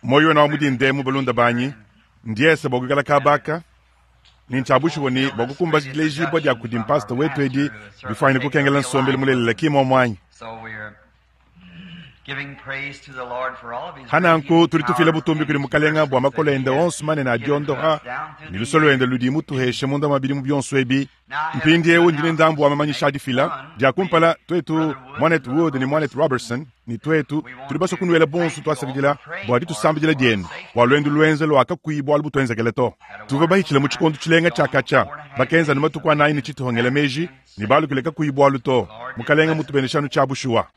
Muoyo wenu wa mu dinda emu, balunda banyi, ndiese bua kuikala kabaka ne ntshia bushuwa ne bua kukumbaja dilejibua dia kudi mpasita wetu edi bifuanyine kukengela nsombelu mulelela ki muomu anyi? Hananku tudi tufila butumbi kudi Mukalenga bua makole ende onso manene a diondoha ne luse luende ludi mutuheshe munda mua bidimu bionso ebi. Mpindieu ndi ne ndambu wa mamanyisha a difila. Dia kumpala, tuetu, Muanetu Wood ne Muanetu Robertson, ne tuetu, tudi basue kunuela bonso tuasakidila bua ditusambidila dienu bua luendu luenza lua kakuyi bualu butuenzekele to. Tuvua bahitshile mu tshikondo tshilenga tshia katshia, bakenza anu matuku anayi ne tshituha ngela meji ne balukile kakuyi bualu to. Mukalenge mmutubeneshe anu tshia bushuwa.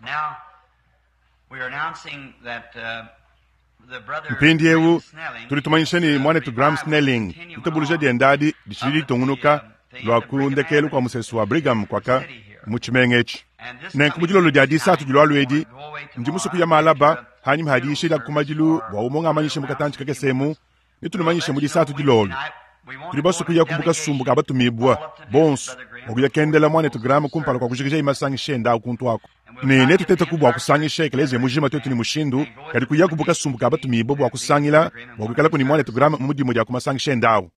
Mpindieu tudi tumanyisha ne, muanetu Graham Snelling, ditabuluja diende adi ditshidi ditungunuka lua ku ndekelu kua musesu wa Brigham kuaka mu tshimenga etshi. Nenku mu dilolo dia disatu dilualua edi, ndi musue kuya malaba hanyima ha diyisha dia ku madilu bua umue ngamanyishe mu katantshi kakese emu, netunumanyishe mu disatu dilolo. Tudi basue kuya ku kasumbu ka batumibua bonso bua kuya kendela muanetu Graham kumpala kua kujikijaye masangisha ende au kuntu aku. Ne netutetaku bua kusangisha ekeleziya mujima tuetu ne mushindu, kadi kuyaku bu kasumbu ka batumibue bua kusangila bua kuikalaku ne muanetu Graham mu dimue dia ku masangisha ende au.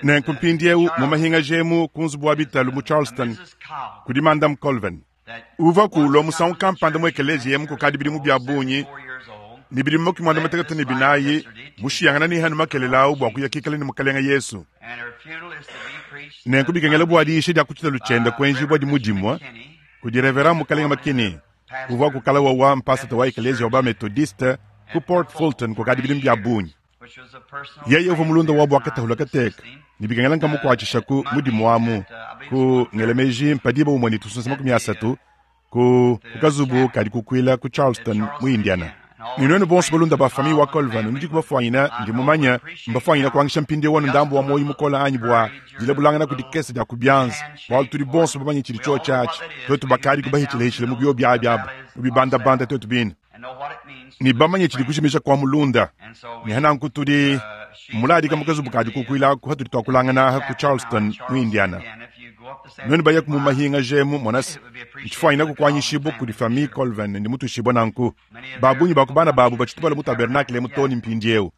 Nenku mpindieu mu mahingaja emu ku nzubu wa bitalu mu Charleston kudi Madame Colvin. Uvuaku ulua musangu kampanda mu ekeleziya emu kukadi bidimu bia bungi, ne bidimu makumi muanda mutekete ne binayi, mushiyangana ne hanu makelela au bua kuya kikala ne Mukalenge Yesu. Nenku bikengela bua diyisha dia ku tshitalu tshiende kuenjibua dimue dimue kudi Reverend Mukalenge McKinney, uvua ku kala wawa mpasata wa ekeleziya wa ba-Methodiste ku Port Fulton kukadi bidimu bia bungi. Yeye uvua mulunda wabu wa katahula kateka ne bikengela nkamukuatshisha ku mudimu amu ku ngela meji mpa diba umue ne tusunsa 30 ku kazubu kadi kukuila ku Charleston mu Indiana. Ne nuenu bonso balunda ba famille wa Colvin nudi kubafuanyina, ndi mumanya mbafuanyina kuangisha mpindieu wanu ndambu wa muoyo mukola anyi bua dilabulangana ku dikese dia ku bianza, bualu tudi bonso bamanye tshidi tshiotshi atshi, tuetu bakadi kubahitshilahitshila mu biobi abi abu mu bibandabanda tuetu bine. Ne bamanye tshidi kujimija kua mulunda. Ne hananku tudi muladika mu kazubu ka dikukuila aku hatudi tuakulangana aha ku Charleston mu Indiana. Nuenu bayaku mu mahinga jemu monase ntshifuanyina kukuanyishibua kudi famille Colvin ndi mutuishibua nanku. Ba bungi ba ku bana babu batshitu bala mu tabernacle emu too ne mpindieu.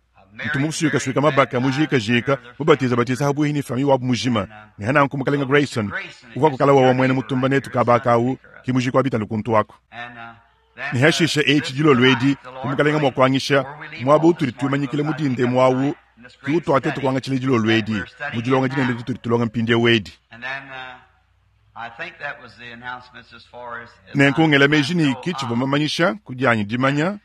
Ntu musuikasuika mabaka mujikajika mubatizabatiza habuihi ne famille wabu mujima. Ne hananku mukalenga Grayson uvua kukala wawa muena mutumba netu kabaka awu ki mujiki wa bitalu kuntu aku. Ne hashishe etshi dilolo edi, bu Mukalenga mua kuanyisha, muaba utudi tuimanyikila mu dinda emu awu, ke utuateta kuangatshila dilolo edi, mu dilonga dinene ditudi tulonga mpindieu edi. Nenku ngela meji ne ki tshivua mamanyisha ku dianyi dimanya,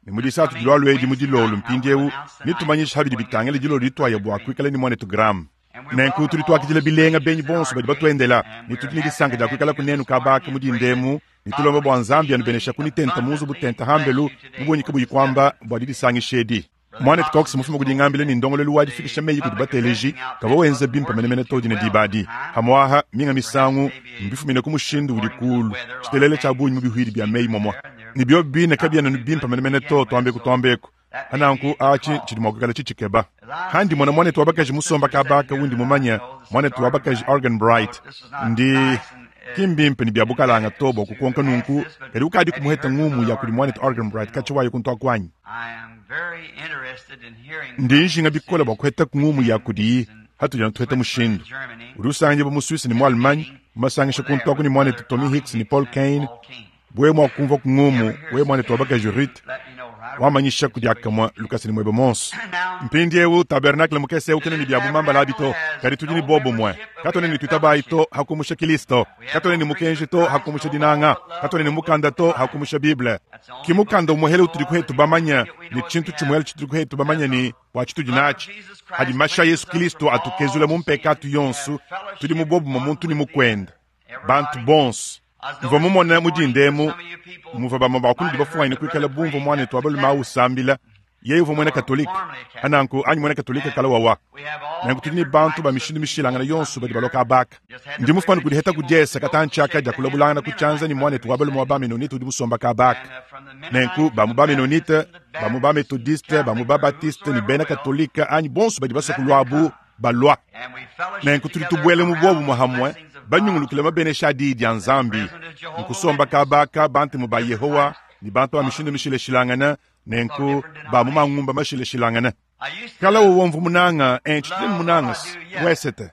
ne mu disatu dilualua edi mu dilolo mpindieu, netumanyishe habidi bitangila dilolo dituaya bua kuikala ne muanetu Graham. Nenku tudi tuakidila bilenga benyi bonso badi batuendela, ne tudi ne disanka dia kuikalaku nenu kaba aka mu dinda emu, ne tulomba bua Nzambi anubeneshaku ne tenta mu nzubu tenta hambelu mu bungi kabuyi kuamba bua didisangisha edi. Muanetu Cox mufuma ku dingambila ne ndongoluelu wa difikisha meyi kudi bateleji kavua wenza bimpe menemene to dine diba adi. Pamu'aha minga misangu mbifumine ku mushindu udi kuulu tshitelele tshia bungi mu bihuidi bia meyi momua, ne biobi bine kabiena anu bimpe menemene to tuambeku tuambeku. Pa nanku atshi tshidi mua kuikala tshitshikeba. Handi mona muanetu wa bakaji musomba kaba aka undi mumanye, muanetu wa bakaji Arganbright, ndi ki mbimpe ne bia bukalanga to bua kukonka nunku, kadi ukadi kumuheta ngumu ya kudi muanetu Arganbright katshia waye kuntu aku anyi? Ndi njinga bikole bua kuheta ngumu ya kudiyi hatudi anu tuheta mushindu. Udi usanganyibua mu Suisse ne mu Allemagne, mu masangisha kuntu aku ne muanetu Tommy Hicks ne Paul Cain, Wewe mua kumvua ku ngumu, wewe muanetu wa bakaji Ruth, wamanyisha ku diakamue lukasa ne muebe muonso. Mpindieu tabernakle mukese eu kena ne bia bumambala abi to, kadi tudi ne bobumue. Katuena ne tuitabayi to ha kumusha Kilisto, katuena ne mukenji to ha kumusha dinanga, katuena ne mukanda to ha kumusha Bible. Ki mukanda umuehele utudi kuhetu bamanye, ne tshintu tshimuehele tshitudi kuhetu bamanye ne bua tshitudi natshi, hadi mashi a Yesu Kilisto atukezula mu mpekatu yonso, tudi mu bobumue muntu ne mukuende. Bantu bonso. Mvua mumone mu dinda emu muvua bamue ba kunudi bafuanyine kuikala bumvua muanetu wa balume au usambila. Yeye uvua muena Katolike, ananku anyi muena Katolike kala wawa. Nanku tudi ne bantu ba mishindu mishilangane yonso badi balua kaba aka. Ndi mufuane kudiheta ku diesa katantshi aka dia kulabulangana ku tshianza ne muanetu wa balume wa ba-Menonite udi musomba kaba aka. Nenku ba mu ba-Menonite, ba mu ba-Methodiste, ba mu ba-Baptiste ne bena Katolike anyi bonso badi basue kuluabu, balua. Nenku tudi tubuela mu buobumue hamue Banyungulukile mabenesha a Diyi dia Nzambi, nkusomba kaba aka Bantemu ba Yehowa ne bantu ba mishindu mishilashilangane, nenku ba mu mangumba mashilashilangane. Kala wowo mvua munanga, eh, ntshidi munanga wesete.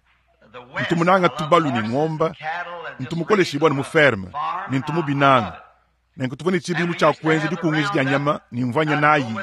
Ntu munanga tubalu ne ngomba, ntu mukoleshibua ne mu ferme, ne ntu mubinanga. Nenku tuvua ne tshibidilu tshia kuenza dikungija dia nyama ne mvua nya nayi,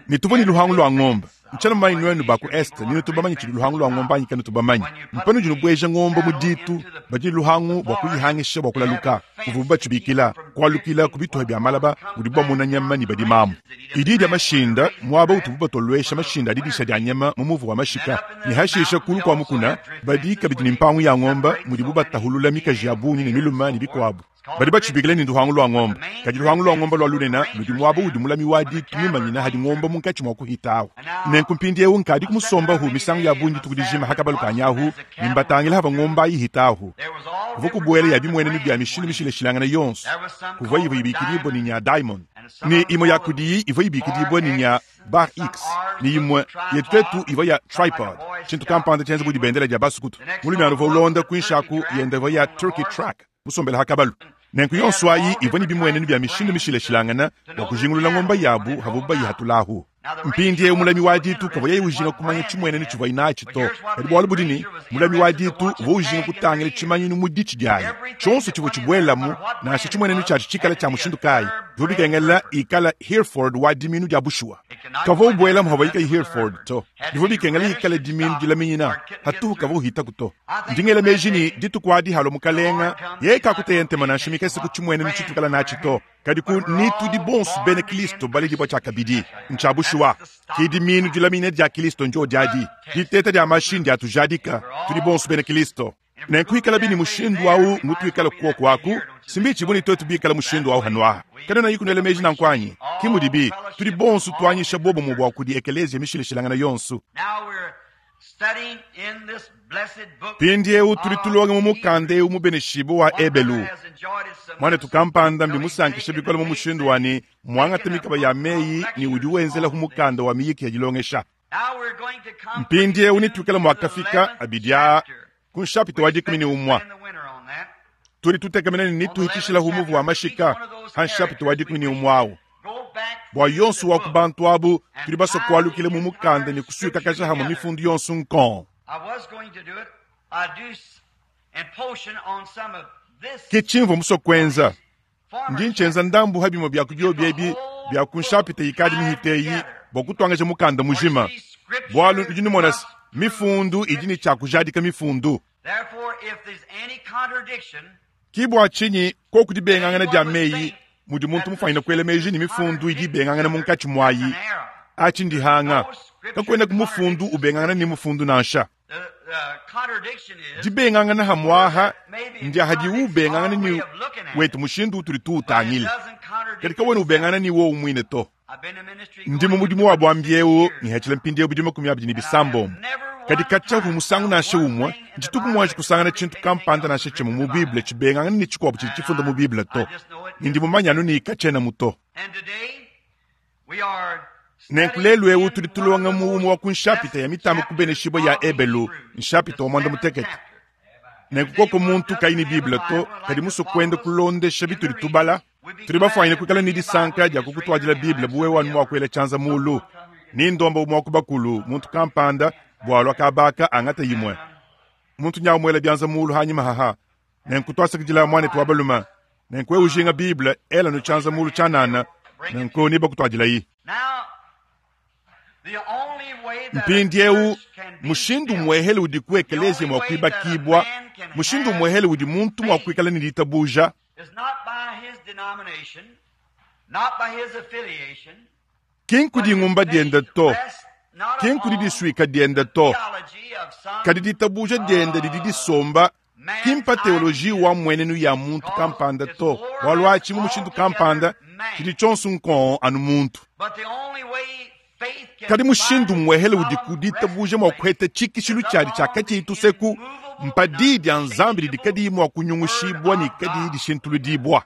ne tuvua ne luhangu lua ngombe. Ntshiena mumanye nuenu ba ku Est ni nutu bamanye tshidi luhangu lua ngombe anyi kanutu bamanye. Mpanudi nubueja ngombe mu ditu, badi ne luhangu bua kuyihangisha bua kulaluka, muvubu batshibikila, kualukila ku bituha bia malaba mudibu bamuna nyama ne badimamu. Idi idia mashinda muaba utubu batoluesha mashinda a didisha dia nyama mu muvu wa mashika, ne hashisha kulu kua mukuna badi kabidi ne mpangu ya ngombe mudibu batahulula mikaji ya bungi ne milume ne bikuabu. Badi batshibikila ne nduhangu lua ngombe, kadi luhangu lua ngombe lua lunene ludi muaba udi mulami wa ditu mumanyina hadi ngombe munkatshi mua kuhitahu. Nenku mpindieu nkadi kumusombahu misangu ya bungi dituku dijima ha kabalu kanyi ahu, ne mbatangila hava ngombe ayi ihitahu. Kuvua kubuela ya bimuenenu bia mishindu mishilashilangane yonso. Kuvua ivua ibikidibua ne nya Diamond, ne imue ya kudiyi ivua ibikidibua ne nya Bar X, ne imue yetu tuetu ivua ya Tripod, tshintu kampanda tshienza bu dibendele dia basukutu. Mulumiana uvua ulonda kuinshi aku yenda ivua ya Turkey Track, musombele ha kabalu. Nenku yonso ayi ivua ne bimuenenu bia mishindu mishilashilangane bua kujingulula ngomba yabu havuabu bayihatulahu. Mpindieu mulami wa ditu kavua yeye ujinga kumanya tshimuenenu tshivuaye natshi to, kadi bualu budi ne, mulami wa ditu uvua ujinga kutangila tshimanyinu mu ditshi diayi. Tshionso tshivua tshibuelamu, nansha tshimuenenu tshiatshi tshikale tshia mushindu kayi, bivua bikengela ikala Hereford wa diminu dia bushuwa. Kavua ubuelamu havuaye kayi Hereford to, bivua bikengela ikale diminu dilaminyina hatuhu, kavua uhitaku to. Ndi ngela meji ne, dituku adi halua Mukalenga, yeye kakuteya ntema nansha mikese ku tshimuenenu tshituikala natshi to, kadi ku ni tudi bonso bena Kristo baledibua tshiakabidi. Ntshia bushuwa, ki diminu dilamine dia Kristo ndio adi. Diteta dia mashi ndiatujadika, tudi bonso bena Kristo. Nenku ikalabi ne mushindu au ngutuikala kuoku aku, simbichi buni tuetu bikala mushindu au hanuaha. Kanuena kunuela meji nanku anyi? Ki mudibi, tudi bonso tuanyisha bobumue bua kudi ekeleziya mishilashilangane yonso. Mpindieu tudi tulonga mu mukanda eu mubeneshibue wa Ebelu. Muanetu kampanda mbimusankishe bikole mu mushindu wa ne, muangate mikaba ya meyi ne udi wenzelahu mukanda wa miyiki ya dilongesha. Mpindieu netuikale muakafika abidi aa ku nshapita wa 11. Tudi tutekemena ne netuhitishilahu muvu wa mashika ha nshapita wa 11 au. Bua yonso wa ku bantu abu tudi basue kualukila mu mukanda ne kusuikakaja hamue mifundu yonso nkong. Ke tshimvua musue kuenza. Ndi ntshienza ndambu ha bimue bia ku biobi ebi bia ku nshapita ikadi mihite eyi bua kutuangaja mukanda mujima, bualu nudi numona se, mifundu idi ne tshia kujadika mifundu. Ki bua tshinyi koku dibengangana dia meyi mudi muntu mufuanyine kuela meji ne mifundu idi ibengangana munkatshi muayi, atshi ndihanga. Kakuenaku mufundu ubengangana ne mufundu nansha. Dibengangana hamuaha ndia hadiwu ubengangana ne wetu mushindu utudi tuwutangila, kadi kawena ubengangana ne wowu muine to. Ndi mu mudimu wa buambi eu ngihatshila mpindieu bidimu 26, kadi katshia musangu nansha umue ntshituku muanji kusangana tshintu kampanda nansha tshimue mu Bible tshibengangana ne tshikuabu tshidi tshifunda mu Bible to. Ne ndi mumanye anu ne katshienamu to. Nenku lelu eu tudi tulonga mu umue wa ku nshapita ya mitambe kubeneshibua ya Ebelu, nshapita wa 16. Nenku koko muntu kayi ne Bible to, kadi musue kuenda kulondesha bitudi tubala, tudi bafuanyine kuikala ne disanka dia kukutuadila Bible bu wewe anu mua kuela tshianza mulu. Ni ndomba umue wa ku bakulu, muntu kampanda, bua alua kabaka angata imue. Muntu nyawu muela bianza mulu hanyima haha. Nenku tuasakidila muanetu wa balume. Nenku wewe ujinga Bible, ela nu tshianza mulu tshianana, nenku nebakutuadilayi. Mpindieu mushindu muehele udi ku ekeleziya mua kuibakibua, mushindu muehele udi muntu mua kuikala ne ditabuja, ki nkudi ngumba diende to, ki nkudi disuika diende to, kadi ditabuja diende didi disomba ki mpa teoloji wa mmuenenu ya muntu kampanda to, bualu atshi mu mushindu kampanda tshidi tshionso nkong anu muntu. Kadi mushindu muehele udi ku ditabuja mua kuheta tshikishilu tshiadi tshia katshiyi tuseku mpa diyi dia Nzambi didi kadiyi mua kunyungushibua ne kadiyi dishintuludibua.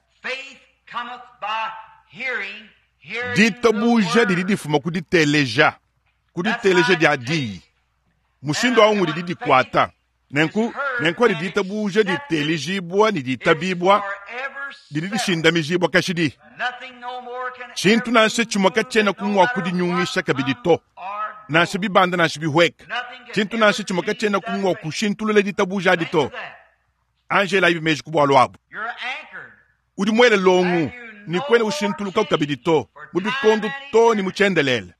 Ditabuja didi difuma ku diteleja, ku diteleja dia diyi. Mushindu au ngudi didikuata. Nenku, nenku adi ditabuja diteelijibua ne ditabibua, didi dishindamijibua kashidi. Tshintu nansha tshimue katshienaku mua kudinyungisha kabidi to, nansha bibanda nansha bihueka. Tshintu nansha tshimue katshienaku mua kushintulula ditabuja adi to. Anji elayibi meji ku bualu abu. Udi muele longu ne kuena ushintuluka kabidi to, mu bikondo to ne mu tshiendelele.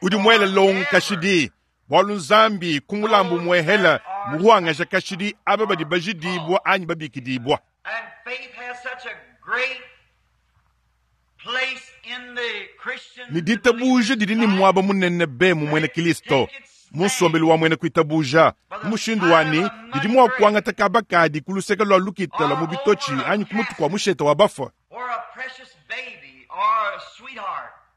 Udi muele longu kashidi, bualu Nzambi ku mulambu muehela muhuangaja kashidi aba badi bajidibua anyi babikidibua. Ne ditabuja didi ne muaba munene be mu muena Kilisto, mu nsombelu wa muena kuitabuja, mu mushindu wa ne didi mua kuangata kaba kadi ku luseke lua lukita lua mu bitotshi anyi ku mutu kua mushete wa bafue,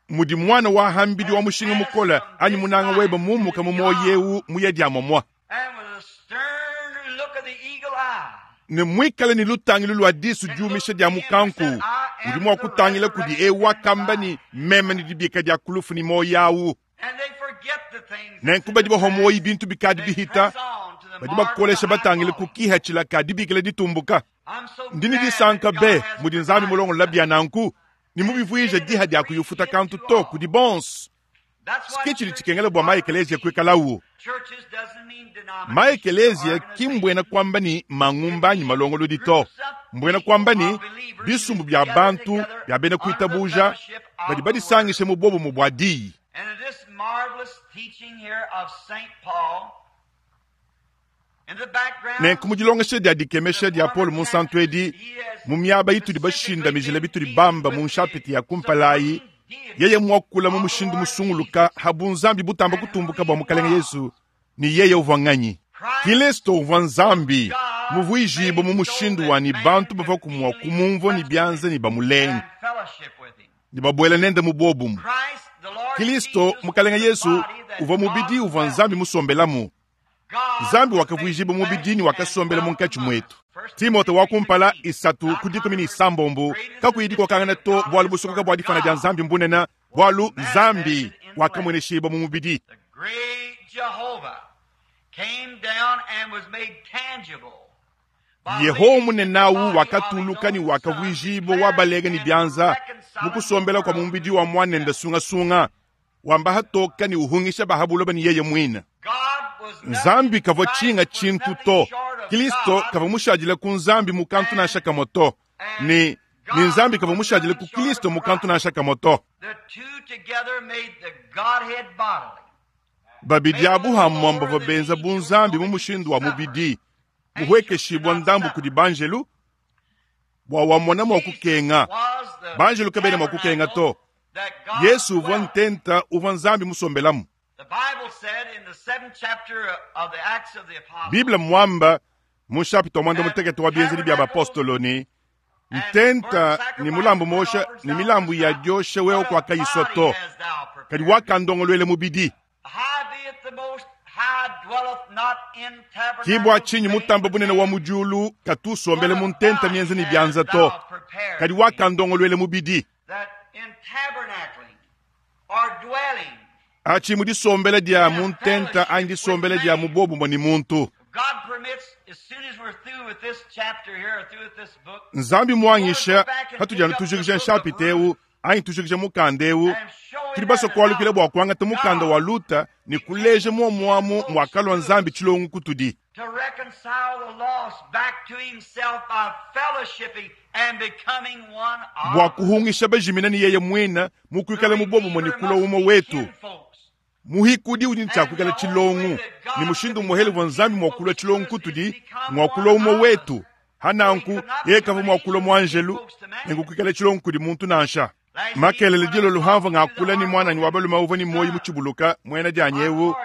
mudi muana wa hambidi wa mushinga mukole anyi munanga webe mumuka mu muoyo eu muye dia momua, ne muikale ne lutangilu lua disu diumisha dia mukanku, udi mua kutangila kudi eu wakamba ne, Meme ne dibika dia ku lufu ne muoyo au. Nenku badi bahua muoyo bintu bikadi bihita, badi bakolesha batangile ku kihatshila ka dibikila ditumbuka. Ndi ne disanka be mudi Nzambi mulongolola bia nanku ne mubivuije diha dia kuyufuta kantu to kudi bonso. Ke tshidi tshikengela bua maekeleziya kuikalawu. Maekeleziya ki mbuena kuamba ne mangumba anyi malongolodi to, mbuena kuamba ne bisumbu bia bantu bia bena kuitabuja badi badisangishe mu buobumue bua diyi. Nenku mu dilongesha dia dikemesha dia Paulo Munsantu edi, mu miaba itudi bashindamijile bitudi bamba mu nshapita ya kumpala ayi, yeye muakula mu mushindu musunguluka ha bunzambi butamba kutumbuka bua Mukalenge Yesu, ne yeye uvua nganyi? Kilisto uvua Nzambi muvuijibue mu mushindu wa ne bantu bavuaku mua kumumvua ne bianza ne bamulenga ne babuela nende mu buobumue. Kilisto Mukalenge Yesu uvua mubidi uvua Nzambi musombelamu. Nzambi wakavuijibua mubidi ne wakasombela munkatshi muetu. Timote wa kumpala isatu ku dikumi ne isambombo. Kakuyi dikokangana to, bualu busokoka bua difana dia Nzambi mbunene, bualu Nzambi wakamueneshibua mu mubidi. Yehowa munene au wakatuluka ne wakavuijibua wa balenga ne bianza mu kusombela kua mu mubidi wa muanende sungasunga, wamba hatoka ne uhungisha ba ha buloba ne yeye muine. Nzambi kavua tshinga tshintu to. Kristo kavua mushadile ku Nzambi mu kantu nansha kamue to, ne ne Nzambi kavua mushadile ku Kristo mu kantu nansha kamue to. Babidi abu hamue bavua benza bu Nzambi mu mushindu wa mubidi, muhuekeshibua ndambu kudi banjelu bua wamona mua kukenga. Banjelu kabena mua kukenga to. Yesu uvua ntenta uvua Nzambi musombelamu. Bible muamba mu nshapita wa muanda mutekete wa Bienzedi bia Bapostolo ne, Ntenta ne mulambu muosha ne milambu ya diosha wewe kuakayisua to, kadi wakandongoluela mubidi. Ke bua tshinyi Mutambe Bunene wa mu diulu katu usombela mu ntenta mienza ne bianza to, kadi wakandongoluela mubidi. Atshi mu disombela dia mu ntenta anyi disombela dia mu buobumue ne muntu. Nzambi muanyisha patudi anu tujikija nshapita eu anyi tujikija mukanda eu, tudi basue kualukila bua kuangata mukanda wa Luta ne kuleja muomuamu muakalua Nzambi tshilongo kutudi. Bua kuhungisha bajimina ne yeye muine mu kuikala mu buobumue ne kulua umue wetu. Muhikudi udi ne tshia kuikala tshilongo, ne mushindu umuehele uvua Nzambi mua kulua tshilongo kutudi ngua kulua umue wetu. Ha nanku yeye kavua mua kulua muanjelu nenku kuikala tshilongo kudi muntu nansha. Makelele dilolo hamvua ngakula ne muananyi wa balume uvua ne muoyo mutshibuluka, muena dianyi eu,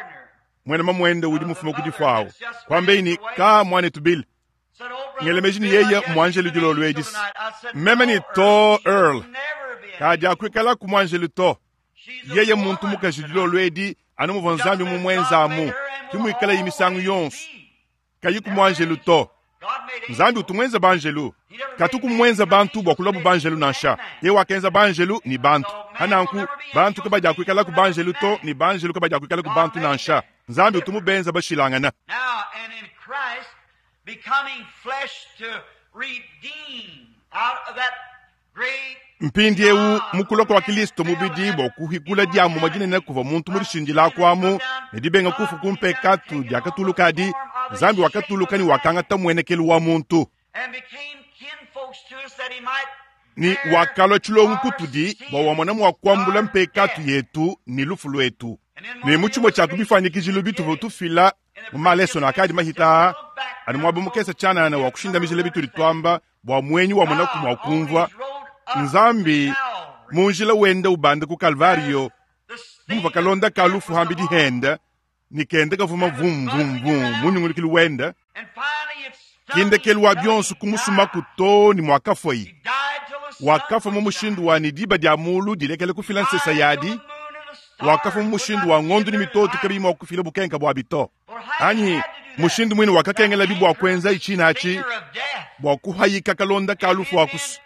muena mamuende udi mufume ku difua awu. Kuambeyi ne, Ka, muanetu Bill, ngela meji ne yeye muanjelu dilolo edi. Meme ne, To, Earl, kadiakuikalaku muanjelu to. Yeye muntu mukaji dilolo edi, anu muvua Nzambi mumuenzamu, ke muikalayi misangu yonso. Kayiku muanjelu to. Nzambi utu muenze banjelu. Katuku muenze bantu bua kuluabu banjelu nansha. Yeye wakenza banjelu ne bantu. Pa nanku, bantu kabadiakuikalaku banjelu to, ne banjelu kabadiakuikalaku bantu nansha. Nzambi utu mubenza bashilangana. Mpindiewu, mu kulua kua Kilisto mubidi bua kuhikula diamuma dinene kuvua muntu mudishindilaku amu ne dibenga kufu ku mpekatu diakatulukadi, Nzambi wakatuluka ne wakangata muenekelu wa muntu. Ne wakalua tshilongu kutudi bua wamona mua kuambula mpekatu yetu ne lufu luetu. Ne mu tshimue tshia ku bifuanyikijilu bituvua tufila mu malesona akadi mahita aa, anu muaba mukese tshianana wa kushindamijila bitudi tuamba bua muenyi wamonaku mua kumvua Nzambi mu njila wenda ubanda ku Kalvario, muvua kalonda ka lufu hambidi henda ne kenda kavuma vum vum vum mu nyungulukilu wenda, kindekelu wa bionso kumusumaku too ne muakafuaye. Wakafua mu mushindu wa ne diba dia mulu dilekela kufila nsesa yadi, wakafua mu mushindu wa ngondu ne mitoto kabiyi mua kufila bukenka buabi to. Anyi mushindu muine wakakengelabi bua kuenza itshina atshi bua kuhayika kalonda ka lufu akusu.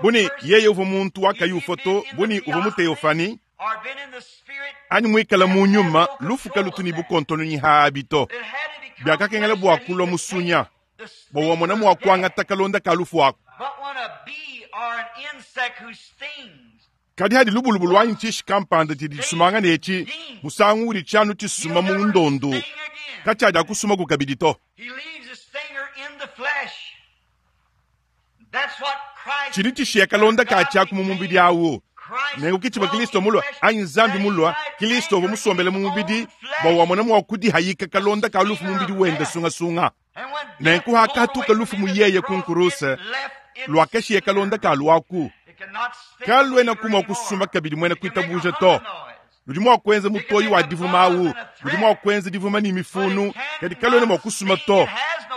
Buni yeye uvua muntu wakayi ufua to, buni uvua mu teofani anyi muikala mu nyuma, lufu kalutu ne bukontononyi haabi to. Biakakengela bua kulua musunya bua wamona mua kuangata kalonda ka lufu aku. Kadi hadi lubulubu anyi tshishi kampanda tshidi tshisumangana etshi, musangu udi tshianu tshisuma mu ndondu, katshiadiakusumaku kabidi to. Tshidi tshishiya kalonda ka tshiaku mu mubidi awu. Nenku ke tshivua Kilisto mulua, anyi Nzambi mulua, Kilisto uvua musombele mu mubidi bua wamona mua kudihayika kalonda ka lufu mu mubidi wende sungasunga. Nenku hakatuka lufu mu yeye ku nkuruse, luakashiya kalonda ka luaku. Kaluenaku mua kusuma kabidi muena kuitabuja to. Ludi mua kuenza mutoyi wa divuma awu, ludi mua kuenza divuma ne mifunu, kadi kaluena mua kusuma to.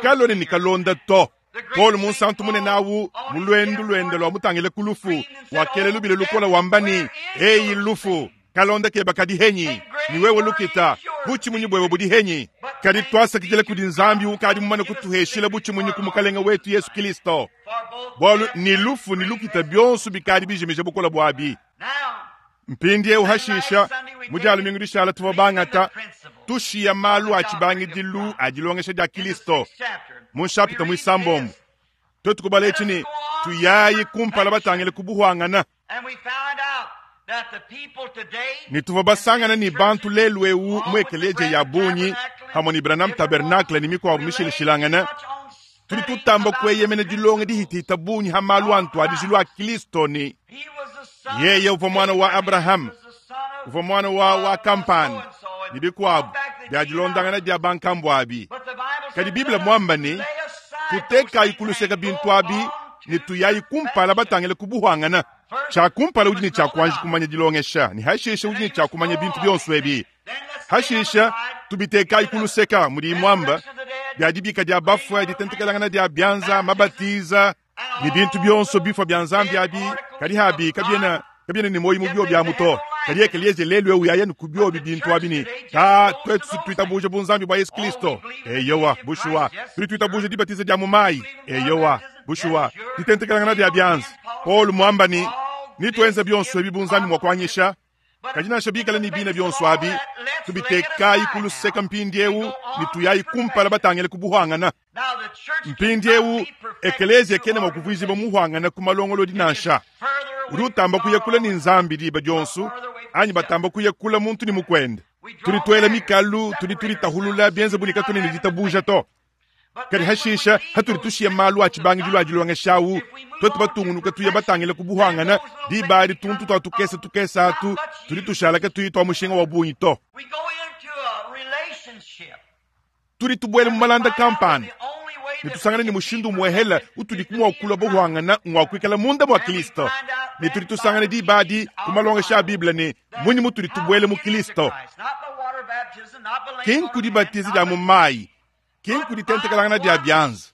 Kaluena ne kalonda to. Paulo munsantu munene awu mu luendu luende lua mutangile ku lufu, wakela lubila lukola wamba ne, Eyi lufu, kalonda keba kadi henyi? Ne wewe lukita, butshimunyi buebe budi henyi? Kadi tuasakidila kudi Nzambi ukadi mumane kutuheshila butshimunyi ku Mukalenge wetu Yesu Kilisto. Bualu ne lufu ne lukita bionso bikadi bijimija bukole buabi. Mpindieu hashisha, mu dia lumingu dishala tuvua bangata tushiya malu a tshibangidilu a dilongesha dia Kilisto mu nshapita muisambombo. Tuetu kubala etshi ne tuyayi kumpala batangile ku buhuangana. Ne tuvua basangana ne bantu lelu eu mu ekeleziya ya bungi hamue ne Branham Tabernacle ne mikuabu mishilashilangane, tudi tutamba kueyemena dilonga dihitihita bungi ha malu a ntuadijilu a Kilisto ne yeye uvua muana wa Abrahama, uvua muana wa wa kampanda ne bikuabu bia dilondangana dia bankambua abi. Kadi Bible muamba ne, tutekayi ku luseke bintu abi ne tuyayi kumpala batangile ku buhuangana. Tshia kumpala udi ne tshia kuanji kumanya dilongesha, ne hashishe udi ne tshia kumanya bintu bionso ebi. Hashisha tubitekayi ku luseka mudi muamba bia dibika dia bafue, ditentekelangana dia bianza, mabatiza ne bintu bionso bifua bia Nzambi abi, kadi habi kabiena kabiena ne muoyo mu biobi amu to. Kadi ekeleziya lelu eu yaya ne ku biobi bintu abi ne ta tuetu tuitabuja bunzambi bua Yesu Kristo. Eyowa, bushuwa tudi tuitabuja dibatiza dia mu mayi. Eyowa, bushuwa ditentekelangana dia bianza. Paulo muamba ne nituenza bionso ebi bu Nzambi mua kuanyisha. Kadi nansha bikale ne bina bionso abi, tubitekayi ku luseka mpindieu ne tuyayi kumpala batangile ku buhuangana. Mpindieu ekeleziya kena mua kuvuijibua muhuangana ku malongolodi nansha. Udi utamba kuya kule ne Nzambi diba dionso, anyi batamba kuya kule muntu ne mukuende. Tudi tuela mikalu, tudi tuditahulula bienze bu ne katuena ne ditabuja to. Kadi hashisha hatudi tushiya malu a tshibangidilu a dilongesha awu, tuetu batungunuka tuya batangile ku buhuangana, diba adi tuntu tua tukese tukese atu tudi tushala katuyi tua mushinga wa bungi to. Tudi tubuela mu malanda kampanda ne tusangana ne mushindu umuehela utudi mua kulua buhuangana ngua kuikala munda mua Kristo, ne tudi tusangana diba adi ku malongesha a Bible ne munyi mutudi tubuela mu Kristo. Ki nkudibatiza dia mu mayi, ki nkuditentekelangana dia bianza,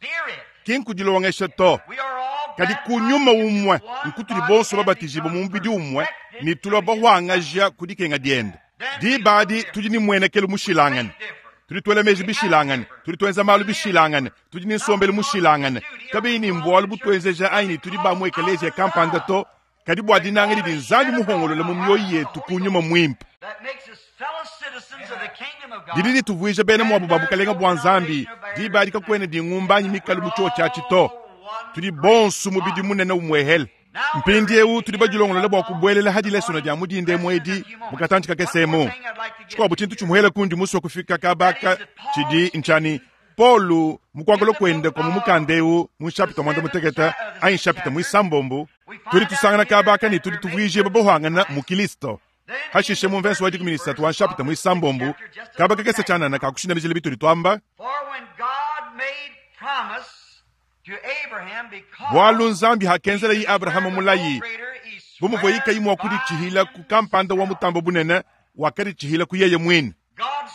ki nkudilongesha to, kadi ku nyuma umue nkutudi bonso babatijibue mu mubidi umue ne tulua bahuangaja ku dikenga diende. Diba adi tudi ne muenekelu mushilangane. Tudi tuela meji bishilangane, tudi tuenza malu bishilangane, tudi ne nsombelu mushilangane. Kabiyi ni mbualu butuenzeja anyi ne tudi ba mu ekeleziya kampanda to, kadi bua dinanga didi Nzambi muhongolole mu mioyo yetu ku nyuma muimpe. Didi dituvuija bena muabu ba bukalenga bua Nzambi. Diba adi kakuena dingumba anyi mikalu mu tshiotshi atshi to. Tudi bonso mubidi munene umuehele. Mpindieu tudi badilongolole bua kubuelela ha dilesona dia mu dinda emu edi mu katantshi kakese emu. Tshikuabu tshintu tshimuhela kundi musue kufika kabaka tshidi ntshia ne, Paulo mu kuakula kuende kua mu mukanda eu mu nshapita muanda mutekete anyi nshapita muisambombo, tudi tusangana kabaka ne tudi tuvuijibua bahuangana mu Kilisto. Hashishe mu mvenso wa 13 wa nshapita muisambombo, kaba kakese tshianana kakushindamijila bitudi tuamba. Bualu Nzambi hakenzela Abrahama mulayi, bu muvuaye kayi mua kuditshihila ku kampanda wa mutambo bunene, wakaditshihila ku yeye muine.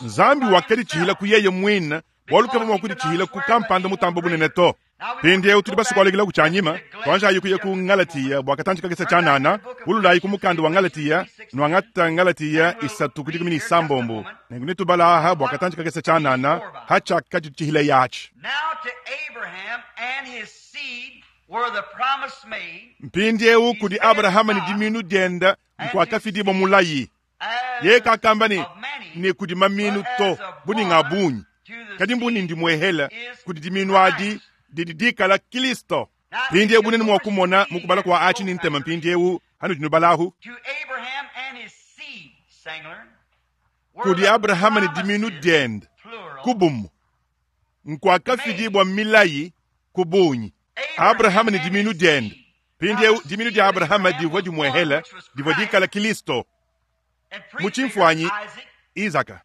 Nzambi wakaditshihila ku yeye muine, bualu kavua mua kuditshihila ku kampanda mutambo bunene to. Mpindieu tudi basue kualukila ku tshianyima, tuanjayi kuya ku Ngalatiya bua katantshi kakese tshianana, ululayi ku mukanda wa Ngalatiya, nuangata Ngalatiya 3 ku 16, nenku netubala aha bua katantshi kakese tshianana ha tshiakaditshihila yatshi. Mpindieu kudi Abrahama ne diminu diende nkuakafidibua mulayi. Yeye kakamba ne, ne kudi maminu to, bu ni nga bungi, kadi mbu ni ndimuehela kudi diminu adi didi dikala Kristo. Mpindieu bunene mua kumona mu kubala kua atshi ni ntema mpindieu hanudi nubalahu. Kudi Abrahama ne diminu diende kubumu nkuakafidibua milayi ku bungi. Abrahama ne diminu diende. Mpindieu diminu dia Abrahama divua dimuehela divua dikala Kristo. Mu tshimfuanyi Isaka.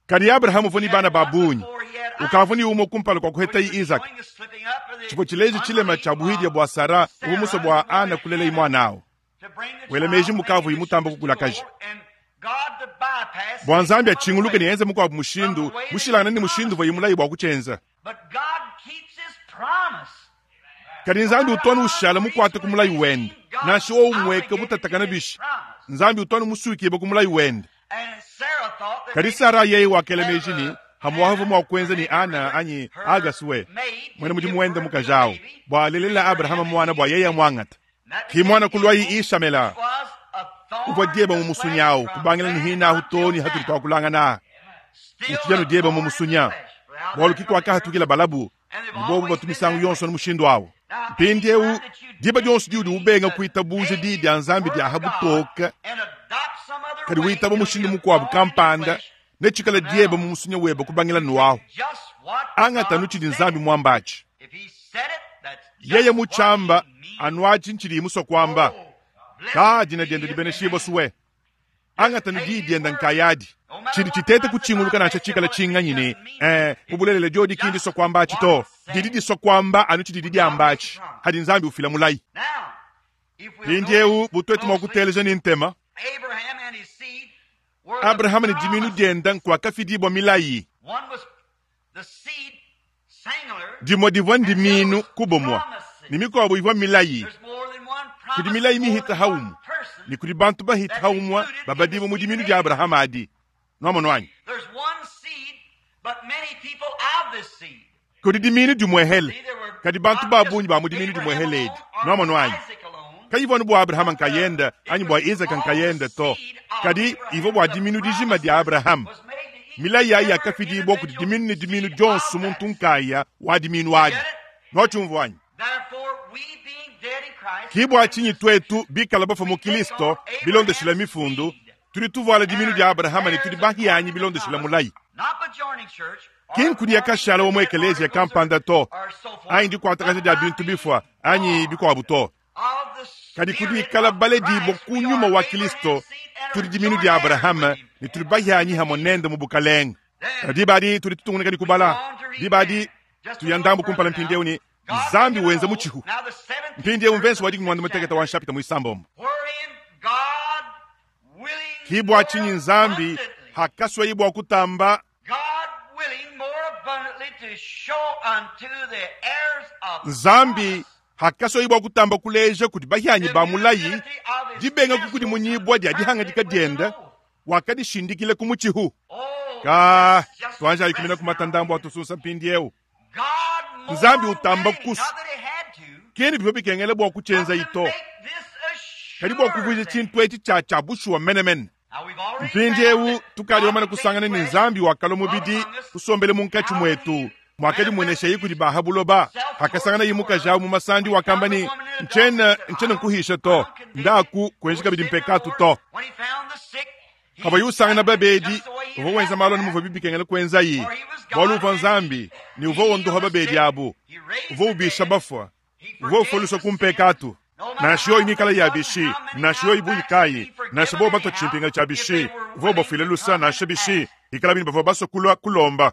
Kadi Abrahama uvua ne bana ba bungi, ukavua ne umue kumpala kua kuhetaye Isaka. Tshivua tshileja tshilema tshia buhidia bua Sara uvua musue bua Ana kulelaye muana awu. Wela meji mukavuye mutamba kukulakaja. Bua Nzambi atshinguluke ne enze mukuabu mushindu mushilangane ne mushindu uvuaye mulaye bua kutshienza. Kadi Nzambi utu ushala mukuate ku mulayi wende, nansha wowu mueke mutatakana bishi. Nzambi utu musuikibue ku mulayi wende. Kadi Sara yeye wakela meji ne hamuavu mua kuenza ne Ana anyi Agasue muena mudimu wende mukaji awu bua alelela Abrahama muana bua yeye amuangata. Ki muana kuluayi Ishamela uvua dieba mu musunya awu kubangila ne hina ahu to ne hatudi tuakulangana utshidi anu dieba mu musunya bualu ki kuakahatukila balabu ne bobu batu misangu yonso ne mushindu awu. Mpindieu diba dionso diudi ubenga kuitabuja diyi dia Nzambi dia ha butoke, kadi witaba mushindu mukuabu kampanda, netshikale dieba mu musunya webe kubangila nuahu. Angata anu tshidi Nzambi muambatshi. Yeye mutshiamba anu atshi ntshidi musue kuamba. Ka dina diende dibeneshibue suwe. Angata nu diyi diende nkayadi. Tshidi tshitete kutshinguluka nansha tshikala tshinganyi ne mu bulelela diodi ki ndisua kuamba atshi to. Didi disua kuamba anu tshidi diamba atshi. Hadi Nzambi ufila mulayi. Mpindieu butuetu mua kuteleja ne ntema. Abrahama ne diminu diende nkuakafidibua milayi. Dimue divua ndiminu kubumua, ne mikuabu ivua milayi. Kudi milayi mihita haumu, ne kudi bantu bahita haumua babadibua mu diminu dia Abrahama adi. Nuamono anyi? Kudi diminu dimuehele, kadi bantu ba bungi ba mu diminu dimuehele edi. Nuamono anyi? Kayivua anu bua Abrahama nkayende anyi bua Isaka nkayende to, kadi ivua bua diminu dijima dia Abrahama. Milayi ayi yakafidibua kudi diminu ne diminu dionso muntu nkaya wa diminu adi. Nuatshiumvua anyi? Ki bua tshinyi tuetu bikala bafua mu Kristo bilondeshila mifundu, tudi tuvuala diminu dia Abrahama ne tudi bahianyi bilondeshila mulayi. Ki nkudi yakashala wa mu ekeleziya kampanda to, anyi dikuatakaja dia bintu bifua anyi bikuabu to. Kadi kudikala baledibua ku nyuma wa Kristo, tudi diminu dia Abrahama ne tudi bahianyi hamue nende mu bukalenge. Diba adi tudi tutungunuka ne kubala. Diba adi tuya ndambu kumpala mpindieu ne Nzambi wenza mutshihu. Mpindieu mvenso wa 16 wa nshapita muisambombo. Ki bua tshinyi Nzambi hakasuaye bua kutamba Nzambi hakasuaye bua kutamba kuleja kudi bahianyi ba mulayi dibenga kukudimunyibua dia dihangadika diende, wakadishindikila ku mutshihu. Kaa, tuanjayi kumina kumata ndambu atusunsa mpindieu. Nzambi utamba kusu. Kene bivua bikengela bua kutshienza ito. Kadi bua kuvuija tshintu etshi tshia tshia bushuwa menemene. Mpindieu tukadi bamane kusangana ne Nzambi wakalua mubidi kusombele munkatshi muetu. Mwakadimueneshaye kudi ba ha buloba. Hakasanganaye mukaji awu mu masandi wakamba ne, Ntshiena, ntshiena nkuhisha to. Ndaku, kuenji kabidi mpekatu to. Pavuaye usangana babedi, uvua wenza malu anu muvua bikengela kuenzaye, bualu uvua Nzambi ne uvua wondoha babedi abu. Uvua ubisha bafua. Uvua ufua ku mpekatu. Nansha yoyi mikale ya bishi, nansha yoyi bungi kayi, nansha bobu batua tshimpinga tshia bishi, uvua ubafuila lusa nansha bishi, ikalabi ne bavua basue kulua kulomba.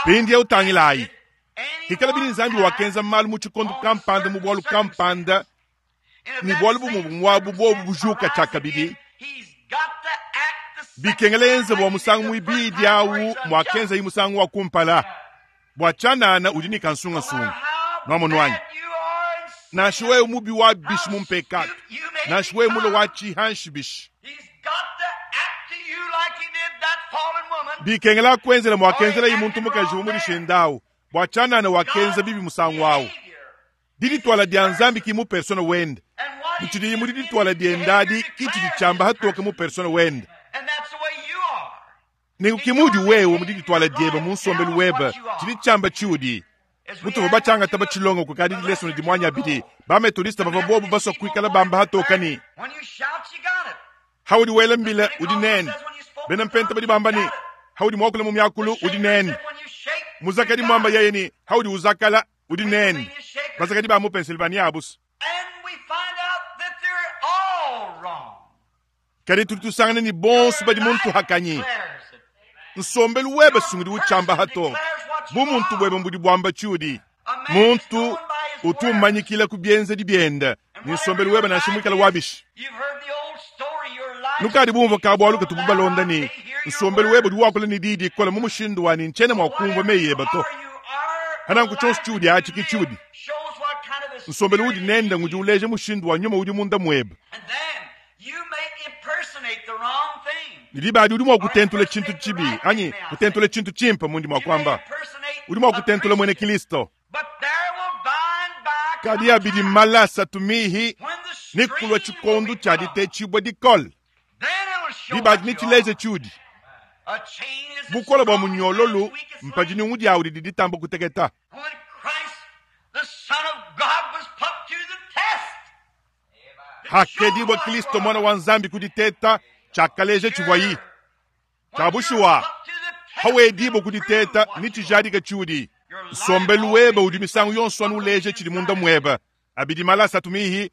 Mpindieu tangilayi, ikalabi ne Nzambi wakenza malu mu tshikondo kampanda mu bualu kampanda, ne bualu bumue bumuabu buobu bujuka tshiakabidi, bikengela enze bua musangu muibidi au muakenzayi musangu wa kumpala. Bua tshianana udi ne kansungasunga. Nwamonu anyi? Nansha wewe mubi wa bishi mu mpekatu, nansha wewe mule wa tshihanshi bishi, bikengela kuenzela muakenzelayi muntu mukaji wa mudishinda au. Bua tshianana wakenza bibi musangu au. Didituala dia Nzambi ki mu persona wende. Mutshidiyi mu didituala diende adi ki tshidi tshiamba hatoke mu persona wende. Nenku ki muudi wewe mu didituala diebe mu nsombelu webe tshidi tshiamba tshiudi. Mutuvua batshiangata batshilonga kukadi dilesona dimuanyi abidi, ba-Methodiste bavua bobu basua kuikala bamba hatoke ne, Haudi wela mbila, udi nende. Bena Mpenta badi bamba ne, Haudi muakula mu miakulu, udi nende. Muzakadi muamba yeye ne, Haudi uzakala, udi nende. Bazakadi ba mu Pennsylvania abusu. Kadi tudi tusangana ne bonso badi mu ntuhakanyi. Nsombelu webe sungudi utshiamba hatoke. Bumuntu buebe mbudi buamba tshiudi. Muntu utu umanyikila ku bienzedi biende ne nsombelu webe nansha muikale wabishi. Nukadi bumvua ka bualu katubu balonda ne nsombelu webe udi wakula ne diyi dikole mu mushindu wa ne ntshiena mua kumvua meyi ebe to. Pananku tshionso tshiudi atshi ke tshiudi. Nsombelu udi nende ngudi uleja mushindu wa nyuma udi munda muebe. Ne diba adi udi mua kutentula tshintu tshibi anyi kutentula tshintu tshimpe mundi mua kuamba. Udi mua kutentula muena Kristo. Kadi abidi mmale asatu mihi ne kulua tshikondo tshia ditetshibua dikole. Diba adi netshileje tshiudi. Bukole bua munyololu mpa dinyungu diawu didi ditamba kuteketa. Hakedibua Kristo Muana wa Nzambi ku diteta, tshiakaleja tshivuayi. Tshia bushuwa, hawedibua ku diteta ne tshijadika tshiudi. Nsombelu webe udi misangu yonso anu uleja tshidi munda muebe. Abidi mala asatu mihi,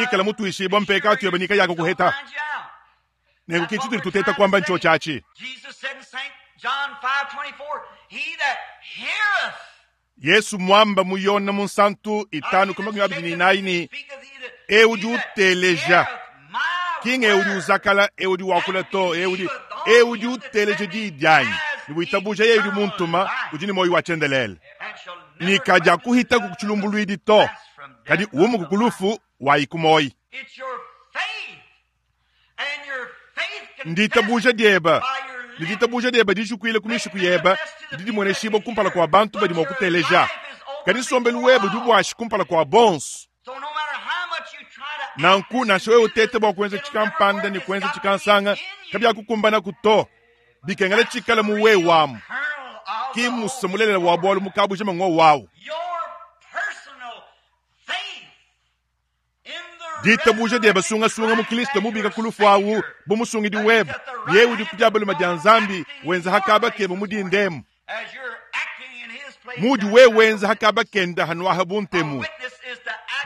ikala mutuishibua mpekatu yebe nikayakukuheta. Nenku ke tshitudi tuteta kuamba ntshiotshi atshi. Yesu muamba mu Yone Munsantu 5:24 ne, Eu udi uteleja, ki ng'eu udi uzakala, eu udi wakula to, eu udi, eu udi uteleja diyi dianyi ne witabuja yeye udi muntuma, udi ne muoyo wa tshiendelele, ne kadiakuhitaku ku tshilumbuluidi to, kadi umuka ku lufu wayi ku muoyo. Nditabuja diebe, ne ditabuja diebe dijukuile ku mishiku yebe didi dimueneshibua kumpala kua bantu badi mua kuteleja. Kadi nsombelu webe udi buashi kumpala kua bonso. Nanku nansha wewe uteta bua kuenza tshikampanda ne kuenza tshikansanga, kabiakukumbanaku to. Bikengela tshikale mu wewe amu. Ki mmusa mulelela wa bualu mu kabujima ng'wowu awu. Ditabuja diebe sungasunga mu Kristo mubika ku lufu awu bu musungidi webe, yeye udi ku dia balume dia Nzambi wenza ha kaba kebe mu dindemu. Mudi wewe wenza ha kaba kenda hanuaha bu ntemu.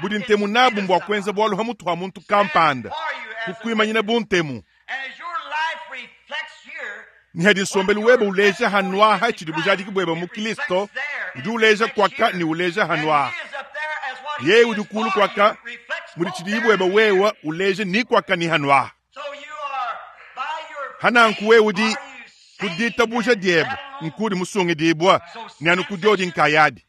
Budi ntemu nabu mbua kuenza bualu ha mutu ha muntu kampanda, kukuimanyina bu ntemu. Ne hadi nsombelu webe uleja hanuaha tshidi bujadiki buebe mu Kristo, udi uleja kuaka ne uleja hanuaha. Yeye udi kulu kuaka mudi tshidiyi buebe wewe uleja ni kuaka ni hanuaha. Hananku wewe udi ku ditabuja diebe nkudi musungidibua ne anu ku diodi nkayadi.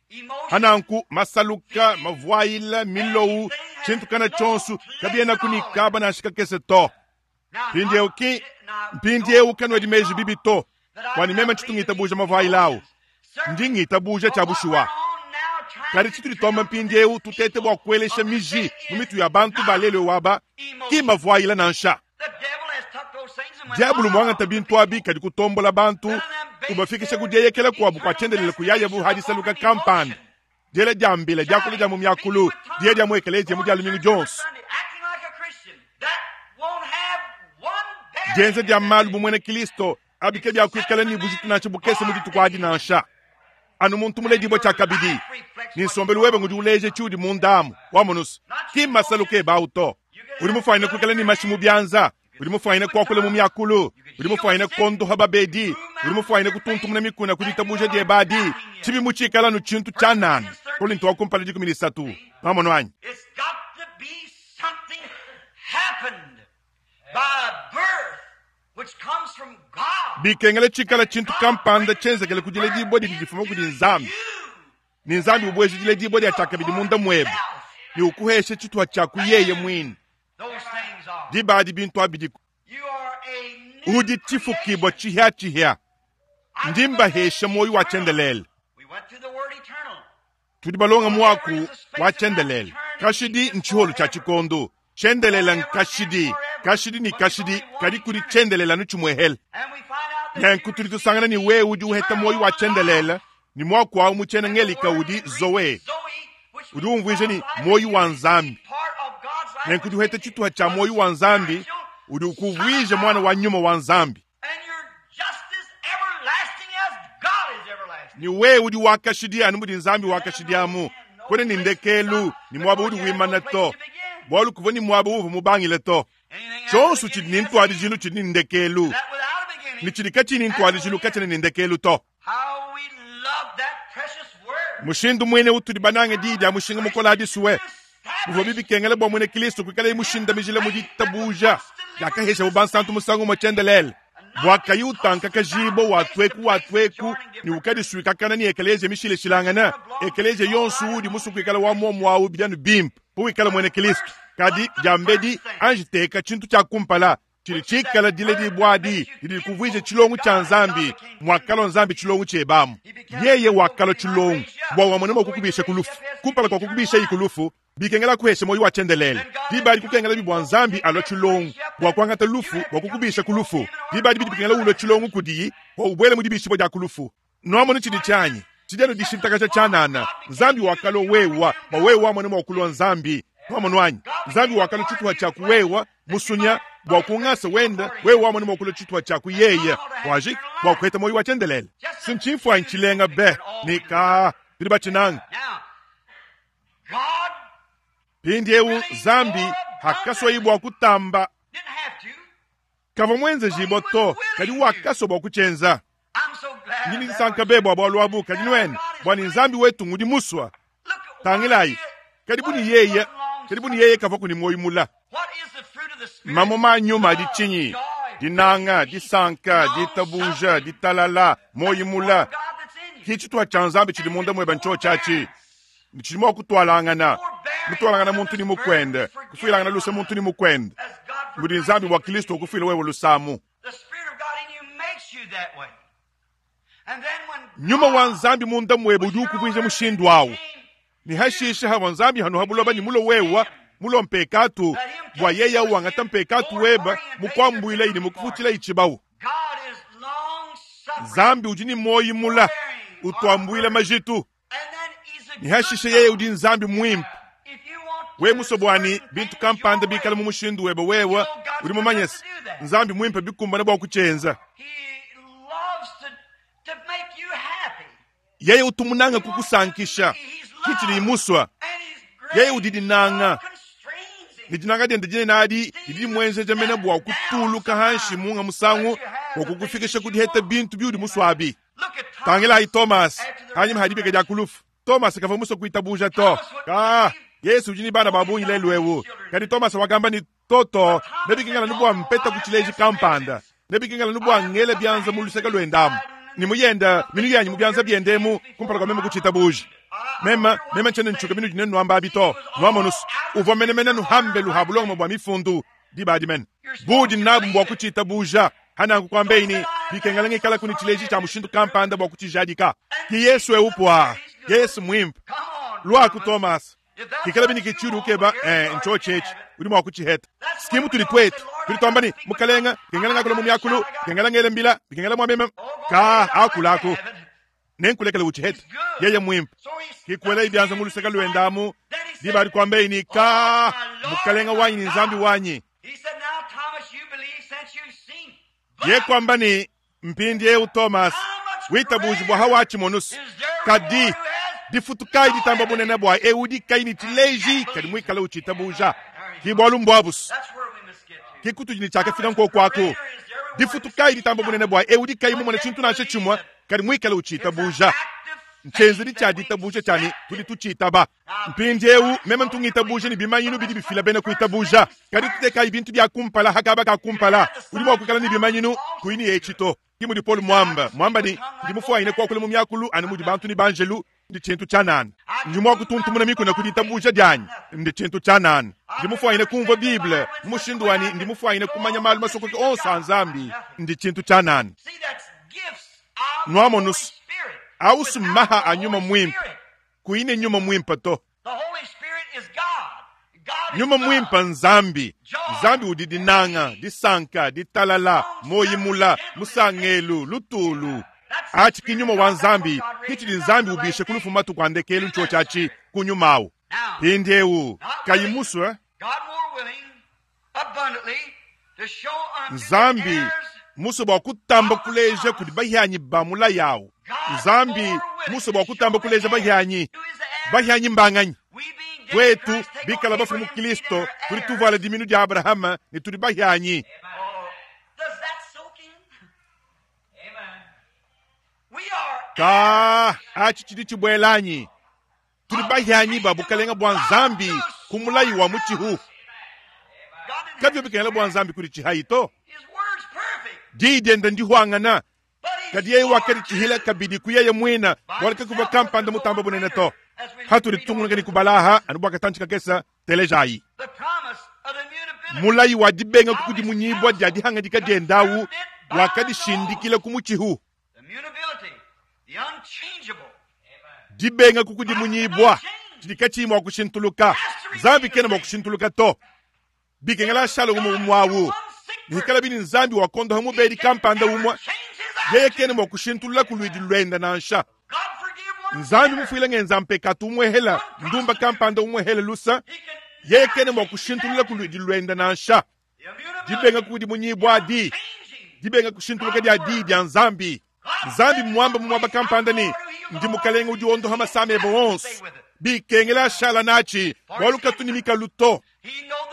Hananku masaluka, mavuayila, milowu, tshintu kana tshionso kabienaku ne kaba nansha kakese to. Mpindiewu ki, mpindiewu kanwedi meji bibi to, bua ne meme tshitu ngitabuja mavuayila awu. Ndi ngitabuja tshia bushuwa. Kadi tshitudi tuamba mpindiewu, tutete bua kuelesha miji mu mitu ya bantu ba lelu ewu aba, ki mavuayila nansha. Diabulu muangata bintu abi kadi kutombola bantu, ubafikisha ku dieyekela kuabu kua tshiendelele kuyayabu ha disaluka kampanda, diela dia mbila, diakula dia mu miakulu, diya dia mu ekeleziya mu dia lumingu dionso, dienza dia malu bu muena Kristo, abi kabiakuikala ne bujitu nansha bukese mu dituku adi nansha. Anu muntu muledibue tshiakabidi, ne nsombelu webe ngudi uleja tshiudi munda amu. Wamonu's, ki mmasaluka ebe awu to. Udi mufuanyine kuikala ne mashi mu bianza, udi mufuanyine kuakula mu miakulu, udi mufuanyine kuondoha babedi, udi mufuanyine kutuntumuna mikuna ku ditabuja diebe adi, tshibi mutshikala anu tshintu tshianana. Kolinto wa kumpala 13. Nwamonu anyi? It's got to be something happened by birth which comes from God. Bikengela tshikala tshintu kampanda tshienzekele ku diledibua didi difuma kudi Nzambi, ne Nzambi ubueja diledibua dia tshiakabidi munda muebe ne ukuhesha tshituha tshia ku yeye muine. Those things are. Diba adi bintu abi bidiku. You are a new Udi tshifukibua tshihiatshihia. Ndi mbahesha muoyo wa tshiendelele. We went through the word eternal. Tudi balonga muaku wa tshiendelele. Kashidi ntshiholu tshia tshikondo. Tshiendelele nkashidi, kashidi ne kashidi, kadi kudi tshiendelele anu tshimuehele. And we find out that Nenku tudi tusangana ne wewe udi uheta muoyo wa tshiendelele, ne muaku awu mu tshiena Ngelika udi zoe, Zoe, which udi umvuija ne muoyo wa Nzambi. part of God's life, Nenku udi uheta tshituha tshia muoyo wa Nzambi, udi ukuvuija mwana wa nyuma wa Nzambi. and you're just as everlasting as God is everlasting. Ni wewe udi wakashidi anu mudi Nzambi wakashidi amu. Kwena ni ndekelu, ni muaba udi wimana to. Bualu kuvua ni muaba uvua mubangile to. Anything after Tshionso the tshidi beginning ni has a ntuadijilu tshidi ni ndekelu. That without a beginning, Ni tshidi katshiyi ni ntuadijilu katshiena ni ndekelu to. how we love that precious word. Mushindu muine utudi banange diyi dia mushinga mukole adi suwe. Bivua bibikengela bua muena Kristo kuikalaye mushindamijile mu ditabuja diakaheshabu bansantu musangu umue tshiendelele. Bua kayi utankakajibua wa tueku wa tueku ne ukadisuikakana ne ekeleziya mishilashilangana, ekeleziya yonso udi musue kuikala wa muomu awu bidi anu bimpe bu wikala muena Kristo. Kadi diambedi anji teka tshintu tshia kumpala tshidi tshikala diledibua adi didi dikuvuija tshilongo tshia Nzambi, muakalua Nzambi tshilongo tshiebe amu. Yeye wakalua tshilongo bua wamone mua kukubisha ku lufu. Kumpala kua kukubishaye ku lufu, bikengela kuhesha muoyo wa tshiendelele. Diba adi kukengela bibua Nzambi alua tshilongo bua kuangata lufu bua kukubisha ku lufu. Diba adi bidi bikengela ulua tshilongo kudiyi bua ubuele mu dibishibua dia ku lufu. Nuamonu tshidi tshianyi tshidi anu dishintakaja tshianana. Nzambi wakalua wewa bua wewa wamone mua kulua Nzambi. Nuamonu anyi? Nzambi wakalua tshituha tshia ku wewa musunya bua kungasa wenda wewe wamone mua kulua tshituha tshia ku yeye waji bua kuheta muoyo wa tshiendelele. Sinchimfwanyi tshilenga be ni ka bidi batshinanga. Now, God Mpindiewu Nzambi hakaswayi bua kutamba didn't have to. kavua muenzejibua to, kadi wakaswa bua kutshienza. I'm so glad. Ndi that disanka be bua bualu abu, kadi nuene bua ni Nzambi wetu ngudi muswa. Look at Tangilayi, kadi bu ni yeye, kadi bu ni yeye kavua kuni muoyo mula. What is the fruit of the Spirit? Mamuma a nyuma adi tshinyi? Joy, Dinanga, disanka, ditabuja, ditalala, muoyo mula. God that's in you. Ki tshituha tshia Nzambi tshidi munda muebe ntsho tshiatshi. Tshidi mua kutualangana, mutualangana muntu ni mukwende, kufuilangana luse muntu ni mukwende. As God Mudi Nzambi wa Kristo ukufuila wewe lusamu. The Spirit of God in you makes you that way. And then when Nyuma wa Nzambi munda muebe udi ukuvuija mushindu awu. Ni hashisha hawa Nzambi hanu habuloba ni mulo wewa, mulo mpekatu, bua yeye wangata mpekatu weba, mukwambuila ili mukufutila ichibawu. God is long suffering. Nzambi udi ni moyi mula, utuambuila majitu. And then he's a Ni hashisha good yeye God. udi Nzambi mwimpe. If you want We muso bwani certain bintu things kampanda your way, bikala mu mushindu webe wewa udi mumanye se Nzambi mwimpe bikumbana bua kutshienza. He loves to make you happy. Yeye utumunanga kukusankisha kichili muswa And he's great. Yeye udi dinanga. Love constrains him. Ni dinanga diende dinene adi didi dimwenzeja mene bua kutuluka hanshi munga musangu bua kukufikisha kudiheta bintu biudi muswabi. Look at Thomas. Tangilayi Thomas hanyuma hadibika dia kulufu. Thomas kavua musue kuitabuja to. Ka Yesu udi ni bana ba bungi lelu ewu. Kadi Thomas wakamba ni toto nebikengela ni bua mpeta ku tshileji kampanda. Nebikengela ni bua ngele bianza mu luseke luendamu. Ni muyenda minu yanyi mu bianza biendemu kumpala kua meme kutshitabuja. Mema mema ntshiena ntshuka minu dine nuamba abi to. Nuamonusu uvua menemene nuhambe luhabulongoma bua mifundu. Diba adi mene. Buudi nabu mbua kutshiitabuuja. Pa nanku kuambeyi ne, Bikengela ngikalaku ne tshileji tshia mushindu kampanda bua kutshijadika. Ki Yesu eu puaa. Yesu muimpe. Luaku, Tomase. Pikalabi ne ke tshiudi ukeba, ee, ntshiotshi etshi. Udi mua kutshiheta. S'ki mutudi tuetu. Tudi tuamba ne, Mukalenga, bikengela ngakula mu miakulu, bikengela ngele mbila, bikengela mua meme. Kaa, akulaku. Nenkulekele utshihete. Yeye muimpe. Ki kuelayi bianza mu luseke luende amu, diba adi kuambeyi ne, Kaa, Mukalenga wanyi ne Nzambi wanyi. Ye kuamba ne, Mpindiewu, Tomase, witabuji bua hawatshimonusu. Kadi difutu kayi ditamba bunene bua eu udi kayi ne tshileji kadi muikale utshitabuja? Ki bualu mbuabusu. Ki kutudi ne tshiakafika nkoku aku. Difutu kayi ditamba bunene bua eu udi kayi mumone tshintu nansha tshimue kadi muikale utshitabuja? Ntshienzedi tshia ditabuja tshia ne tudi tutshitaba. Mpindiewu, meme ntu ngitabuja ne bimanyinu bidi bifila bena kuitabuja. Kadi tutekayi bintu bia kumpala ha kaba ka kumpala. Udi mua kuikala ne bimanyinu, kuyi ne etshi to. Ke mudi Paulo muamba, muamba ne, Ndi mufuanyine kuakula mu miakulu anu mudi bantu ne banjelu, ndi tshintu tshianana. Ndi mua kutuntumuna mikuna ku ditabuja dianyi, ndi tshintu tshianana. Ndi mufuanyine kumvua Bible mu mushindu wa ne ndi mufuanyine kumanya malu masokoke onso a Nzambi, ndi tshintu tshianana. Nuamonu's, ausu mmaha a Nyuma Muimpe. Kuyi ne Nyuma Muimpe to. Nyuma Muimpe n'Nzambi. Nzambi udi dinanga, disanka, ditalala, muoyi mula, musangelu, lutulu. Atshi ki Nyuma wa Nzambi, ki tshidi Nzambi ubisha ku lufu matuku a ndekelu ntshiotshi atshi, ku Nyuma awu. Mpindiewu, kayi musue, Nzambi musue bua kutamba kuleja kudi bahianyi ba mulayi awu. Nzambi musue bua kutamba kuleja bahianyi. Bahianyi mbanganyi? Tuetu bikala bafue mu Kristo, tudi tuvuala diminu dia Abrahama ne tudi bahianyi. Ka atshi tshidi tshibuela anyi? Tudi bahianyi ba bukelenge bua Nzambi ku mulayi wa mutshihu. Kabivua bikengela bua Nzambi kuditshihayi to. Diyi diende ndihuangana, kadi yeye wakaditshihila kabidi ku yeye muine, bualu kakuvua kampanda mutamba bunene to. Hatudi tutungunuka ne kubala aha anu bua katantshi kakese, telejayi. Mulayi wa dibenga kukudimunyibua dia dihangadika diende au wakadishindikila ku mutshihu. Dibenga kukudimunyibua tshidi katshiyi mua kushintuluka. Nzambi kena mua kushintuluka to. Bikengela ashale umue umue awu. Bikalabi ne Nzambi wakondoha mubedi kampanda umue, yeye kena mua kushintulula ku luidi luende nansha. Nzambi mufuile ngenza mpekatu umuehela ndumba kampanda umuehela lusa, yeye kena mua kushintulula ku luidi luende nansha. Dibenga kukudimunyibua adi, dibenga kushintuluka dia Diyi dia Nzambi. Nzambi mmuambe mu muaba kampanda ne, Ndi Mukalenge udi wondoha masama ebe onso. Bikengela ashala natshi, bualu katu ne mikalu to.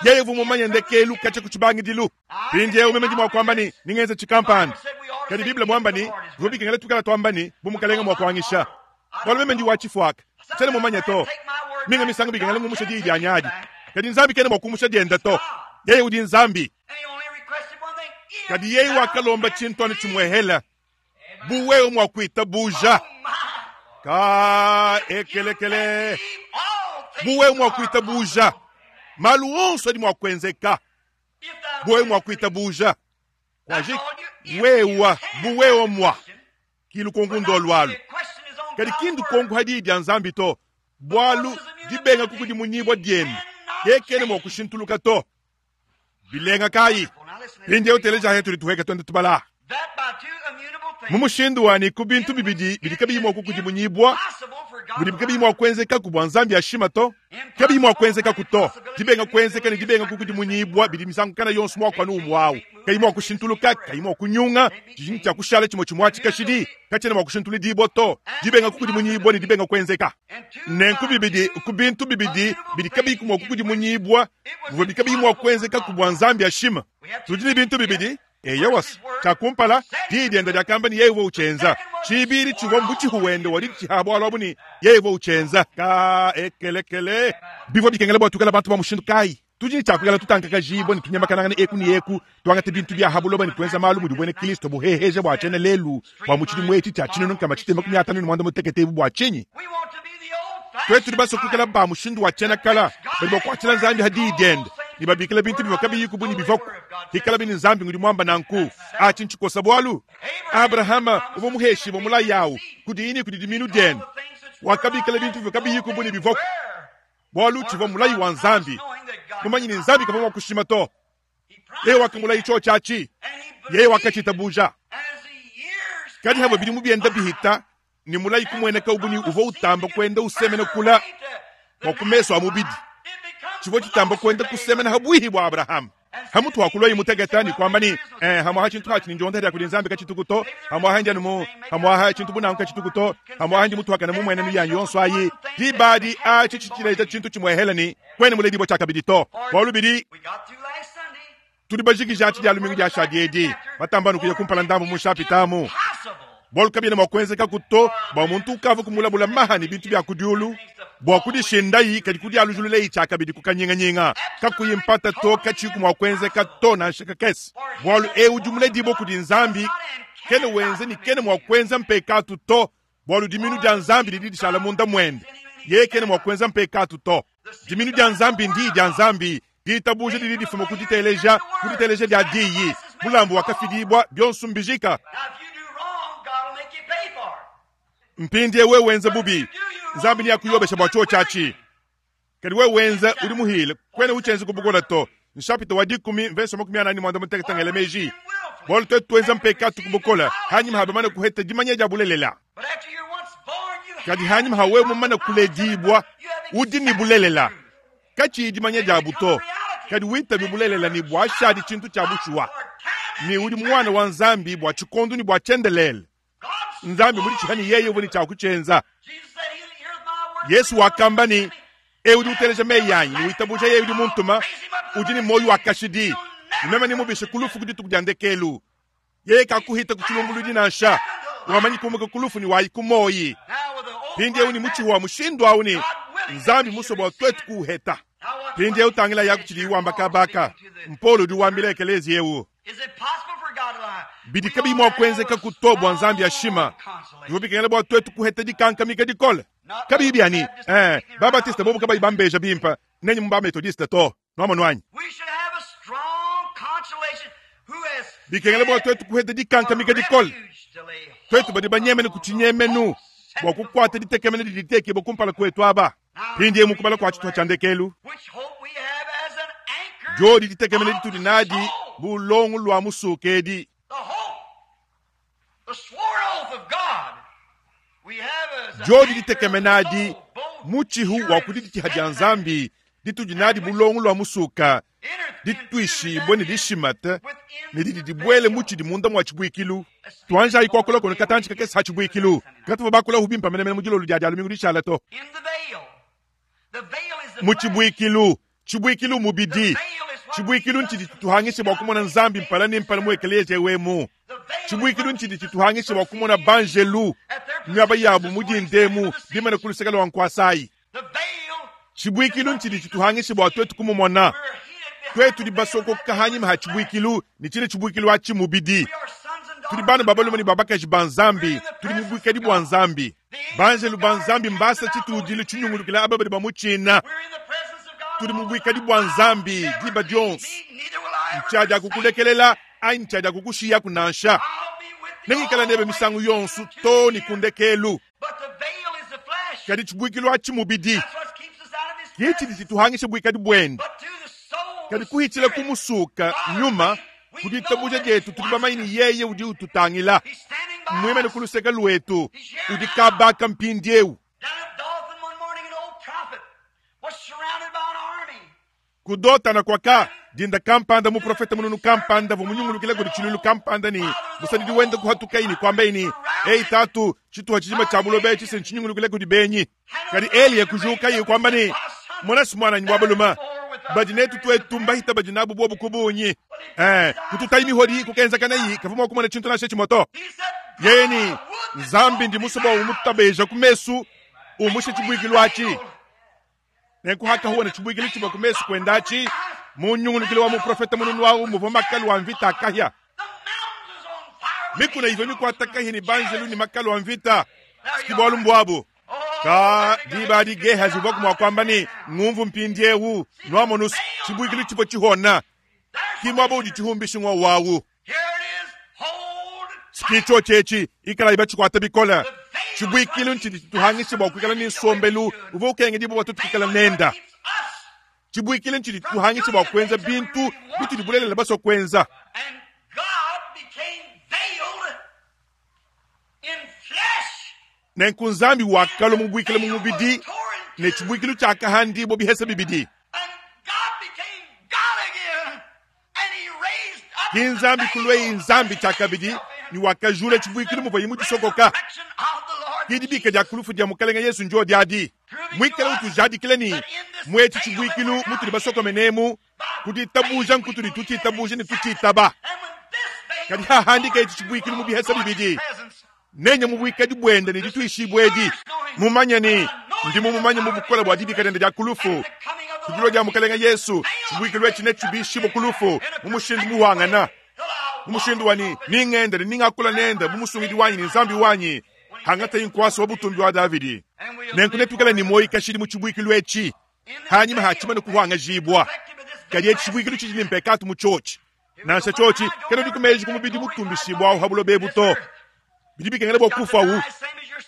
Yeye uvua mumanye ndekelu katshia ku tshibangidilu. Mpindieu meme ndi mua kuamba ne, ningenza tshikampanda. Kadi Bible muamba ne, bivua bikengela tuikala tuamba ne, bu Mukalenge mua kuanyisha. Bualu meme ndi wa tshifuaka, tshiena mumanye to. Minga misangu bikengela ngumusha diyi dianyi adi. Kadi Nzambi kena mua kumusha diende to. Yeye udi Nzambi. Kadi yeye wakalomba tshintu anu tshimuehela, bu wewe mua kuitabuja. Ka ekelekele. Bu wewe mua kuitabuja, malu onso adi mua kuenzeka. Bu wewe mua kuitabuja. Kuajiki, wewa, bu wewe mua. Ki lukonku ndolu alu. Kadi ki ndukonku ha Diyi dia Nzambi to, bualu dibenga kukudimunyibua diende ke kena mua kushintuluka to. Bilenga kayi? Mpindieu telejayi tudi tuhueka tuenda tubala. Mu mushindu wa ne ku bintu bibidi bidi kabiyi mua kukudimunyibua, mudibi kabiyi mua kuenzekaku bua Nzambi ashima to, kabiyi mua kuenzekaku to. Dibenga kuenzeka ne dibenga kukudimunyibua bidi misangu kana yonso muaku anu umue au, kayi mua kushintuluka, kayi mua kunyunga, tshidi ne tshia kushala tshimue tshimue atshi kashidi, katshiena mua kushintuludibua to. Dibenga kukudimunyibua ne dibenga kuenzeka. Nenku bibidi ku bintu bibidi bidi kabiyi mua kukudimunyibua bivua kabiyi mua kuenzekaku bua Nzambi ashima. Tudi ne bintu bibidi Eyowa, tshia kumpala, diyi diende diakamba ne yeye uvua utshienza. Tshibidi tshivua mutshihu wende wa diditshiha bualu abu ne yeye uvua utshienza. Ka ekelekele. Bivua bikengela bua tuikale bantu ba mushindu kayi? Tudi ne tshia kuikala tutankakajibua ne tunyemakanangana eku ne eku, tuangata bintu bia ha buloba ne tuenza malu mudi buena Kristo buheheja bua tshiena lelu bua mu tshidimu etshi tshia 1556 ebu bua tshinyi? Tuetu tudi basue kuikala ba mushindu wa tshiena kala badi bakuatshila Nzambi ha diyi diende. Ne babikila bintu bivua kabiyiku bu ne bivuaku, hikalabi ne Nzambi ngudi muamba nanku. Atshi ntshikosa bualu. Abrahama uvua muheshibue mulayi awu kudiyi ne kudi dimiinu diende. Wakabikila bintu bivua kabiyiku bu ne bivuaku, bualu tshivua mulayi wa Nzambi, mumanye ne Nzambi kavua mua kushima to. Yeye wakamulayi tshiotshi atshi, yeye wakatshitabuja. Kadi havua bidimu bienda bihita, ne mulayi kumueneka bu ne uvua utamba kuenda usemena kula bua ku mesu a mubidi, tshivua tshitamba kuenda kusemena ha buihi bua Abrahama. Hamutu wa kulua imuteketa ne kuamba ne, eh, hamuaha tshintu hatshi ne ndionda dia kudi Nzambi katshituku to, hamuaha ndi anu mu, hamuaha tshintu bu nanku katshituku to, hamuaha ndi mutuakane mu muenenu yanyi yonso ayi. Diba adi atshi tshitshileja tshintu tshimuehela ne kuena muledibua tshiakabidi to, bualu bidi tudi bajikija atshi dia lumingu diashadi edi, batamba anu kuya kumpala ndambu mu nshapita amu. Bualu kabiena mua kuenzekaku to bua muntu ukavua kumulabula maha ne bintu bia ku diulu bua kudishindayi kadi kudialujululeyi tshiakabidi ku kanyinganyinga, kakuyi mpata to, katshiyiku mua kuenzeka to nansha kakese. Bualu eu udi muledibue kudi Nzambi kena wenza ne kena mua kuenza mpekatu to, bualu diminu dia Nzambi didi dishala munda muende, yeye kena mua kuenza mpekatu to. Diminu dia Nzambi ndiyi dia Nzambi. Ditabuja didi difuma ku diteleja, ku diteleja dia diyi. Mulambu wakafidibua, bionso mbijika. Mpindieu wewe wenza bubi, Nzambi neakuyobesha bua tshiotshi atshi. Kadi wewe wenza udi muhile, kuena utshienza ku bukole to. Nshapita wa dikumi mvese 45 ngela meji. Bualu tuetu tuenza mpekatu ku bukole hanyima ha bamane kuheta dimanya dia bulelela. Kadi hanyima ha wewe mumane kuledibua, udi ne bulelela. Katshiyi dimanya diabu to, kadi witabe bulelela ne buashadi tshintu tshia bushuwa, ne udi muana wa Nzambi bua tshikondo ne bua tshiendelele. Nzambi muditshiha ne yeye uvua ne tshia kutshienza. Yesu wakamba ne, Eu udi uteleja meyi anyi ne witabuja yeye udi muntuma, udi ne muoyo wa kashidi, ne meme nemubishe ku lufu ku dituku dia ndekelu. Yeye kakuhita ku tshilumbuluidi nansha, wamanyi kumuka ku lufu ne wayi ku muoyi. Mpindieu ne mutshihu wa mushindu au ne Nzambi musue bua tuetu kuuheta. Mpindieu tangila yaku tshidiyi wamba kabaka. Mpolo udi wambila ekeleziya eu. Bidi kabiyi mua kuenzeka to bua Nzambi ashima. Bivua bikengela bua tuetu kuheta dikankamika dikole. Kabiyi bia ne, eh, ba-Batiste bobu kabayi bambeja bimpe, nenye mu ba-Metodiste to. Nuamonu anyi? Bikengela bua tuetu kuheta dikankamika dikole, tuetu badi banyemene ku tshinyemenu bua kukuata ditekemena didi ditekibua kumpala kuetu aba. Mpindieu mu kubala kua tshitupa tshia ndekelu, diodi ditekemena ditudi nadi bu longo lua musuke edi. Diodi ditekemena adi mutshihu wa ku diditshiha dia Nzambi ditudi nadi bu longo lua musuka, dituishibue ne dishimate ne didi dibuele mu tshidi munda mua tshibuikilu. Tuanjayi kuakula kono katantshi kakese ha tshibuikilu. Katuvua bakulahu bimpe menemene mu dilolo dia Dia lumingu dishala to. Mu tshibuikilu, tshibuikilu mubidi. Tshibuikilu ntshidi tshituhangisha bua kumona Nzambi mpala ne mpala mu ekeleziya eu emu. Tshibuikilu ntshidi tshituhangisha bua kumona banjelu miaba yabu mu dinda emu bimane ku luseke lua nkuasa ayi. Tshibuikilu ntshidi tshituhangisha bua tuetu kumumona. Tuetu tudi basokoka hanyima ha tshibuikilu, ne tshine tshibuikilu atshi mubidi. Tudi bana ba balume ne ba bakaji ba Nzambi, tudi mu buikadi bua Nzambi. Banjelu ba Nzambi mbasa tshitudilu tshinyungulukila aba badi bamutshina. Tudi mu buikadi bua Nzambi diba dionso. Ntshiadi kukulekelela anyi ntshiadi kukushiyaku nansha. Nengikala nebe misangu yonso too ne ku ndekelu. Kadi tshibuikilu atshi mubidi ke tshidi tshituhangisha buikadi buende. Kadi kuhitshila ku musuka nyuma ku ditabuja dietu tudi bamanye ne yeye udi ututangila, mmuimane ku luseke luetu, udi kabaka mpindieu. Ku Dotana kuaka dinda kampanda muprofete mununu kampanda uvua munyungulukile kudi tshiluilu kampanda ne musadidi wende kuhatukayi ne kuambaye ne, Eyi tatu, tshituha tshijima tshia buloba etshi se ntshinyungulukile kudi benyi. Kadi Eliya kujukaye kuamba ne, Mona muananyi wa balume, badi netu tuetu mbahita badi nabu buobu ku bungi. Eh, kututayi mihodi kukenzakanayi kavua mua kumona tshintu nansha tshimue to. Yeye ne, Nzambi ndi musue bua umutabeja ku mesu, umushe tshibuikilu atshi. Nenku hakahuwa tshibuikilu tshivua ku mesu kuende atshi, mu nyungulukilo wa muprofete mununu au muvua makalu a mvita a kahia. Mikuna ivua mikuata kahia ne banjelu ne makalu a mvita. Siki bualu mbuabu. Ka diba adi Gehazi uvuaku mua kuamba ne, Ngumvu mpindieu, nuamonu's, tshibuikilu tshivua tshihona. Ki muaba udi tshihumbishi ng'wowu awu. Ki tshiotshi etshi, ikalayi batshikuata bikole. Tshibuikilu ntshidi tshituhangisha bua kuikala ne nsombelu uvua ukengedibua bua tuetu kuikala nenda. Tshibuikilu ntshidi tshituhangisha bua kuenza bintu bitudi bulelela basue kuenza. Nenku Nzambi wakalua mubuikile mu mubidi, ne tshibuikilu tshiakahandibua bihesa bibidi. Ki Nzambi kulueyi Nzambi tshiakabidi, ne wakajula tshibuikilu muvuaye mudisokoka. Ki dibika dia ku lufu dia Mukalenge Yesu ndiodi adi, muikale utujadikila ne, mu etshi tshibuikilu mutudi basokomenemu, ku ditabuja nkutudi tutshitabuja ne tutshitaba. Kadi hahandika etshi tshibuikilu mu bihesa bibidi, nenye mu buikadi buende ne dituishibua edi, mumanye ne, ndi mumumanye mu bukole bua dibika diende dia ku lufu. Ku dilua dia Mukalenge Yesu, tshibuikilu etshi netshibishibue ku lufu mu mushindu muhuangana, mu mushindu wa ne, ningende ne ningakula nende bu Musungidi wanyi ne Nzambi wanyi, hangatayi nkuasa wa butumbi wa Davidi. Nenku netuikale ne muoyo kashidi mu tshibuikilu etshi, hanyima ha tshimane kuhuangajibua. Kadi etshi tshibuikilu tshidi ne mpekatu mu tshiotshi. Nansha tshiotshi kena meji ku mubidi mutumbishibua awu ha buloba ebu to. Bidi bikengela bua kufuawu,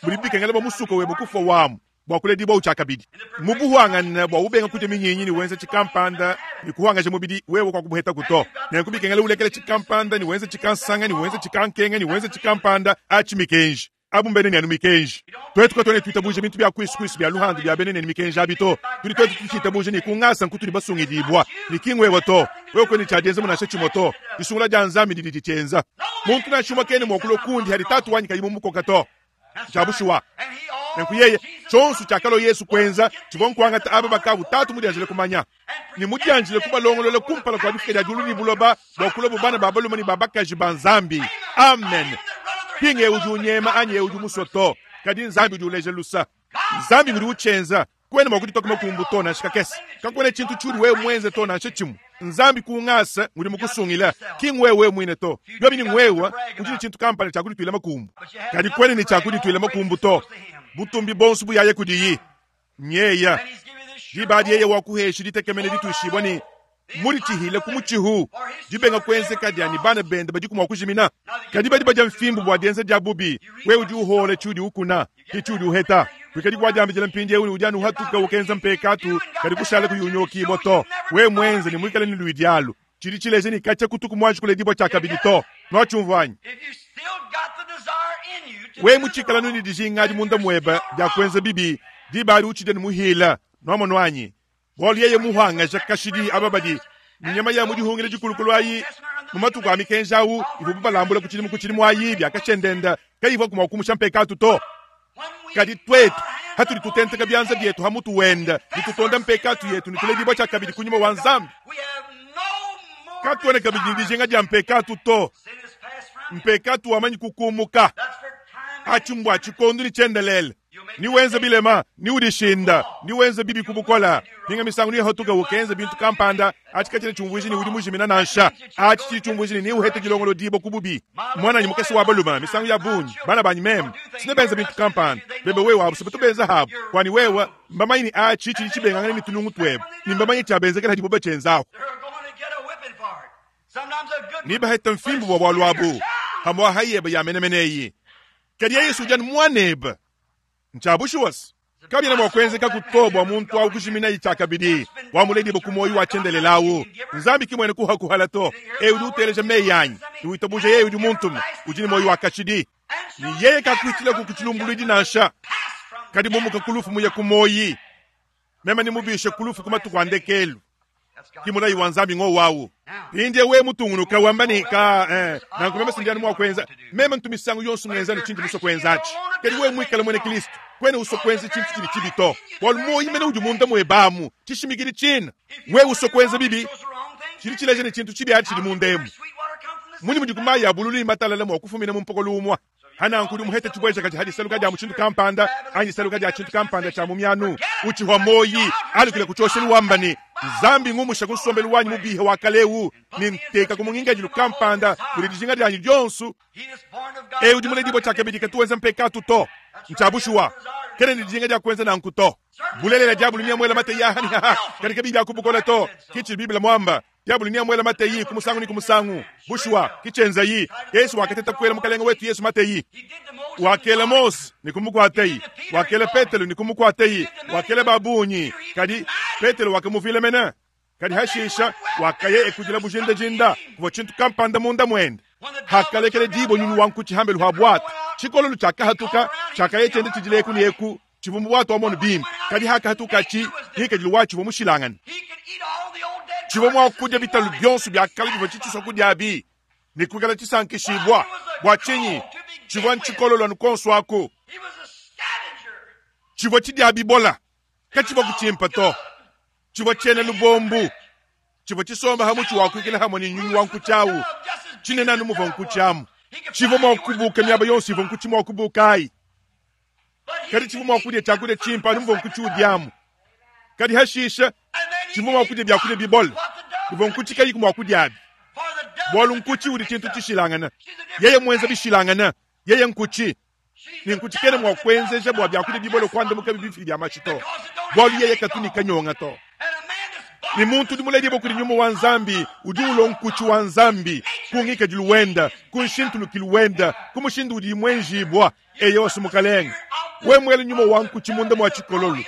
mudibi bikengela bua musuka webe kufua wamu bua kuledibua tshiakabidi. Mu buhuangane bua ubenga kudia minyinyi ne wenza tshikampanda ne kuhuangaja mubidi wewe kwa kubuhetaku to. Nenku bikengela ulekela tshikampanda ne wenza tshikansanga ne wenza tshikankenga ne wenza tshikampanda atshi mikenji. Abu mbena ne anu mikenji. Tuetu katuena tuitabuja bintu bia kuisu kuisu bia luhandu bia bena ne mikenji abi to. Tudi tuetu tutshitabuja ne ku ngasa nkutudi basungidibua, ne ki ngwewe to. Wewe kuena ne tshia dienza mu nansha tshimue to. Disungula dia Nzambi didi ditshienza. Muntu nansha umue kena mua kulua kundi hadi Tatu wanyi kayi mumukoka to. Ntshia bushuwa. Nenku yeye, tshionso tshiakalua Yesu kuenza tshivua nkuangata aba bakavu Tatu mudianjile kumanya, ne mudianjile kubalongolola kumpala kua difuka dia diulu ne buloba bua kuluabu bana ba balume ne ba bakaji ba Nzambi. Amen. Ki ng'eu udi unyema anyi eu udi musue to, kadi Nzambi udi uleja lusa. Nzambi ngudi utshienza. Kuena mua kuditoka makumbu to nansha kakese. Kakuena tshintu tshiudi wewe muenze to nansha tshimue. Nzambi ku ngasa ngudi mukusungila, ki ngwewe muine to. Biobi ni ngwewe udi ne tshintu kampanda tshia kudituila makumbu, kadi kuena ne tshia kudituila makumbu to. Butumbi bonso buyaye kudiyi. Nyeya diba adi yeye wakuhesha ditekemena dituishibua ne muditshihile ku mutshihu, dibenga kuenzeka dia ne bana bende badiku mua kujimina. Kadi badi badia mfimbu bua dienza dia bubi. Wewe udi uhola tshiudi ukuna, ke tshiudi uheta. Kuikadi kuadiambidila mpindieu ne udi anu uhatuka ukenza mpekatu, kadi kushala kuyi unyokibua to. Wewe muenze ne muikale ne luidi alu, tshidi tshileja ne katshia kutuku muanji kuledibua tshiakabidi to. Nuatshiumvua anyi? Wewe mutshikala anu ne dijinga adi munda muebe dia kuenza bibi, diba adi utshidi anu muhila. Nuamonu anyi? Bualu yeye muhangaja kashidi aba badi ne nyama ya mu dihungila dikulukulu ayi mu matuku a mikenji awu ivuabu balambula ku tshidimu ku tshidimu ayi biakashendenda kayivuaku mua kumusha mpekatu to. Kadi tuetu hatudi tutenteka bianza bietu ha mutu wende ne tutonda mpekatu yetu ne tuledibua tshiakabidi ku nyuma wa Nzambi, katuena kabidi ne dijinga dia mpekatu to. Mpekatu wamanyi kukumuka atshi mbua tshikondo ne tshiendelele. Ni wenza bilema, ni udishinda, ni wenza bibi ku bukola, minga misangu ni hatuka ukenza bintu kampanda, atshi katshiena tshiumvuija ne udi mujimina nansha. Atshi tshidi tshiumvuija ne neuhete dilongolodibua ku bubi. Muananyi mukese wa balume, misangu ya bungi bana banyi meme sine benza bintu kampanda, bebe wewe abu batu benza habu, kuani wewe mbamanye ne atshi tshidi tshibengangana ne tunungu tuebe, ne mbamanye tshiabenzekela hadibo batshienzaku. Ne baheta mfimbu bua bualu abu, hamua hayebe ya menemene eyi. Kadi Yesu udi anu muanebe. Ntshia bushuwa se, kabiena mua kuenzekaku to bua muntu awu kujiminayi tshiakabidi, wamuledibue ku muoyo wa tshiendelele awu. Nzambi ki muena kuhakuhala to. Eu udi uteleja meyi anyi ne witabuja yeye udi muntume, udi ne muoyo wa kashidi, ne yeye kakuhitshilaku ku tshilumbuluidi nansha, kadi mumuka ku lufu muye ku muoyi. Meme nemubishe ku lufu ku matuku a ndekelu. Ki mulayi wa Nzambi ngowu awu. Mpindieu wewe mutungunuka wamba ne, Ka, eh, nanku meme si ndi anu mua kuenza. Meme ntu misangu yonso ngenza ne tshindi musue kuenza atshi. Kadi wewe muikale muena Kristo, kuena usua kuenza tshintu tshidi tshibi to, bualu muoyo mene udi munda muebe amu, tshishimikidi tshina. Wewe usua kuenza bibi, tshidi tshileja ne, tshintu tshibi atshi tshidi munda emu. Mmunyi mudi ku mayi a bululu ne matalala mua kufumina mu mpokolo umue? Hananku udi muhete tshibuejakaji ha disaluka dia mushindu kampanda anyi disaluka dia tshintu kampanda tshia mu mianu, utshihua muoyi, alukile ku tshioshelu wamba ne, Nzambi ngumusha ku nsombelu wanyi mubihe wa kale eu ne nteka ku mungikadilu kampanda mudi dijinga dianyi dionso. Eu udi muledibue tshiakabidi katu wenza mpekatu to. Ntshia bushuwa. Kena ne dijinga dia kuenza nanku to. Bulelela, Diabolo neamuele mateyi aha ne aha, kadi kabiyi bia ku bukole to. Ke tshidi Bible muamba. Diabolo neamuele mateyi ku musangu ne ku musangu. Bushuwa, ke tshienzayi. Yesu wakateta kuela Mukalenge wetu Yesu mateyi. Wakela Mose ne kumukuatayi. Wakela Petelo ne kumukuatayi. Wakela ba bungi, kadi Petelo wakamuvila mene. Kadi hashisha wakaya ekudila bujindajinda, kuvua tshintu kampanda munda muende. Hakalekela dibue nyunyu wa nkutshi hambelu ha buatu, tshikololo tshiakahatuka, tshiakaya tshienda tshidila eku ne eku, tshivua mu buatu amu bimpe. Kadi hakahatukatshi, ngikadilu watshi uvua mushilangane. Tshivua mua kudia bitalu bionso bia kale bivua tshitshisua kudiabi ne kuikala tshisankishibua. Bua tshinyi? Tshivua ntshikololo anu kuonso aku. Tshivua tshidia bibola, katshivua kutshimpa to. Tshivua tshiena lubombu, tshivua tshisomba ha mutshi wa kuikila hamue ne nyunyu wa nkutshi au, tshinene anu muvua nkutshi amu. Tshivua mua kubuka miaba yonso ivua nkutshi mua kubuka ayi, kadi tshivua mua kudia tshiakudia tshimpe anu muvua nkutshi udiamu. Kadi hashisha tshivua mua kudia biakudia bibole bivua nkutshi kayiku mua kudiabi, bualu nkutshi udi tshintu tshishilangane. Yeye muenza bishilangane, yeye nkutshi ne nkutshi kena mua kuenzeja bua biakudia bibole kuandamukabi bifidi bia mashi to, bualu yeye katu ne kanyonga to. Ne muntu udi muledibue kudi nyuma wa Nzambi udi ulua nkutshi wa Nzambi ku ngikadilu wenda, ku nshintulukilu wenda, ku mushindu udiyi muenjibua. Eyowa, Mukalenge, we muele nyuma wa nkutshi munda mua tshikololu,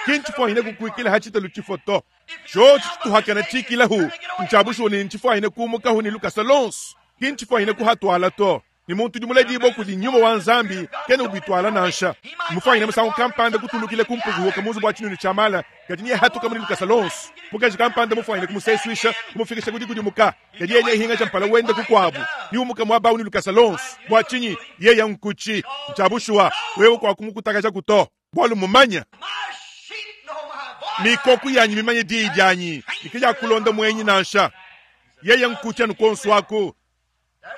ki ntshifuanyine kukuikila ha tshitalu tshifo to. Tshiotshi tshituhakana tshikilahu ntshia bushuwa ne ntshifuanyine kumukahu ne lukasa lonso, ki ntshifuanyine kuhatuala to. Ne muntu udi muledibue kudi nyuma wa Nzambi kena ubituala nansha. Mmufuanyine musangu kampanda kutulukila ku mpukuhuka mu nzubu wa tshinunu tshia mala, kadi nehatuka mu lukasa lonso. Mukaji kampanda mufuanyine kumusesuisha, kumufikisha ku dikudimuka, kadi yeye nehingaja mpala wende kukuabu, niumuka muaba au ne lukasa lonso. Bua tshinyi? Yeye nkutshi. Ntshia bushuwa, wewe kuakumukutakajaku to, bualu mmumanye. Mikoku yanyi mimanye diyi dianyi, ne kayakulonda muenyi nansha. Yeye nkutshi anu kuonso aku.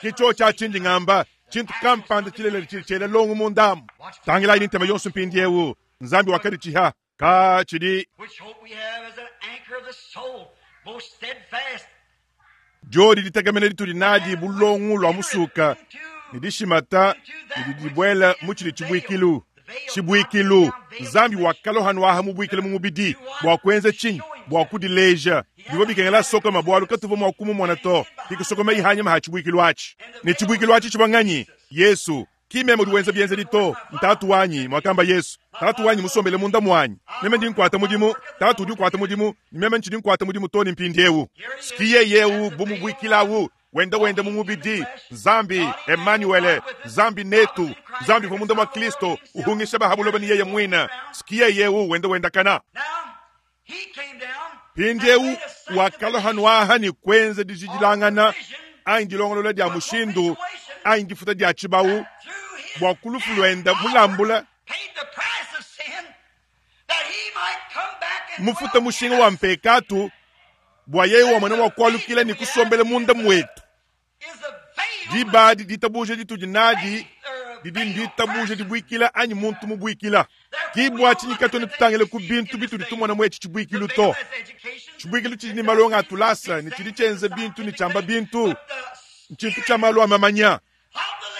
Ke tshiotshi atshi ndi ngamba, tshintu kampanda tshilelela tshidi tshiela longo munda amu. Tangilayi ne ntema yonso mpindieu. Nzambi wakaditshiha ka tshidi diodi ditekemena ditudi nadi bu longo lua musuka ne dishimata ne didi dibuela mu tshidi tshibuikilu. Tshibuikilu, Nzambi wakalua hanuaha mubuikile mu mubidi bua kuenza tshinyi? Bua kudileja. Bivua bikengela asokoma bualu katuvua mua kumumona to. Kikusokomayi hanyima ha tshibuikilu atshi. Ne tshibuikilu atshi tshivua nganyi? Yesu. Ki meme udi wenza bienzedi to, n'Tatu wanyi, muakamba Yesu. Tatu wanyi musombele munda muanyi. Meme ndi nkuata mudimu, Tatu udi ukuata mudimu, ne meme ntshidi nkuata mudimu too ne mpindieu. Ski yeye eu bu mubuikilawu wenda wenda mu mubidi, Nzambi, Emanuele, Nzambi netu, Nzambi uvua munda mua Kristo uhungisha ba ha buloba ne yeye muine. Ski yeye eu wenda wendakana. Mpindieu wakalua hanuaha ne kuenza dijidilangana anyi dilongolola dia mushindu anyi difuta dia tshibawu bua ku lufu luenda mulambula mufuta mushinga wa mpekatu bua yeye wamona mua kualukila ne kusombela munda muetu. Diba adi ditabuja ditudi nadi didi nditabuja dibuikila anyi muntu mubuikila. Ki bua tshinyi katuena tutangila ku bintu bitudi tumona mu etshi tshibuikilu to. Tshibuikilu tshidi ne malonga a tulasa ne tshidi tshienza bintu ne tshiamba bintu, ntshintu tshia malu a mamanya.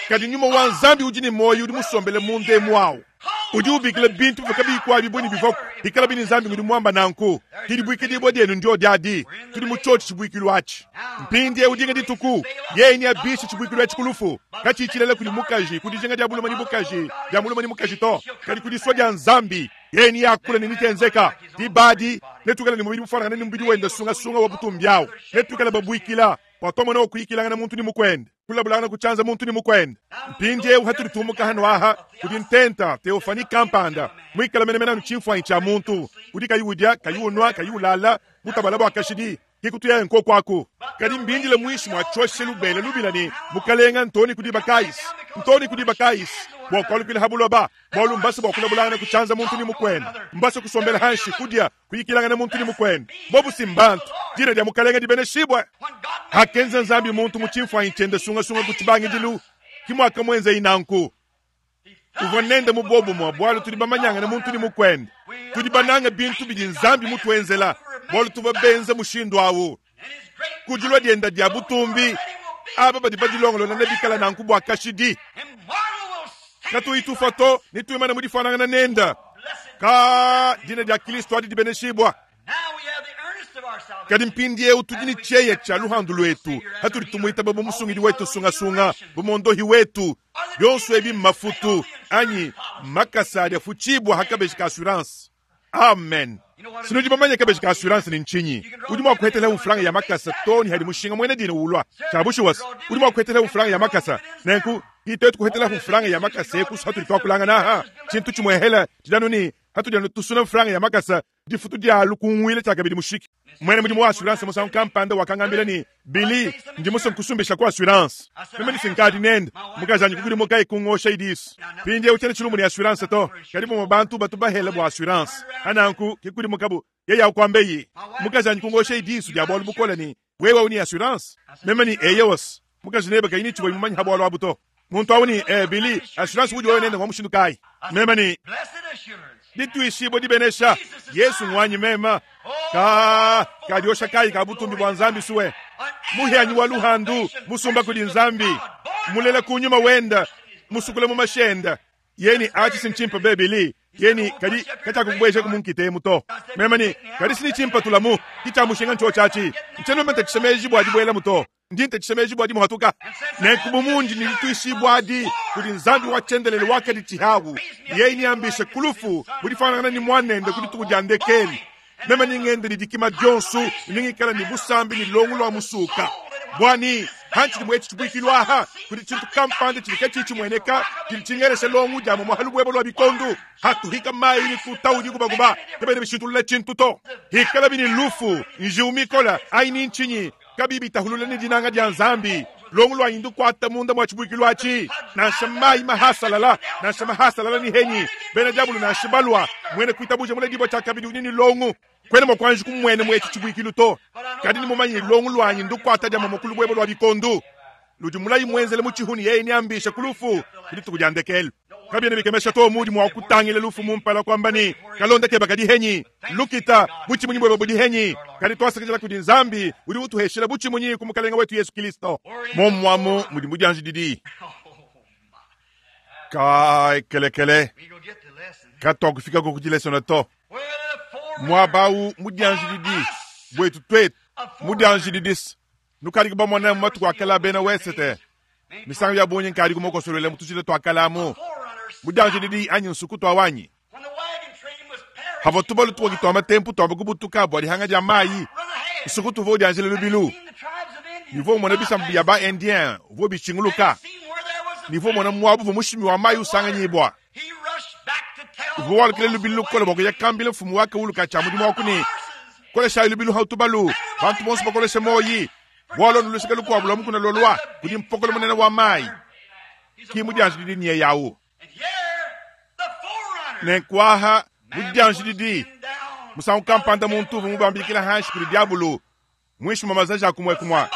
Kadi nyuma wa Nzambi udi ne muoyo udi musombele munda emu awu udi ubikila bintu bivua kabiyi kuabi ne bivuaku, bikalabi ne Nzambi ngudi muamba nanku. Ki dibuikidibua dienu ndio diadi, tudi mu tshiotshi tshibuikilu atshi. Mpindieu dinga dituku yeye neabishe tshibuikilu etshi ku lufu, katshiyi tshilela kudi mukaji ku dijinga dia bulume ne bukaji dia mulume ne mukaji to, kadi ku disua dia Nzambi. Yeye neakule ne netshienzeka. Diba adi netuikale ne mubidi mufuanangane ne mubidi wende sungasunga wa butumbi awu, netuikale babuikila bua tuamona kuyikilangana muntu ne mukuende, kulabulangana ku tshianza muntu ne mukuende. Mpindieu hatudi tumuka hano aha kudi ntenta teofani kampanda muikale menemene anu tshimfuanyi tshia muntu udi kayi udia, kayi unua, kayi ulala, mutabala bua kashidi. Ke kutuyaye nkoku aku. Kadi mbindile muinshi mua tshioshelu bela lubila ne, Mukalenga, ntoni ku diba kayisi, ntoni ku diba kayisi, bua kualukila ha buloba, bualu mbase bua kulabulangana ku tshianza muntu ne mukuende, mbase kusombela hanshi, kudia, kuyikilangana muntu ne mukuende. Bobu si mbantu. Dina dia Mukalenga dibeneshibue. Hakenza Nzambi muntu mu tshimfuanyi tshiende sungasunga ku tshibangidilu, ki muakamuenzeyi nanku. Uvua nende mu buobumue bualu tudi bamanyangane muntu ne mukuende. Tudi banange bintu bidi Nzambi mutuenzela bualu tuvua benze mushindu au. Ku dilua dienda dia butumbi, aba badi badilongolola nebikale nanku bua kashidi. Katuyi tufua to, netuimane mu difuanangana nende. Ka dina dia Kristo adi dibeneshibua. Kadi mpindieu tudi ne tshieya tshia luhandu luetu hatudi tumuitaba bu musungidi wetu sungasunga, bu mondohi wetu. Bionso ebi mmafutu anyi makasa adi afutshibua ha kabeji ka assurance. Amen. Sinudi bamanye kabeji ka assurance ni ntshinyi? Udi mua kuhetela mfranga ya makasa to ni hadi mushinga muena dina ulua. Tshia bushuwa udi mua kuhetela mfranga ya makasa. Nenku kitetu kuhetela mfranga ya makasa ekusu hatudi tuakulangana aha. Tshintu tshimuehela tshidanu ni hatudi anu tusuna mfranga ya makasa difutu dia lukunguile tshiakabidi mushiki. Muena mudimu wa assurance musangu kampanda wakangambila ni Billy, ndi musue nkusumbisha ku assurance. Meme ni sinkadi nende mukajanyi kukudimuka ikungosha idisu. Mpindieu tshiena tshilumbu ne assurance to, kadi bamue bantu batu bahela bua assurance. Ananku kikudimukabu yeye akuambeyi mukajanyi kungosha idisu dia bualu bukole ni wewe uni assurance. Meme ni eyewos mukaji nebe kayi ni tshivua mumanye ha bualu abu to. Muntu awu ni Billy, assurance udi wewe nende ngwa mushindu kayi? Meme ni dituishibua dibenesha Yesu ngwanyi mema ka kadiosha kayi ka butumbi bua Nzambi suwe muhianyi wa luhandu musumba kudi Nzambi mulela kunyuma wenda musukule mu mashenda yeni achi sinchimpa bebili yeni kadi kachakukubueja kumunkite muto mema ni kadi sinichimpa tulamu kichamushinga ncho chachi ncheno menta chisemeji bwa dibuela muto ndi ntetshisa bua dimuhatuka nenku bu mundi ne dituishibua adi kudi Nzambi wa tshiendelele wakadi tshihawu yeye niambishe kulufu budifanangana ni muanende ku dituku dia ndekeli meme ningende ne dikima dionso ningikala ne busambi ne longo lua musuka bwani hantshidi muetshi tshibuikilu aha kudi tshintu kampanda tshidi katshii tshimueneka tshidi tshingelesha longo dia momo lubuebo lua bikondu hatuhika mayi ni tuta udi kubakuba kabena bishintulula tshintu to hikala bini lufu njiwu mikola ayi ni ntshinyi kabi bitahulula ni dinanga dia Nzambi longo lua indu kuata munda mua tshibuikilu atshi nansha mayi mahasalala nansha mahasalala ni henyi bena diabulu nansha balua muene kuitabuja mule dibua tshia kabidi udi ni longo kwena mua kuanji kumuene muetshi tshibuikilu to kadi ni mumanyi longo luanyi ndu kuata dia momo kulubuebo lua bikondu ludi mulayi muenzele mu tshihuni yeye niambisha kulufu kudituku dia ndekelu kabiena bikemesha to mudi mua kutangila lufu mumpala kwamba ni kalonda keba kadi henyi lukita butshimunyi bweba budi henyi kadi twasakidila kudi Nzambi udi utuheshela butshimunyi ku mukalenga wetu Yesu Kristo momwamu mudi mudianji didi kai kelekele katwakufika ko kudilesona to mwabau mudianji didi bwetu twetu mudianji didis nukadi kubamona mu matuku akala bena wesete misangu ya bungi nkadi kumokosolele mutushile twakalamu mudianji didi anyi nsuku twawanyi havo tubalu tukoki twa matempu twamba kubutuka bua dihanga dia mayi nsuku tuvo udianjile lubilu nivo mona bisambu bia ba indien uvo bishinguluka nivo mona muabu vo mushimi wa mayi usanganyibwa uvo walukile lubilu lukola bua kuya kambila mfumu wake uluka tshia mudimu waku ni koleshayi lubilu hau tubalu bantu bonso bakoleshe moyi bwalo nulusika lukuabu lwa mukuna lolwa kudi mpokolo munene wa mayi ki mudianji didi niye yawu nenkwaha mudianji didi musangu kampanda muntu uvu mubambikila hanshi kudi diabulu mwishi mwa mazaji akumwekumwa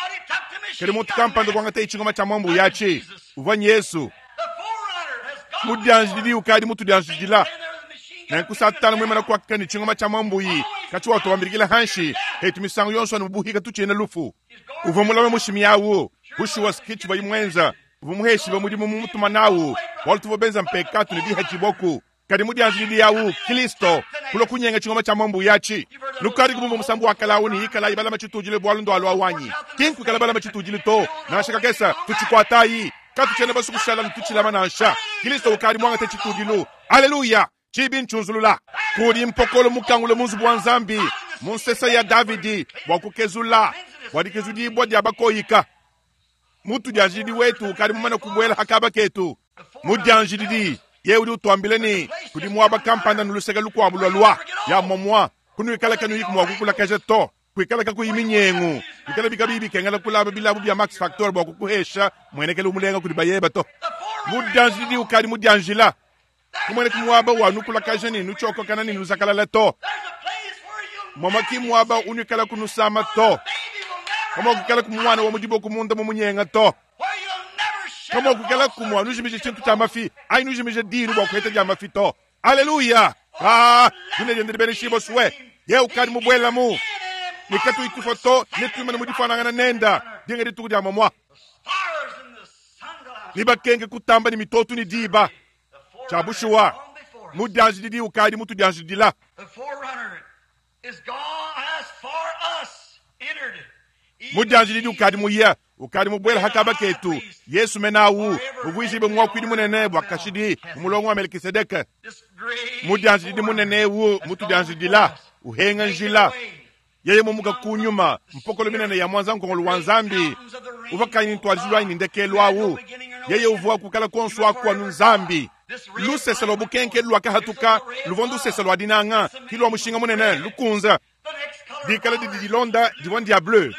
kadi muntu kampanda kuangata itshingoma tshia mwambu yatshi uvua Yesu mudianji didi ukadi mutudianji dila nenku Satana mwimana kuakika ni tshingoma tshia mwambuyi katshi watubambikila hanshi hetu misangu yonso anu mubuhika tutshiena lufu uvua mulame mushimi yawu bushuwa skitshi bayimwenza uvua muheshiba mudimu mumutuma nawu bualu tuvua benza mpekatu ne diha tshiboku kadi mudianji didi yawu Kristo kulo kunyenga tshingoma tshia mwambu yatshi lukadi kubumba musambu wa kalawu ni ikala ibalama tshitujile bualu ndo alua wanyi kinku ikala balama tshitujile to nansha kakesa tutshikwatayi katutshiena basukushala nututshilama nansha Kristo ukadi mwangate tshitudilu aleluya tshibi ntshunzulula kudi mpokolo mukangule munzubu wa Nzambi munsesa ya Davidi bua kukezula bua dikezudibua dia bakoyika mutu dianjidi wetu ukadi mumane kubuela hakaba ketu mudianji didi ye udi utuambile ni kudi muaba kampanda nuluseke lukuabu lua lua ya momwa kunuikala kanuyi mua kukulakaja to kuikala kakuyi minyengu kuikala bikabi bikengela kulaba bilabu bia Max Factor bua kukuhesha muenekele umulenga kudi bayeba to mudianji didi ukadi mudianjila kumwene kumuaba wa nukulakaja ni nuchokokana ni nuzakalala to momaki muaba unuikala kunusama to kama kukala kumwana wa mudibo kumunda mumunyenga to kama kukala kumwa nujimije tshintu tshia mafi ayi nujimije dinu bua kuheta dia mafi to aleluya ah dunediende dibeneshibo suwe ye ukadi mubuelamu nikatu itufa to netuimane mudifanangana nenda dinga dituku dia momwa nibakenge kutamba ni mitotu ni diba Tshia bushuwa, mudianjididi ukadi mutudianjidila. Mudianjididi ukadi muya, ukadi mubuela hakaba ketu. Yesu menawu muvuijibe muakuidi munene bua kashidi mu mulongo wa Melkisedeke. Mudianjididi munene ewu mutudianjidila, uhenga njila. Yeye mumuka kunyuma mpokolo minene ya mwanza nkongolo wa Nzambi uvua kayi ntuadijilu anyi ndekelu awu. Yeye uvua kukala konso aku anu Nzambi. Lusese lwa bukenke lwakahatuka luvua ndusese lwa dinanga ki lwa mushinga munene lukunza. Dikala didi dilonda divua ndia bleu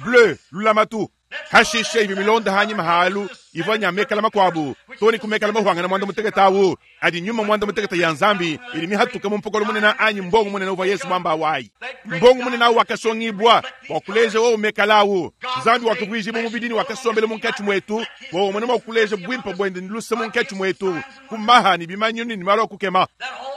bleu lulamatu. Hashishe ivi milonda hanyima halu ivua nya mekala makuabu toni kumekala mahuangana mwanda mutekete awu adi nyuma mwanda mutekete ya Nzambi ili mihatuka mu mpokolo munene anyi mbongo munene uvua Yesu mwamba wayi. Mbongo munene awu wakasongibwa bua kuleja wowo mekala awu. Nzambi wakavuijibwa mubidini wakasombela munkatshi mwetu wowo mwene mwa kuleja bwimpa bwende ni luse munkatshi mwetu kumaha ni bimanyinu ni malu akukema.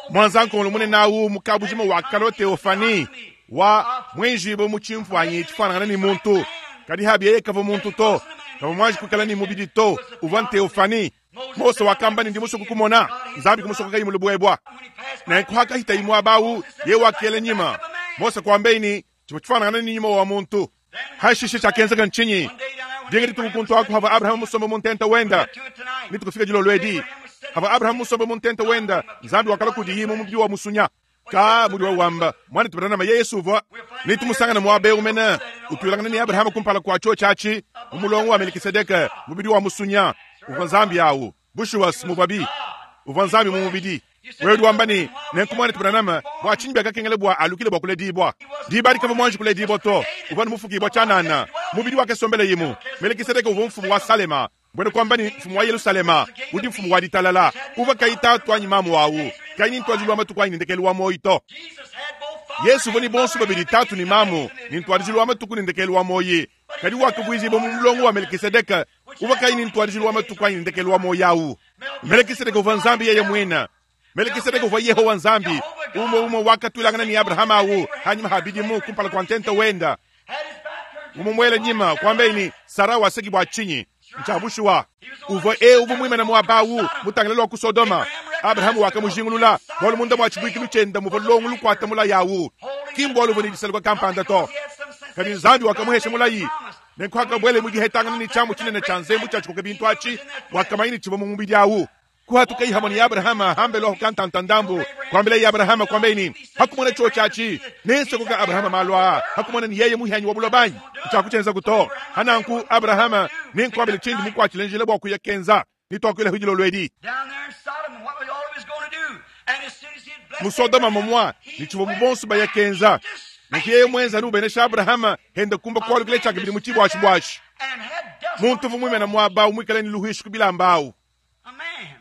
Mwanza nkongolo munene awu mukabujima wa kalo Theophanie wa mwenjibo mu tshimfuanyi tshifanangana ni muntu. Kadi habi yeye kava muntu to, kava mwanji kukala ni mubidi to, uvua Theophanie. Mose wakamba ni ndi musoko kumona, Nzambi kumusoko kayi mulubwebwa. Nenku hakahita imwe abawu, ye wakele nyima. Mose kwambeini, chimwe chifanangana ni nyima wa muntu. Hashishe chakenzeka nchinyi. Dinga dituku kuntu aku hava Abraham musombe muntenta wenda. Nitukufika jilo lwedi. Hava Abraham musombe muntenta wenda, Nzambi wakala kudiyimu mubidi wa musunya. Ka muri wa wamba mwana tubana na Yesu uvua nitumusangana mwabe umena utulangana ni Abraham kumpala kwa cho chachi umulongo wa Melkisedeke mubidi wa musunya uvua Nzambi awu bushuwa mubabi uvua Nzambi mu mubidi wewe wamba ni nenku mwana tubana na bwa chinyi byakakengele bwa alukile bwa kuledibwa dibali kama mwanji kuledibwa to uvua mufukibwa chanana mubidi wake sombele yimu Melkisedeke uvua mfumu wa Salema bwene kwamba ni mfumu wa Yerusalema udi mfumu wa ditalala uva kaita twanyi mamu wawu kaini ntwajilwa matuku anyi ndekelu wa moyi to. Yesu voni bonso babili tatu ni mamu ni ntwajilwa matuku ni ndekelu wa moyi kadi wakavuizibo mu mulongo wa Melkisedeke uva kaini ntwajilwa matuku anyi ndekelu wa moyi awu. Melkisedeke uva Nzambi yeye mwina. Melkisedeke uva Yehowa Nzambi umo umo wakatulangana ni Abraham awu hanyuma habidimu kumpala kwa ntenta wenda umumwele nyima kwambeni Sara waseki bwa chinyi nchabushuwa uvua e uvu mwimene mwabawu mutangile lwa ku Sodoma. Abrahamu wakamujingulula bwalu munda mwa chibuikilu chenda muvua longo lukwata mulayi awu kimbo luvu ni disaluka kampanda to kadi Nzambi wakamuhesha mulayi nenku hakabwele mudihetangana ni chamu chinene cha nzembu cha chikoke bintu achi wakamaini chivua mu mubidi awu kuhatuka ihamwa ni Abrahama hambelo hukantanta ndambu kwambile ya Abrahama kwambeini hakumona cho chachi nensokoka Abrahama malwa hakumona ni yeye muhanyi wa bulobanyi chakuchenza kuto hananku Abrahama ninkwambile chindi mukwachilenjele bwa kuya kenza nitwakwile hujilo lwedi musodoma momwa nichivo mubonso baya kenza niki yeye mwenza nubenesha Abrahama henda kumba kwalukile chake bili muchibwashi bwashi muntu vumwimena mwaba umwikale ni luhishu kubilambau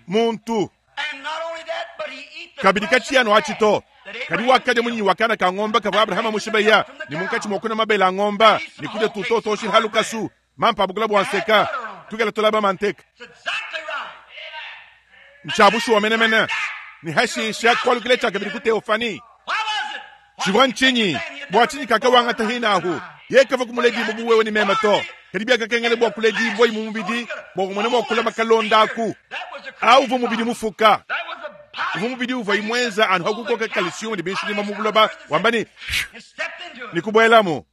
muntu kabidi kachiyano achito kadi wakadya munyi wakana ka ng'omba kava Abrahama mushibeya ni munkachi mwokuna mabela ng'omba ni kuja tutoto halukasu mampa abukula bwanseka tukela tolaba manteka nchabushu wa menemene ni hashisha kwalukile chake bili ku Theophanie chivwa nchinyi bwa chinyi kaka wangata hinahu yekava kumuledi bubu wewe ni mema to kadi byakakengele bwa kuledi bwa imumubidi bwa kumwene bwa kula makalondaku au uva mubidi mufuka uva mubidi uva imwenza anu hakukoka kalisiumu ni binshilima mubuloba wambani nikubwelamu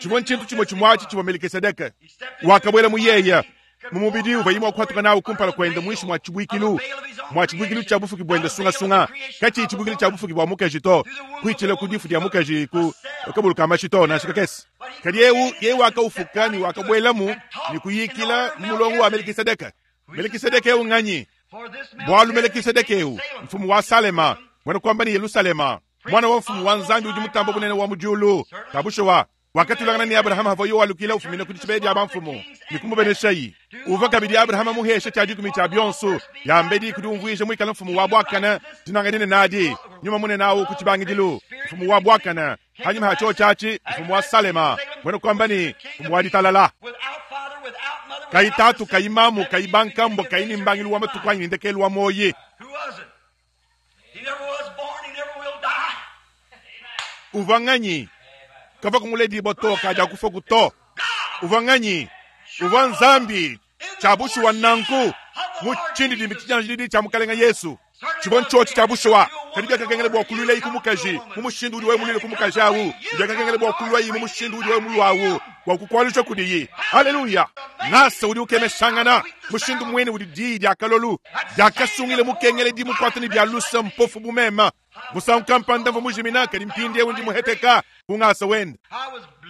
chivwa nchintu chimwe chimwachi chivwa Melkisedeke wakabwela muyeya mumubidi uva imwe akuhatuka nawu kumpala kwenda mwishi mwa chibwikilu mwa chibwikilu cha bufuki bwenda sungasunga kachi chibwikilu cha bufuki bwa mukeji to kuichile kudifu dia mukeji ku kabulu kama chito na shikakesi kadi yewu yewu wakaufuka ni wakabwelamu ni kuyikila mulongo wa Melkisedeke. Melkisedeke ewu ng'anyi bwalu Melkisedeke ewu mfumu wa Salema mwana kwamba ni Yerusalema mwana wa mfumu wa Nzambi udi mutambo bunene wa mujulu tabushowa wakatulangana ni Abrahama hava yo walukila ufumina kudi chibedi aba mfumu nikumubeneshayi uva kabidi Abrahama muhesha cha dikumi cha byonso yambedi kudi umvuisha mwikala mfumu wa bwakana tinanganine nadi nyuma mune nawo kuchibangidilu mfumu wa bwakana hanyuma hacho chachi mfumu wa Salema mwene kwamba ni mfumu wa ditalala kaitatu kaimamu kaibankambo kaini mbangilu wa matuku anyi ndekelu wa moyi uva ng'anyi kava kumuledi boto kaja kufa kuto uva ng'anyi uva Nzambi chabushu wa nanku Mu tshindidimbi tshidianjididi tshia Mukalenga Yesu. Tshivua ntshiotshi tshia bushuwa, kadi biakakengela bua kuluilayi ku mukaji mu mushindu udi wewe muluile ku mukaji awu. Biakakengela bua kuluayi mu mushindu udi wewe mulua awu, bua kukualuja kudiyi. Haleluya! Ngasa udi ukemeshangana, mushindu muine udi diyi dia kalolu diakasungila mukengeledi mukuate ne bia luse mpofu bu meme. Musangu kampanda mvua mujimina, kadi mpindieu ndi muheteka ku ngasa wende.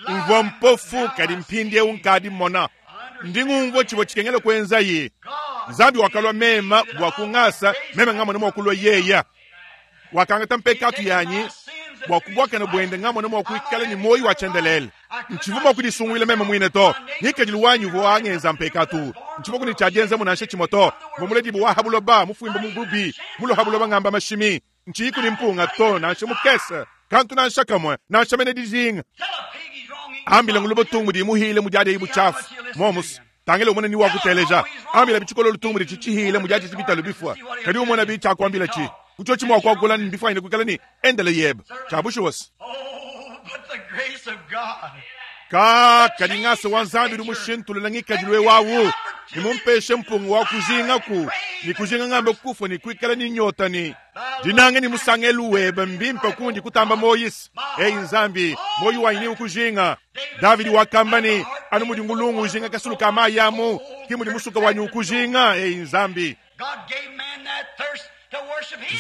Mvua mpofu, kadi mpindieu nkadi mmona. Ndi ngumvua tshivua tshikengela kuenzayi. Nzambi wakalua mema bua ku ngasa, meme ngamona mua kulua yeya. Wakangata mpekatu yanyi bua ku buakane buende ngamona mua kuikala ne muoyo wa tshiendelele. Ntshivua mua kudisunguila meme muine to. Ngikadilu wanyi uvua wangenza mpekatu. Ntshivua ku ne tshia dienzamu nansha tshimue to. Mvua muledibue wa ha buloba, mufuimba mu bubi, mulue ha buloba ngamba mashimi. Ntshiyiku ne mpunga to, nansha mukese, kantu nansha kamue, nansha mene dijinga. Ambila nguluba tungu di muhile mudiadia butshiafu. Momus, tangila umone ni wakuteleja. Ambila bitshikololo tungu di tshihile mudiadia bitalu bifua. Kadi umone bi tshiakuambila tshi. Kutshiotshi mua kuakula ne bifua kuikala ne endele yebe. Tshia bushuwa se. Ka kadi ngasa wa Nzambi udi mushintulula ngikadilu ewawu ne mumpeshe mpungu wa kujingaku ne kujinga ngambe kufua ne kuikala ne nyota ne dinanga ne musangelu webe mbimpe kundi kutamba Moyise. Eyi Nzambi, moyo wanyi ni ukujinga. Davidi wakamba ne, anu mudi ngulungu ujinga kasulu ka mayi amu, ke mudi musuka wanyi ukujinga. Eyi Nzambi.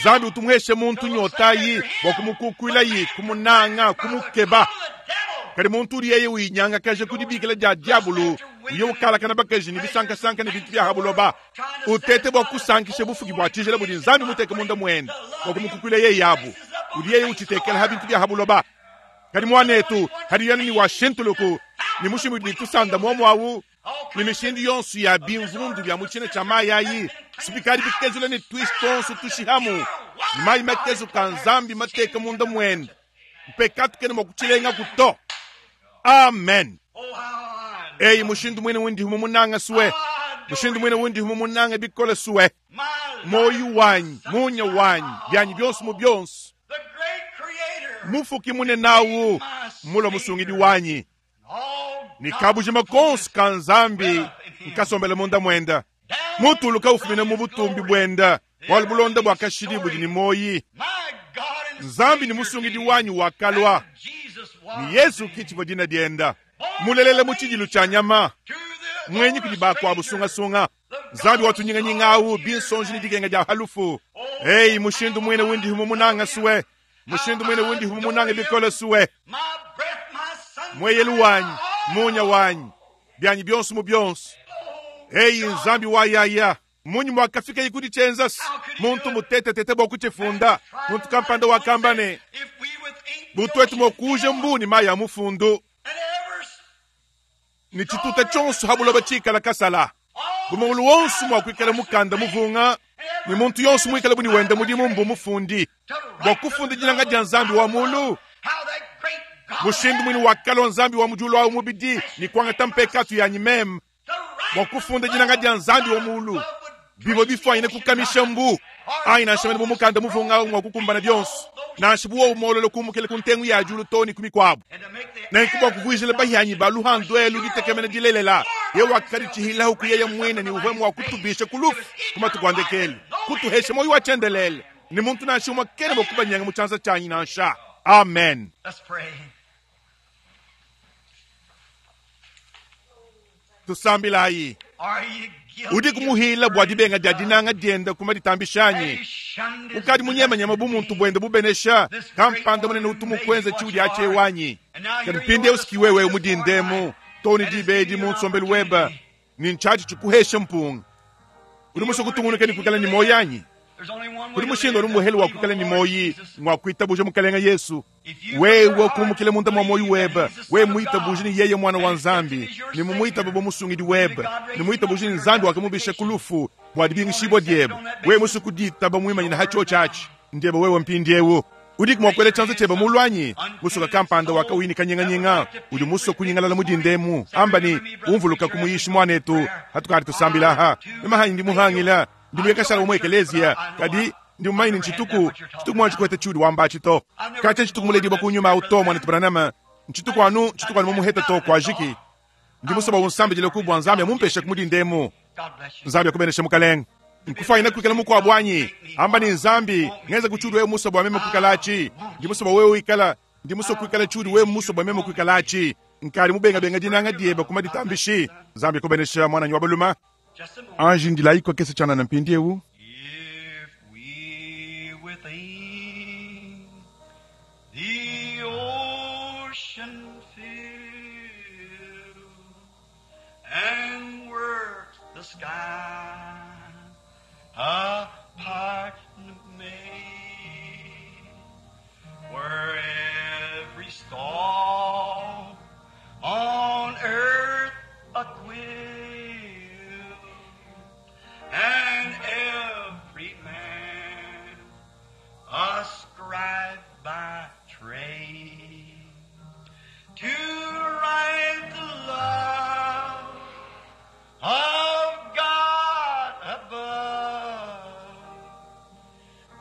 Nzambi utu muheshe muntu nyotayi bua kumukukuilayi, kumunanga, kumukeba. Kadi muntu udi yeye uyinyangakaja ku dibikila dia diabulu, uye ukalakana bakaji ne bisankasanka ne bintu bia ha buloba, utete bua kusankisha bufuki bua tshijila budi Nzambi muteke munda muende bua kumukukuila yeye abu, udi yeye utshitekela ha bintu bia ha buloba. Kadi muanetu, kadi yanu ni washintuluku ne mushindu udi tusanda muomu awu ne mishindu yonso ya bimvundu bia mu tshina tshia mayi ayi sipikadi bikezula ne twisi tonso tushihamu mayi makezuka Nzambi mateka munda muende mpekatu kena mua kutshilengaku to. Amen. Eyi mushindu muine undi mumunanga suwe, mushindu muine undi mumunanga bikole suwe, moyo wanyi, munya wanyi, byanyi byonso mu byonso, mufuki munenawu mulwa musungidi wanyi ni kabujima konso ka Nzambi nkasombela munda muenda mutuluka ufumina mu butumbi buenda bualu bulonda bua kashidi budi ne moyi. Nzambi ni musungidi wanyi wakalua ni Yesu kitshivua dina dienda mulelele mu tshidilu tshia nyama mwenyi kudi bakuabu sungasunga. Nzambi watunyinganyinga awu binsonji ni dikenga dia halufu. Eyi mushindu muine undi mumunanga suwe, mushindu muine undi mumunanga bikole suwe, mweyelu wanyi, munya wanyi, byanyi byonso mu byonso. Eyi Nzambi wa yaya, munyi mwakafika ikudi tshenzasi muntu mutetetete bua kuchifunda. Muntu kampanda wakamba ne butwetu mwakuja mbuni mayi ya mufundu ni tshituta tshonso habuloba tshikala kasala bumungulu wonso mwakuikala mukanda muvunga ni muntu yonso muikala buni wenda mudimu mbu mufundi bua kufunda dinanga dia Nzambi wa mulu. Mushindu mwini wakalua Nzambi wa mujulu awu mubidi ni kuangata mpekatu yanyi meme bua kufunda dinanga dia Nzambi wa mulu bivua bifwanyine kukamisha mbu ayi nansha mene bu mukanda muvunga awu mwa kukumbana byonso nansha bu wowu mololo kumukela ku ntengu ya julu to ni ku mikwabu. Nenku bua kuvuijila bahianyi ba luhandu elu ditekemena dilelela, ye wakadi tshihilahu ku yeye muine ni uvue mua kutubisha ku lufu ku matuku a ndekelu, kutuhesha moyo wa tshiendelele, ni muntu nansha umue kena mua kubanyenga mu tshianza tshianyi nansha. Amen. Tusambilayi. Udi kumuhila bua dibenga dia dinanga dienda kuma ditambishanyi. Ukadi munyemanyema bu muntu buende bubenesha kampanda munene utu mukwenza tshiudi atshi wanyi. Kadi mpindieu siki wewe mudindemu toni dibedi mu nsombelu webe ni ntshiatshi tshikuhesha mpunga. Udi musue kutungunuka ne kuikala ne moyo anyi? Kudi mushindu anu muhele wa kuikala ne moyi ngwa kuitabuja Mukalenga Yesu. Wewe kumukile munda mwa moyo webe, we muitabuje ni yeye mwana wa Nzambi, ni mumuitaba bo musungidi webe, ni muitabuje ni Nzambi wakamubisha ku lufu bua dibingishibwa diebe. We musu kuditaba muimanyina ha chio chachi ndiebe wewe mpindiewu. Udi mua kuela tshianza tshiebe mu lwanyi musuka kampanda wakawini kanyinganyinga udi musue kunyingalala mudindemu amba ni umvuluka kumuyishi mwanetu hatukali tusambila ha nemahanyi ndi muhangila ndi muyekashala umwe ekelezia kadi ndi mumanyi ni ntshituku tshituku mwa tshikwete tshiudi wamba tshito katsha tshituku muledi kunyuma uto mwanetu Branham ntshituku anu tshituku anu mumuheta to kwajiki ndi musaba unsambidile ku bua Nzambi amumpeshe kumudindemu. Nzambi akubeneshe mukalenge. Nkufwanyine kwikala mukwabo anyi? Amba ne, Nzambi, ngenza tshiudi wewe musue bua meme kuikala atshi. Ndi musue bua wewe wikala, ndi musue kuikala tshiudi wewe musue bua meme kuikala atshi. Nkadi mubengabenga dinanga diebe ku maditambishi. Nzambi kubenesha mwananyi wa balume. Just a moment. Anji ndilayi kakese tshianana mpindieu. If we within the ocean fill and were the sky a part made, were every star on earth a quill, and every man a scribe by trade, to write the love of God above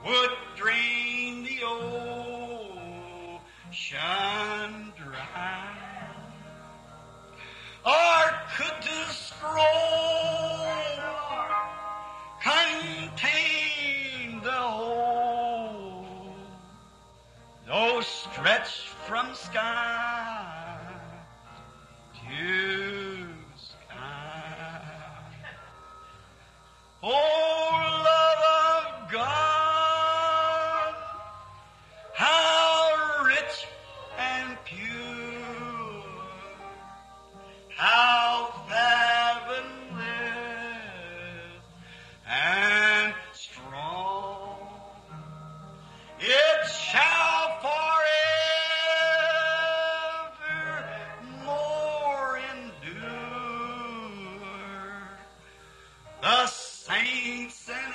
would drain the ocean dry. Or could the scroll contain the whole, though stretched from sky to sky? Oh, love of God, how rich and pure, how fathomless and strong, it shall forevermore endure the saints and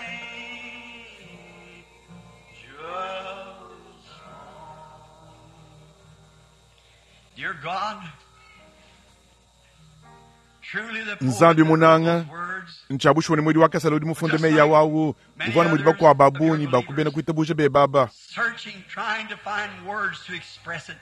angels. Dear God, truly the Nzambi poet that wrote munanga. those words Ntshiabushiwa ne mwedi wa kasala udi mufunde meyi awawu uvua mudi bakuabu ba bungi bakubena kuitabuja bebaba searching, trying to find words to express it.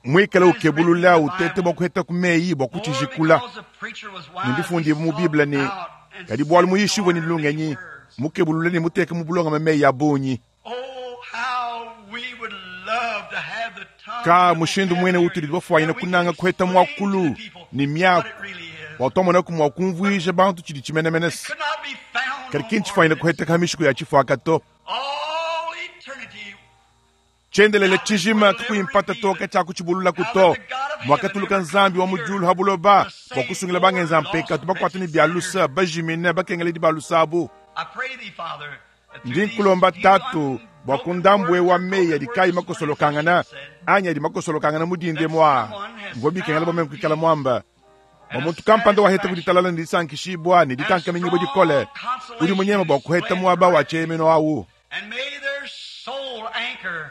mwikale ukebulula utete bua kuheta ku meyi bua More kutshijikula because the preacher was wise, nimbifundiye he mu biblia ne sought out and kadi bualu set muyishiwe ne order lungenyi many words. mukebulule ne muteke mu bulongame meyi a bungi Oh, how we would love to have the tongue ka and the mushindu mwene vocabulary utudi bafwanyine that we can kunanga kuheta explain to mwakulu the people ne what miaku it really is. watwamonaku mua kumvuija bantu tshidi tshimenemene It could not be found kadi on ki ntshifwanyine our lips. kuheteka ha mishiku ya tshifuaka to All eternity tshiendelele tshijima kakuyimpata toka tshakutshibulula kuto mwakatuluka nzambi wa mujulu ha buloba bua kusungila bangenza mpekatu bakuata ne bia lusa bajimine bakengeledi ba lusa abu I pray thee, Father, that through ndi these nkulomba few tatu bua unbroken kundambue words wa or meyi broken adi kayi words makosolokangana said, anyi adi makosolokangana mudinde mwa mvua bikengela bua meme kuikala mwamba bua muntu kampanda waheta kuditalala ne disankishibua ne dikankaminyibua dikole udi munyema bua kuheta muaba wa tshiemeno awu and may their soul anchor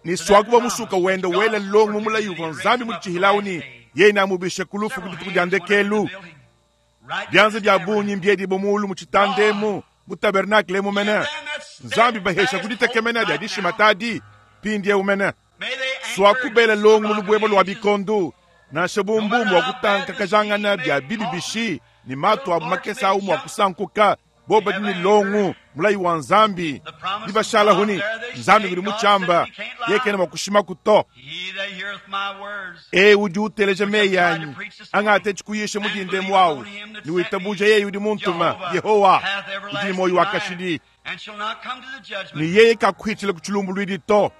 ni swakuba musuka wenda wela longo mumulayi uvua nzambi muditshihilawu ni yeye namubishe ku lufu ku dituku dia ndekelu byanza bya bungi mbyedibo mulu mu tshitandemu mu tabernakle emu mene nzambi bahesha kuditekemena dia dishima tadi pindiewu mene swakubela longo mu lubwebo lwa bikondu nansha bumbumu wa kutankakajangana bya bibi bishi ni matu abu makesa awu mua kusankuka bo badi ni longo mulayi wa nzambi dibashala huni nzambi kudi mutshamba yekene mua kushimaku to He that heareth my words e udi uteleja meyi anyi angate tshikuyisha mudinde mwawu ni witabuja yeye udi muntuma yehowa udi ni moyo wa kashidi and shall not come to the judgment ni yeye kakuhitshila ku tshilumbuluidi to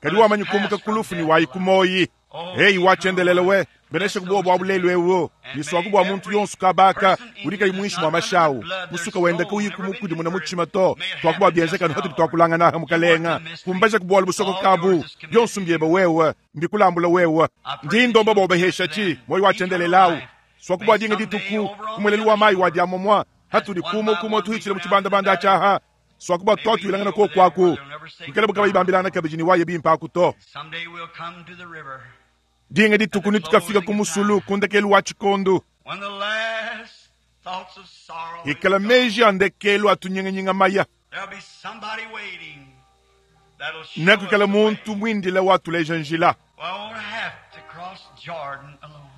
kadi wamanyi kumuka kulufu ni wayi kumoyi heyi wachendelele we benesha kubuwa bua bulelu ewo niswaku bua muntu yonsu kabaka udi kayi muinshi mua mashawu musuka wenda kauyi kumukudimuna mutshima to twakuba bienzeka hatudi twakulangana mukalenga kumbaja kubuwalu busoko kabu byonsu mbyeba wewe mbikulambula wewe ndi ndomba bobehesha chi moyo wachendelelawu swakuba dinga dituku kumweleli wa mayi wa diamomwa hatudi kumo kumo tuhitshile mu tshibandabanda atshaha swakuba twatwilangana ko kwaku nkele buka bayibambilana kabidi ni waye bimpaku to Someday we'll come to the river dinga dituku nitukafika ku musulu kundekelu wa tshikondu when the last thoughts of sorrow is ikala gone. meji a ndekelu atunyinga-nyinga maya There'll be somebody waiting that'll show us nakuikala the way. muntu mwindile watuleja njila We won't have to cross Jordan alone.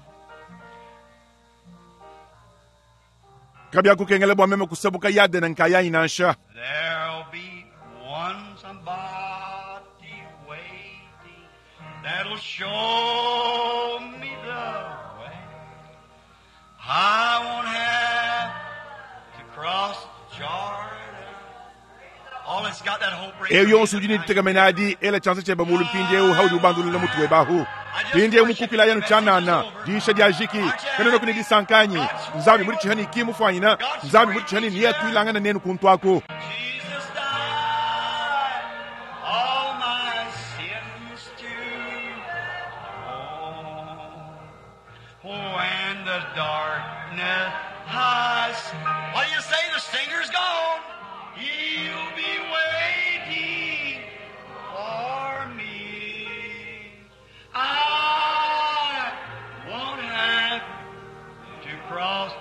Kabiakukengela bua meme kusabuka Yadene nkayanyi nansha. There'll be one somebody waiting that'll show me the way. I won't have to cross Jordan. All that's got that hope right Eyo yonso udi ne ditekemena adi, ela tshianza tshiebe mulu mpindieu haudi ubandulula mutu webe ahu. Mpindieu mukukila yanu tshianana, diyisha dia jiki, kanuenaku ne disanka anyi? Nzambi muditshiha ne ki mufuanyina, Nzambi muditshiha ne neatuilangane nenu kuntu aku. Jesus died all my sins to atone. When the darkness hides, what do you say? The singer's gone. He'll be waiting for me. I won't have to cross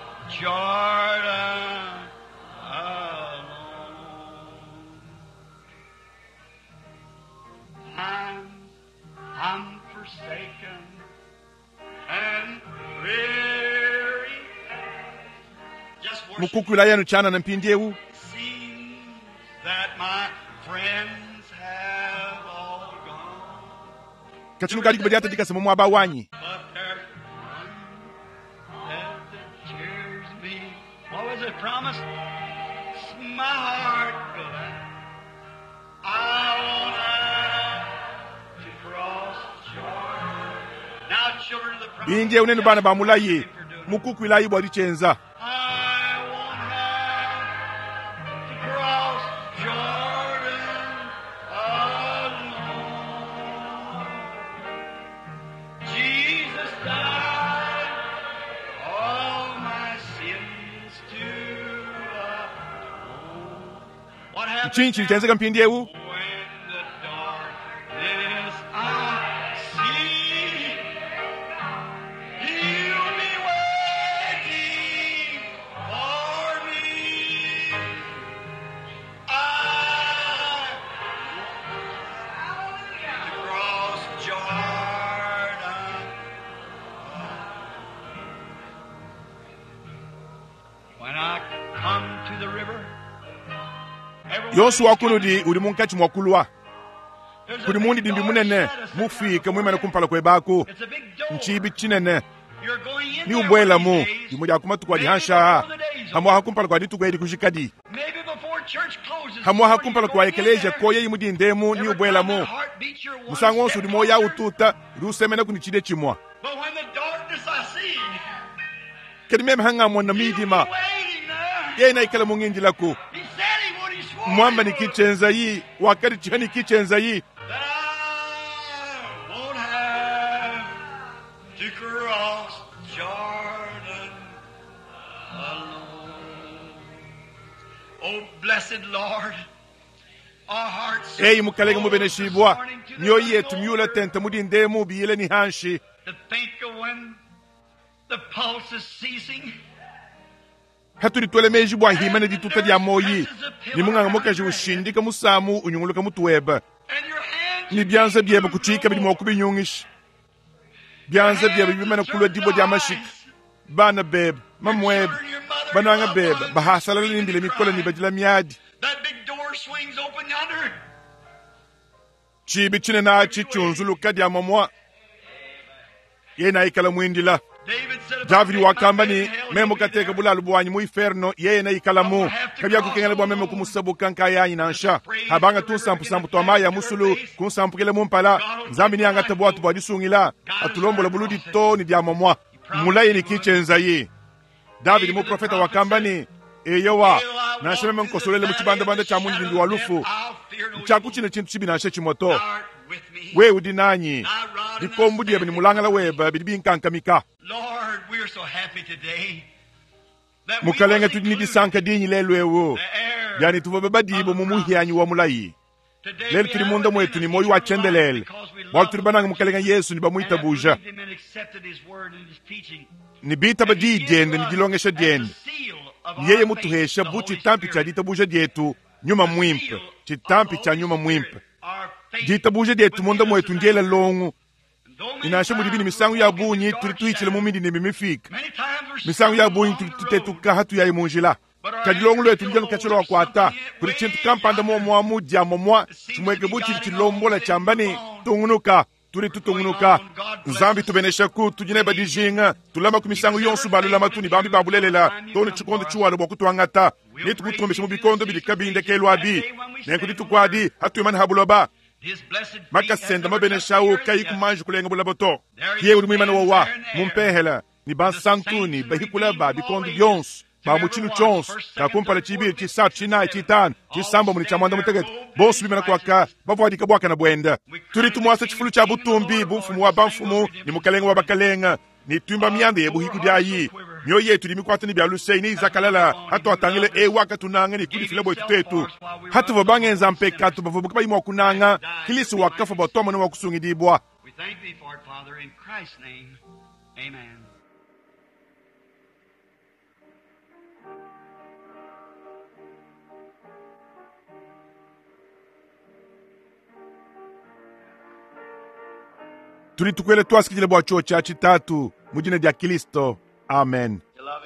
Jordan alone. I'm forsaken and weary. Just worship. Mukukula yanu tshianana mpindieu. Seems that my friends have all gone. Katshinu kadi kubadiata dikasa mu muaba wanyi. But there's one that cheers me. What was it promised? It's my heart glad. I won't have to cross Jordan. Now, children of the promise. Mpindieu nenu bana ba mulayi, mukukuilayi bua ditshienza. I won't have to cross Jordan alone. Jesus died all my sins to atone. What happened Ntshinyi tshidi tshienzeka mpindieu? when the darkness I see? He'll be waiting for me. I to cross Jordan. When I come to the river, everyone Yonso wa kunudi udi munkatshi mua kulua. There's a Kudi big mundidimbi door munene, shut us mufike muimane kumpala kuebaku. It's a big door. Ntshibi tshinene. You're going in Ni there ubuelamu, one of these days. dimue dia ku matuku adi Maybe hansha. before the day's over. Hamuaha kumpala kua dituku edi kujikadi. Maybe before church closes. Hamuaha before kumpala you kua go in ekeleziya there, koyeyi mudindemu ni every time ubuelamu. that heart beats, you're one Musangu wonso step udi moyo closer. ututa, udi usemena kuni tshide tshimua. But when the darkness I see, Kadi meme hangamona he'll be midima, waiting there. yena ikala mungindilaku. He said he would, he swore Mwamba he ni would. kichenza yi, wakati chihani kichenza yi. That I won't have to cross Jordan alone. Oh, blessed Lord, our hearts Eyi mukalenge full this mubeneshibwa, morning to the mioyo running yetu miula over. tente mudindemu biyile ni hanshi. To think of when the pulse is ceasing. Hatudi twele meji bua hima ne dituta dia moyi. Ni munganga mukaji ushindika musamu unyunguluka mutu webe. And your hands Ni byanza byebe kuchika bidi mua kubinyungisha. Byanza byebe bimene kulwa dibwa dia mashika. Bana bebe, mamwebe, bananga bebe, bahasalala nimbile mikola ni badila miadi. That big door swings open yonder. Chibi chinene achi chunzuluka dia mamwa. Yena ikala mwindila. David said, if I Davidi take my wakamba bed ni in hell, meme he'll be kateka there. bulalu bwanyi mu inferno yeye na ikalamu kabyakukengela bwa meme kumusabuka nkayanyi nansha habanga tunsampusampu twa mayi ya musulu kunsampukile mumpala nzambi niyangata bwatu bwa disungila atulombola buludi to ni dia momwa mulayi ni kichenzayi Davidi muprofeta wakamba ni eyowa nansha meme nkosolele mu tshibandabanda tshia mundindi wa lufu I'll fear no ntshaku evil. tshine tshintu tshibi nansha tshimwe to Thou art with me. wewe udi nanyi Thy rod and thy dikombu diebe ni staff. mulangala webe bidi binkankamika Lord, we are so happy today that we mukalenga was tudi ni included disanka dinyi lelu ewu the heir yani tuvua babadibo mu muhianyi wa mulayi Today lelu we tuli have munda within mwetu us ni moyo wa eternal life chendelele because we bwalu love tuli bananga mukalenga yesu ni and have bamuitabuja believed him and accepted his word and his teaching. ni bitaba And he diyi gives diende ni us dilongesha as the diende seal of ni our yeye faith, mutuhesha the bu Holy chitampi cha Spirit. ditabuja dietu nyuma The mwimpe seal of the chitampi cha Holy nyuma Spirit, mwimpe our faith ditabuja dietu within munda us mwetu is ndiela longo And Ne nansha mudibi ne misangu ya bungi tudi tuhitshila mu midima mifike, misangu ya bungi tudi tutetuka hatuyayi mu njila. Kadi longo lwetu ludi lukatshi lwakuata kudi tshintu kampanda muomuamu dia momua tshimueke bu tshidi tshilombola tshiamba ne, Tungunuka. Tudi tutungunuka. Nzambi tubeneshaku, tudi neba dijinga, tulamaku misangu yonso ba lulamatu ne bambi ba bulelela too ne tshikondo tshiwalua bua kutuangata. Netukutumbishe mu bikondo bidi kabiyi ndekelu abi. Nenku dituku adi hatuimana ha buloba, makasa ende mabenesha au kayi kumanji kulenga bulaba to. Yeye udi muimane wowa mu mpehela ne bansantu ne bahikula ba bikondo bionso ba mu tshinu tshionso tshia kumpala, tshibidi, tshisatu, tshinayi, tshitanu, tshisambombo ne tshia muanda mutekete, bonso bimana kuaka bavuadika buakane buende. Tudi tumuasa tshifulu tshia butumbi bu mfumu wa bamfumu ne mukalenge wa bakalenge, ne tuimba mianda ya buhikudi ayi. Mioyo yetu idi mikuata ne bia luse ne izakalala hatuatangila eu wakatunanga ne kudifila buetu tuetu. Hatuvua bangenza mpekatu bavua kabayi mua kunanga, Kristo wakafua bua tuamone mua kusungidibua. We thank thee for it, Father, in Christ's name. Amen. Tudi tukuela tuasakidila bua tshiotshi atshi Tatu, mu dina dia Kristo. Amen.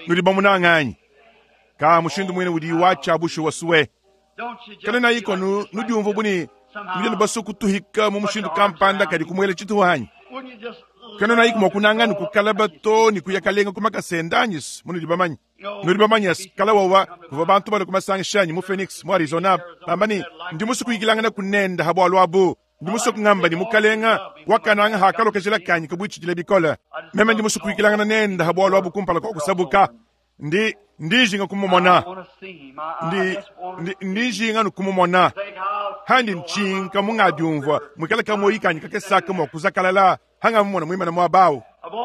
Nudi bamunanga anyi? Ka mushindu muine udi watshia bushuwa sue. Kana iko nu nudiumvua bu ne nudi anu basue kutuhika mu mushindu kampanda kadi kumuela tshituha anyi? Kana iko mua kunanga ne kukalaba to ne kuya kalenga ku makasa ende anyi? Munudi bamanye. Nudi bamanye kala wawa kuvua bantu balue kumasangisha anyi mu Phoenix mu Arizona bamba ne ndi musue kuyikilangana kunenda ha bualu abu. Ndi musue kungamba ne mukalenga wakananga hakalokeshela kanyi kabuitshidile bikole. Meme ndi musue kuyikilangana nenda ha bualu abu kumpala kua kusabuka. Ndi ndijinga kumumona. Ndi ndi ndijinga nukumumona. Handi ntshinka mungadiumvua muikale kamoyi kanyi kakesaka mua kuzakalala hanga mumona muimana muaba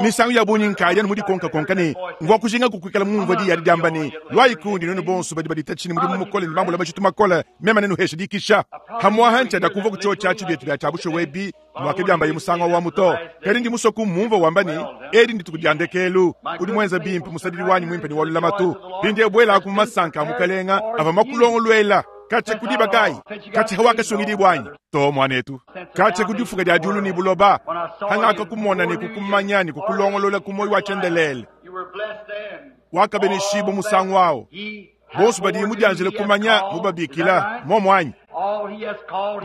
Misangu ya bungi nkaya anu mudikonkakonka ne mvua kujinga kukuikala mumvua diyi adi diamba ne, Luayi kundi nuenu bonso badi baditatshi ne mudimu mukole ne bambula majitu makole, meme nenuheshe dikisha. Hamuaha ntshiada kumvua ku tshiotshi atshi bietu bia tshia ebi muakebiambaye musangu wa muto. Kadi ndi musue kumumvua wamba ne, Edi ndituku dia ndekelu, udi muenza bimpe musadidi wanyi muimpe ne wa lulamatu. Mpindieu buelaku mu masanka a mukalenga avua makulongoluela. Katshia ku diba kayi? Katshia wakasungidibua anyi? To, muanetu. Katshia ku difuka dia diulu ne buloba, hangakakumona ne kukumanya ne kukulongolola ku muoyo wa tshiendelele. Wakabeneshibua musangu awu. Bonso badi mudianjile kumanya mubabikila muomu anyi?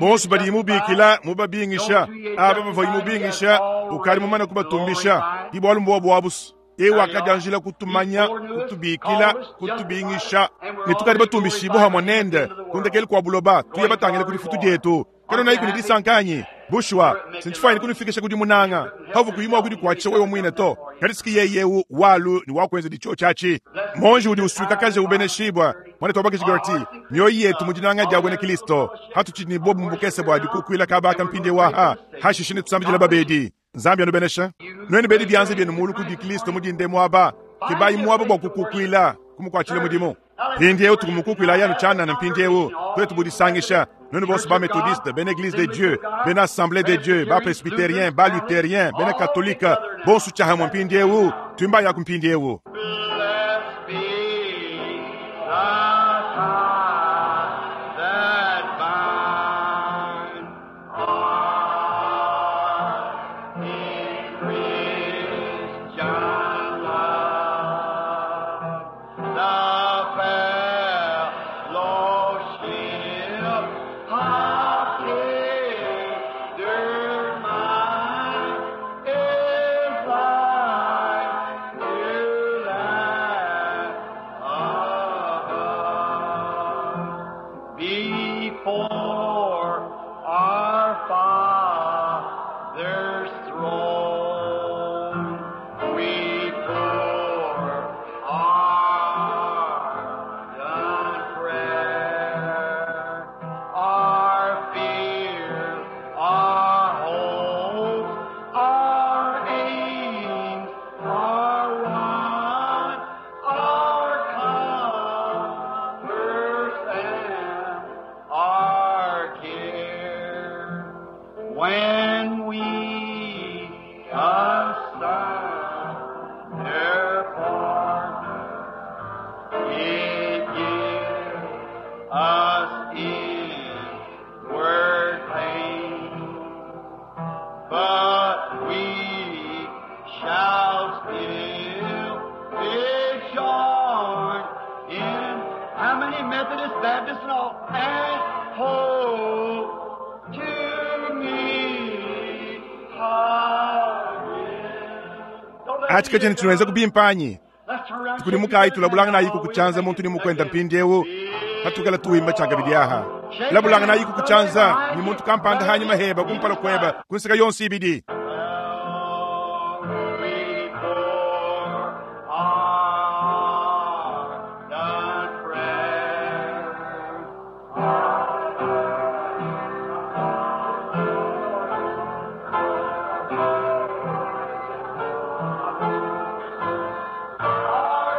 Bonso badi mubikila mubabingisha, aba bavua mubingisha ukadi mumane kubatumbisha. Ki bualu mbuobu abusu. Eu wakadianjila kutumanya, kutubikila, kutubingisha, ne tukadi batumbishibua hamue nende ku ndekelu kua buloba, tuye batangile ku difutu dietu. Kanena ne disanka anyi? Bushuwa, sintshifuanyine kunufikisha ku dimunanga havu kuyi mua kudikuatshisha wewe muine to. Kadi siki yeye eu walu ne wakuenza ditshio tshiatshi. Monji udi usuikakaja ubeneshibua. Mwana twabakiji Gertie, mioyo yetu mu dinanga dia buena Kristo. Hatutshidi ne bobu mu bukese bua dikukuila kabaka mpindiewu aha. Hashishe ne tusambidila babedi. Nzambi anubenesha. Nuenu bedi bianza bienu mulu kudi Kristo mu dinde muaba. Kebayi muaba bua kukukuila, kumukuatshila mudimu. Mpindiewu tukumukukuila yanu tshianana mpindiewu tuetu budisangisha. Nuenu bonso ba Methodiste, bena Eglise de Dieu, bena Assemblée de Dieu, ba Presbytérien, ba Luthérien, bena Catholique, bonso tshiahamue mpindiewu, tuimba yaku mpindiewu. Blessed be the tie that binds us in Christian love. The fellowship of tender mind is like to that above. Before our Father's throne, we pour our done prayer, our fears, our hopes, our aims, our wants, our comforts, and our Any Methodist, Baptist, and all, and hope to meet again. Don't let Achi kachene chinweza kubimpanyi Let's turn around. tukuli mukayi tulabulanga nayi kukuchanza muntu ni mukwenda mpindiewu katukala tuwimba chakabidi aha labulanga nayi kukuchanza ni muntu kampanda hanyi maheba kumpala kweba kunsika yonse ibidi We pour our done prayer. Our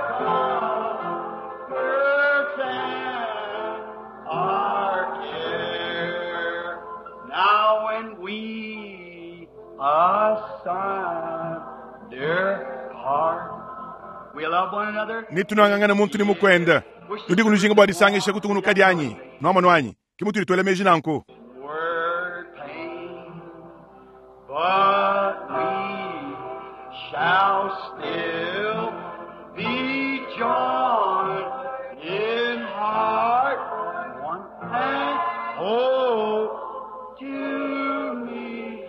comforts and our care. Now when we asunder part, we love one another. nitunangangana muntu ni mukwenda tudi kunujinga bwa disangisha kutungunuka dyanyi nwamano anyi kimutuli twele meji nanku Word pain, but we shall still be joined in heart, one and hope to meet.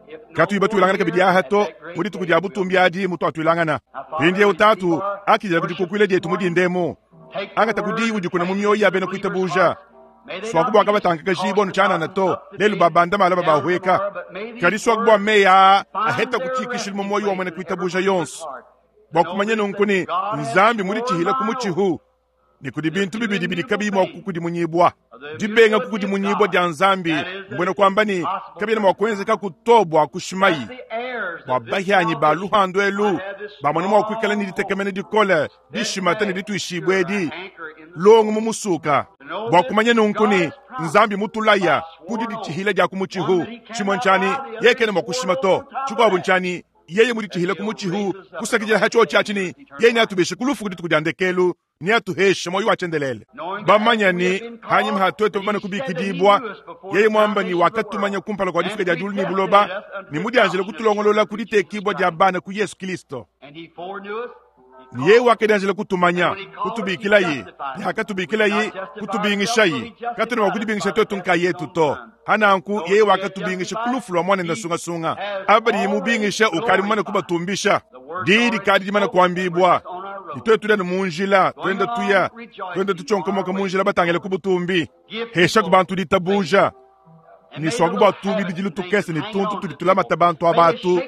If no katuyi batwilangana kabidi aha to more at that great mudi tuku day dia butumbi adi mutu atwilangana pindi utatu akijela kudikukwile dietu mudindemu Take the angata kudi word udi kuna and mu mioyo ya bena place it in kuitabuja believers' hearts. May they swaku not bwa be kabatanga kajibwa nuchanana to up to lelu date, babanda mala down babahweka tomorrow, but may these kadi swaku bwa words meya find aheta their kuchikishili mu resting moyo wa mwene place in every kuitabuja believer's yonse heart. bwa To know kumanya this, nunkuni that God has nzambi muli sworn chihila by ku oath muchihu ni kudi bintu bibidi bidi kabi mwa kukudimunyibwa dibenga kukudimunyibwa dia nzambi mbwena kwamba ni kabina mwa kuenzeka kutobwa kushimayi the heirs bwa of this bahyanyi ba salvation luhandu elu might have this bamone mwa kuikala ni strong ditekemene dikole dishimata ne dituishibwa edi anchor in the longo mu musuka bwa kumanya nunkuni nzambi mutulaya kudi ditshihila dia kumuchihu chimwe nchani yekene mwa kushima to chikwabu nchani yeye muditshihila kumuchihu kusakidila hacho chachini yeye niatubeshe kulufu kudituku dia ndekelu niatuheshe moyo wachendelele bamanya ni hanyuma hatwete bamane kubikidibwa yeye mwamba ni wakatumanya kumpala kwa difika dia dulu ni buloba ni mudianjele kutulongolola kuditekibwa dia bana ku yesu kristo And he foreknew us. ni yeye wakadianjele kutumanya kutubikilayi yakatubikilayi kutubingishayi katuna wakudibingisha twetu nkayetu to hananku yeye wakatubingisha kulufu lwa mwana ndasungasunga aba limubingisha ukali mumane kubatumbisha didi kadi limane kuambibwa nitwe tulya ni munjila twenda tuya twenda tuchonkomoka munjila batangele kubutumbi hesha ku bantu ditabuja ni swaku bwa bidilu tukese ni tuntu tudi tulamata bantu abatu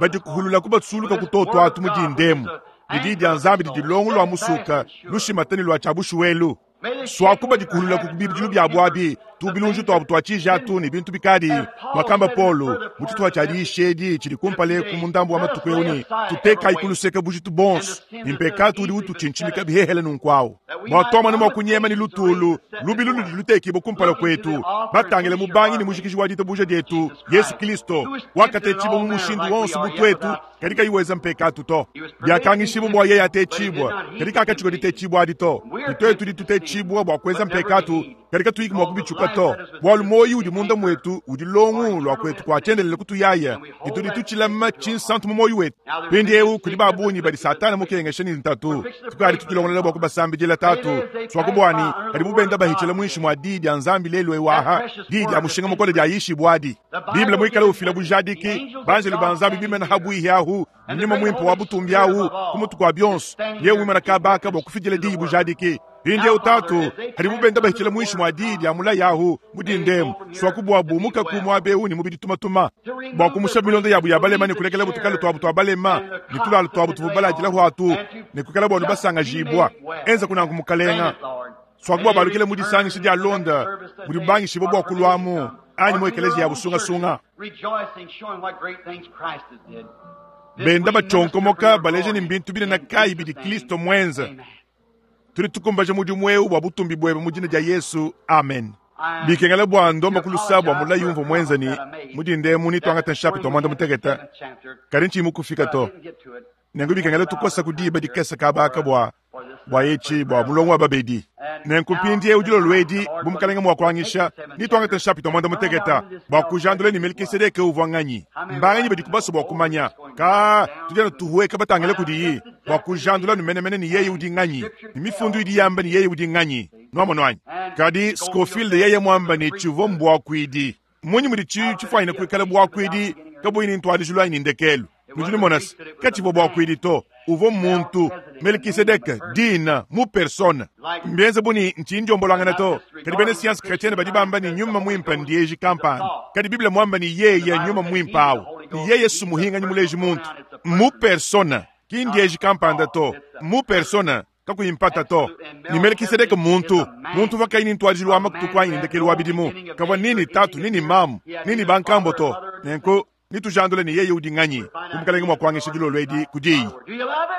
badi kuhulula kubatsuluka kutoto atu mudindemu didi dia nzambi didi longo lwa musuka lushimatani lwa chabushuwelu swaku badi kuhulula ku bibidilu byabu abi tubilunju twabu twa cijatu ni bintu bikadi mwakamba polo mututu chali chili kumpale ku mundambu wa matuku euni tutekayi kuluseka bujitu bonso ni mpekatu udi utuchinchimika bihehele nunkwawu mwatwamana mwa kunyema ni lutulu lubi lulu lutekibo kumpala kwetu batangile mubangi ni mushikiji wa ditabuja dietu yesu kristo wakatecibo mu mushindu wonso butwetu kadi kayiweza mpekatu to byakangishibo bwa yeye atecibwa kadi kakachiko ditecibwa adi to nitwetu ditutecibwa bwa kuweza mpekatu kadi katuyiki mwa kubichuka to bwalu moyi udi munda mwetu udi longu lwa kwetu kwachendelele kutuyaya ditudi tuchilama chinsantu mu moyi wetu pindi eu kudi babunyi badi satana mukengesha ni ntatu tukali tukilongolela bwa kubasambijila tatu swakubwani kadi mubenda bahichela mwinshi mwa didi dia nzambi lelu ewaha didi dia mushinga mukole dia yishibwa adi biblia mwikala ufila bujadiki banjelu ba nzambi bimena habwihi ahu nyuma mwimpe wa butumbi ahu kumutu kwa byonso yewe mwimana kabaka bwa kufidila diyi bujadiki pindi utatu hadi mubenda bahichela mwinshi mwa didi ya mulayi ahu mudindemu swakubwa bumuka ku mwabe ni mubidi tumatuma bwa kumusha milonda yabu ya balema ni kulekela butukale twabu twa balema ni tulalo twabu tububalajila hwatu ni kukala bwanu basangajibwa enza kunangu mukalenga swakubwa balukile mudisangisha dia londa mudibangishibo bwa kulwamu anyi mu ekelezia ya busungasunga Rejoicing, showing what great things Christ has did. This benda we bachonkomoka minister for your baleje ni glory. mbintu binene In kayi Jesus' bidi name. kristo mwenza Amen. tuli tukumbaja mudimu eu bwa butumbi bwebe mu dina dia yesu amen bikengela bwa ndomba kulusa bwa mulayi umva mwenza ni mudindemu nitwangata nshapita mwanda muteketa kadi nchimu kufika to nengu bikengela tukosa kudiba dikesa kabaka bwa bwa yechi bwa mulongo wa babedi nenku mpindi eu dilolo edi bu mukalenga mwa kuangisha nitwangata nshapita mwanda muteketa bwa kujandula ni melkisedeke uvwa nganyi mbanganyi badi kubaso bwa kumanya ka tudiana tuhueka batangele kudiyi Bwa kujandula menemene ne yeye udi nganyi, ne Mifundu idi yamba ne yeye udi nganyi. Nwamonu anyi? Kadi Scofield yeye mwamba ne civwa mbwakwidi. Mmunyi mudi cifwanyine kwikala bwakwidi kabuyi ne ntwadijilu anyi ne ndekelu? Nudi numona's, kacivwa bwakwidi to. Uvwa mmuntu, Melkisedeke, dina, mu persona. Mbyenze bu ne nci ndyombolwangana to, kadi beena science chretienne badi bamba ne Nyuma Mwimpe ndyeji kampanda. Kadi Bible mwamba ne Yeye n'Nyuma Mwimpe awu, ne Yeye s'Muhinganyi muleji muntu. Mmu persona, ki ndyeji kampanda to. Mmu persona, kakuyi mpata to. Ne Melkisedeke mmuntu, muntu uvwa kayi ne ntwadijilu wa matuku anyi ne ndekelu wa bidimu. Kavwa ni ne tatu, ni ne mamu, ni ne bankambo to. Nenku Netujandule ne yeye udi nganyi, bu Mukalenge mua kuangisha dilolo edi ku Diyi.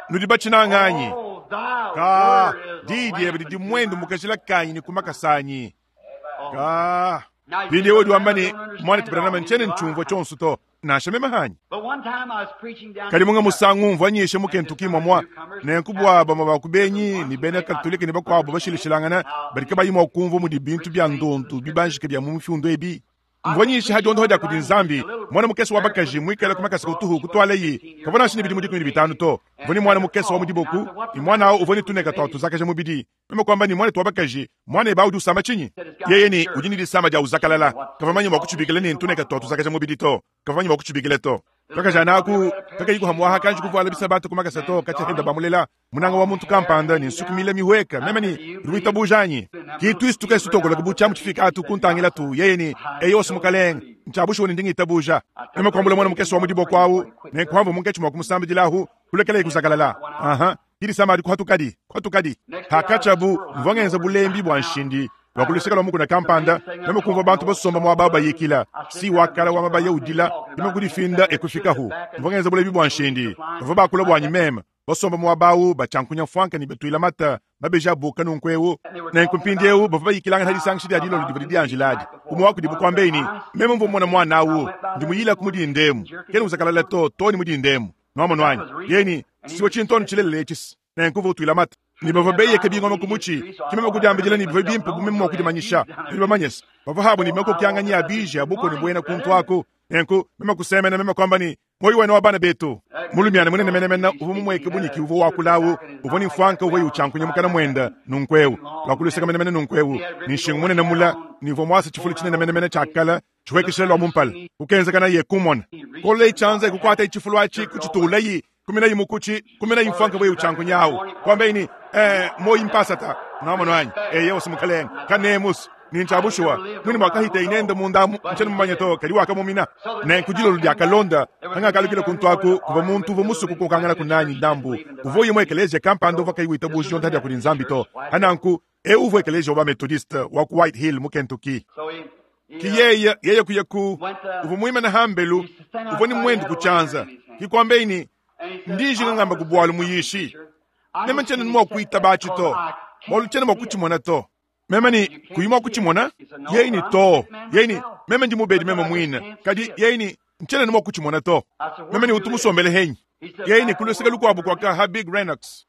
Nudi batshinanga anyi? Kaa, Diyi diebe didi muendu mu kajila kanyi ne ku makasa anyi. Kaa. Mpindieu udi wamba ne, Muanetu Branham, ntshiena ntshiumvua tshionso to, nansha meme hanyi. Kadi munga musangu mvua nyisha mu Kentucky mwamua, nenku bua bamue ba ku benyi ne bena Katolike ne bakuabu bashilashilangana badi kabayi mua kumvua mudi bintu bia ndondu bibanjike bia mu mifundu ebi. Mvua nyisha ha diondoha dia kudi Nzambi, muana mukese wa bakaji muikale ku makasa kutuhu kutualayi, kavua nansha ne bidimu 15 to. Mvua ne muana mukese wa mu diboku, ne muana au uvua ne tuneka tua tuzakaja mubidi. Meme kuamba ne, Muanetu wa bakaji, muanebe au udi usama tshinyi? Yeye ne, Udi ne disama dia uzakalala. Kavua manye mua kutshibikila ne, ntuneka tua tuzakaja mubidi to. Kavua manye mua kutshibikila to. Kakajana aku kakayi kuhamuaha kanji kuvuala bisabata ku makasa to, katshia henda bamulela. Munanga wa muntu kampanda ne nsuki mile mihueka, meme ne, Udi witabuja anyi? Ki tuisu tukese tutokoloka bu tshiamu tshifika atu kuntangila tu, yeye ne, Eyo si mukalenge, ntshia bushuwa ne ndi ngitabuja. Meme kuambula muana mukese wa mu diboko awu, ne nkuamvua munkatshi mua kumusambidila kulekelaye kuzakalala. Aha, ki disama adi kuhatukadi, kuhatukadi. Hakatshiabu, mvua ngenza bulembi bua nshindi lua ku luseke lua mukuna kampanda, meme kumvua bantu basomba muaba awu bayikila. Si wa kala wa mabaya udila, meme kudifinda e kufikahu. Mvua ngenza bulembi bua nshindi, bavua bakula buanyi meme. Basomba muaba awu batshiankunya mfuanka ne batuila mata mabeji abuka nunku eu. Nenku mpindieu bavua bayikilangana disangisha dia dilolo divua didianjila adi. Umue wa kudibu kuambaye ne, Meme mvua mmona muana awu, ndi muyilaku mu dinda emu. Kena uzakalala to, too ne mu dinda emu. Nuamonu anyi? Yeye ne, Siwa tshintondo tshilelela etshi. Nenku uvua utuila mata. Ne bavua beyeka bingoma ku mutshi. Ke meme kudiambidila ne, bivua bimpe bu meme mua kudimanyisha. Nudi bamanye se, bavua abu ne makokianganyi a biji a bukua ne buena kuntu aku. Nenku meme kusemena, meme kuamba ne, Muoyo wenu wa bana betu. Mulumiana munene menemene uvua mumueke bu nyiki uvua wakula awu, uvua ne mfuanka uvua utshiankunya mukana muende nunku eu, lua ku luseke menemene nunku eu, ne nshingu munene mula, ne uvua muase tshifulu tshinene menemene tshia kale tshihuekeshila lua mu mpala. Kukenzekanaye kumona. Kololayi tshianza e kukuatayi tshifulu atshi, kutshituulayi, kuminayi mukutshi, kuminayi mfuanka uvua utshiankunya awu, kuambayi ne, Ee, muoyi mpasata. Nuamonu anyi? Eyowa, mukalenge. Kanemus. Ne ntshia bushuwa, muine muakahiteye nende munda amu, ntshiena mumanye to, kadi wakamumina. Nenku dilolo diakalonda, pangakalukila kuntu aku, kuvua muntu uvua musue kukokanganaku nanyi ndambu. Uvua uya mu ekeleziya kampanda uvua kayi witabuja diondopa dia kudi Nzambi to. Pa nanku, eu uvua ekeleziya wa ba-Methodiste wa ku White Hill mu Kentucky. Ki yeye, yeye kuya ku, uvua muimane hambelu, uvua ne muendu ku tshianza. Ki kuambeyi ne, Ndi njinga ngamba ku bualu muyishi. Meme ntshiena mua kuitaba atshi to, bualu tshiena mua kutshimona to. Meme ne, Kuyi mua kutshimona? Yeye ne, Too. Yeye ne, Meme ndi mubedi meme muine. Kadi yeye ne, Ntshiena ne mua kutshimona to. Meme ne, Utu musombele henyi? Yeye ne, Ku luseke lukuabu kuaka ha Big Renox.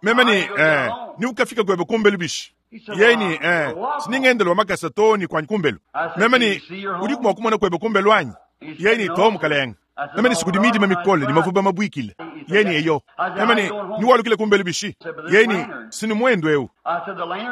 Meme ne, Eh, ni ukafika kuebe kumbelu bishi? Yeye ne, Eh, siningendela wa makasa too ne kuanyi kumbelu. Meme ne, Udiku mua kumona kuebe kumbelu anyi? Yeye ne, Too, mukalenge. Meme ne, Sikudi midima mikole ne mavuba mabuikile. Yeye ne, Eyo. Meme ne, Niwalukile kumbelu bishi? Yeye ne, Sinu muendu eu.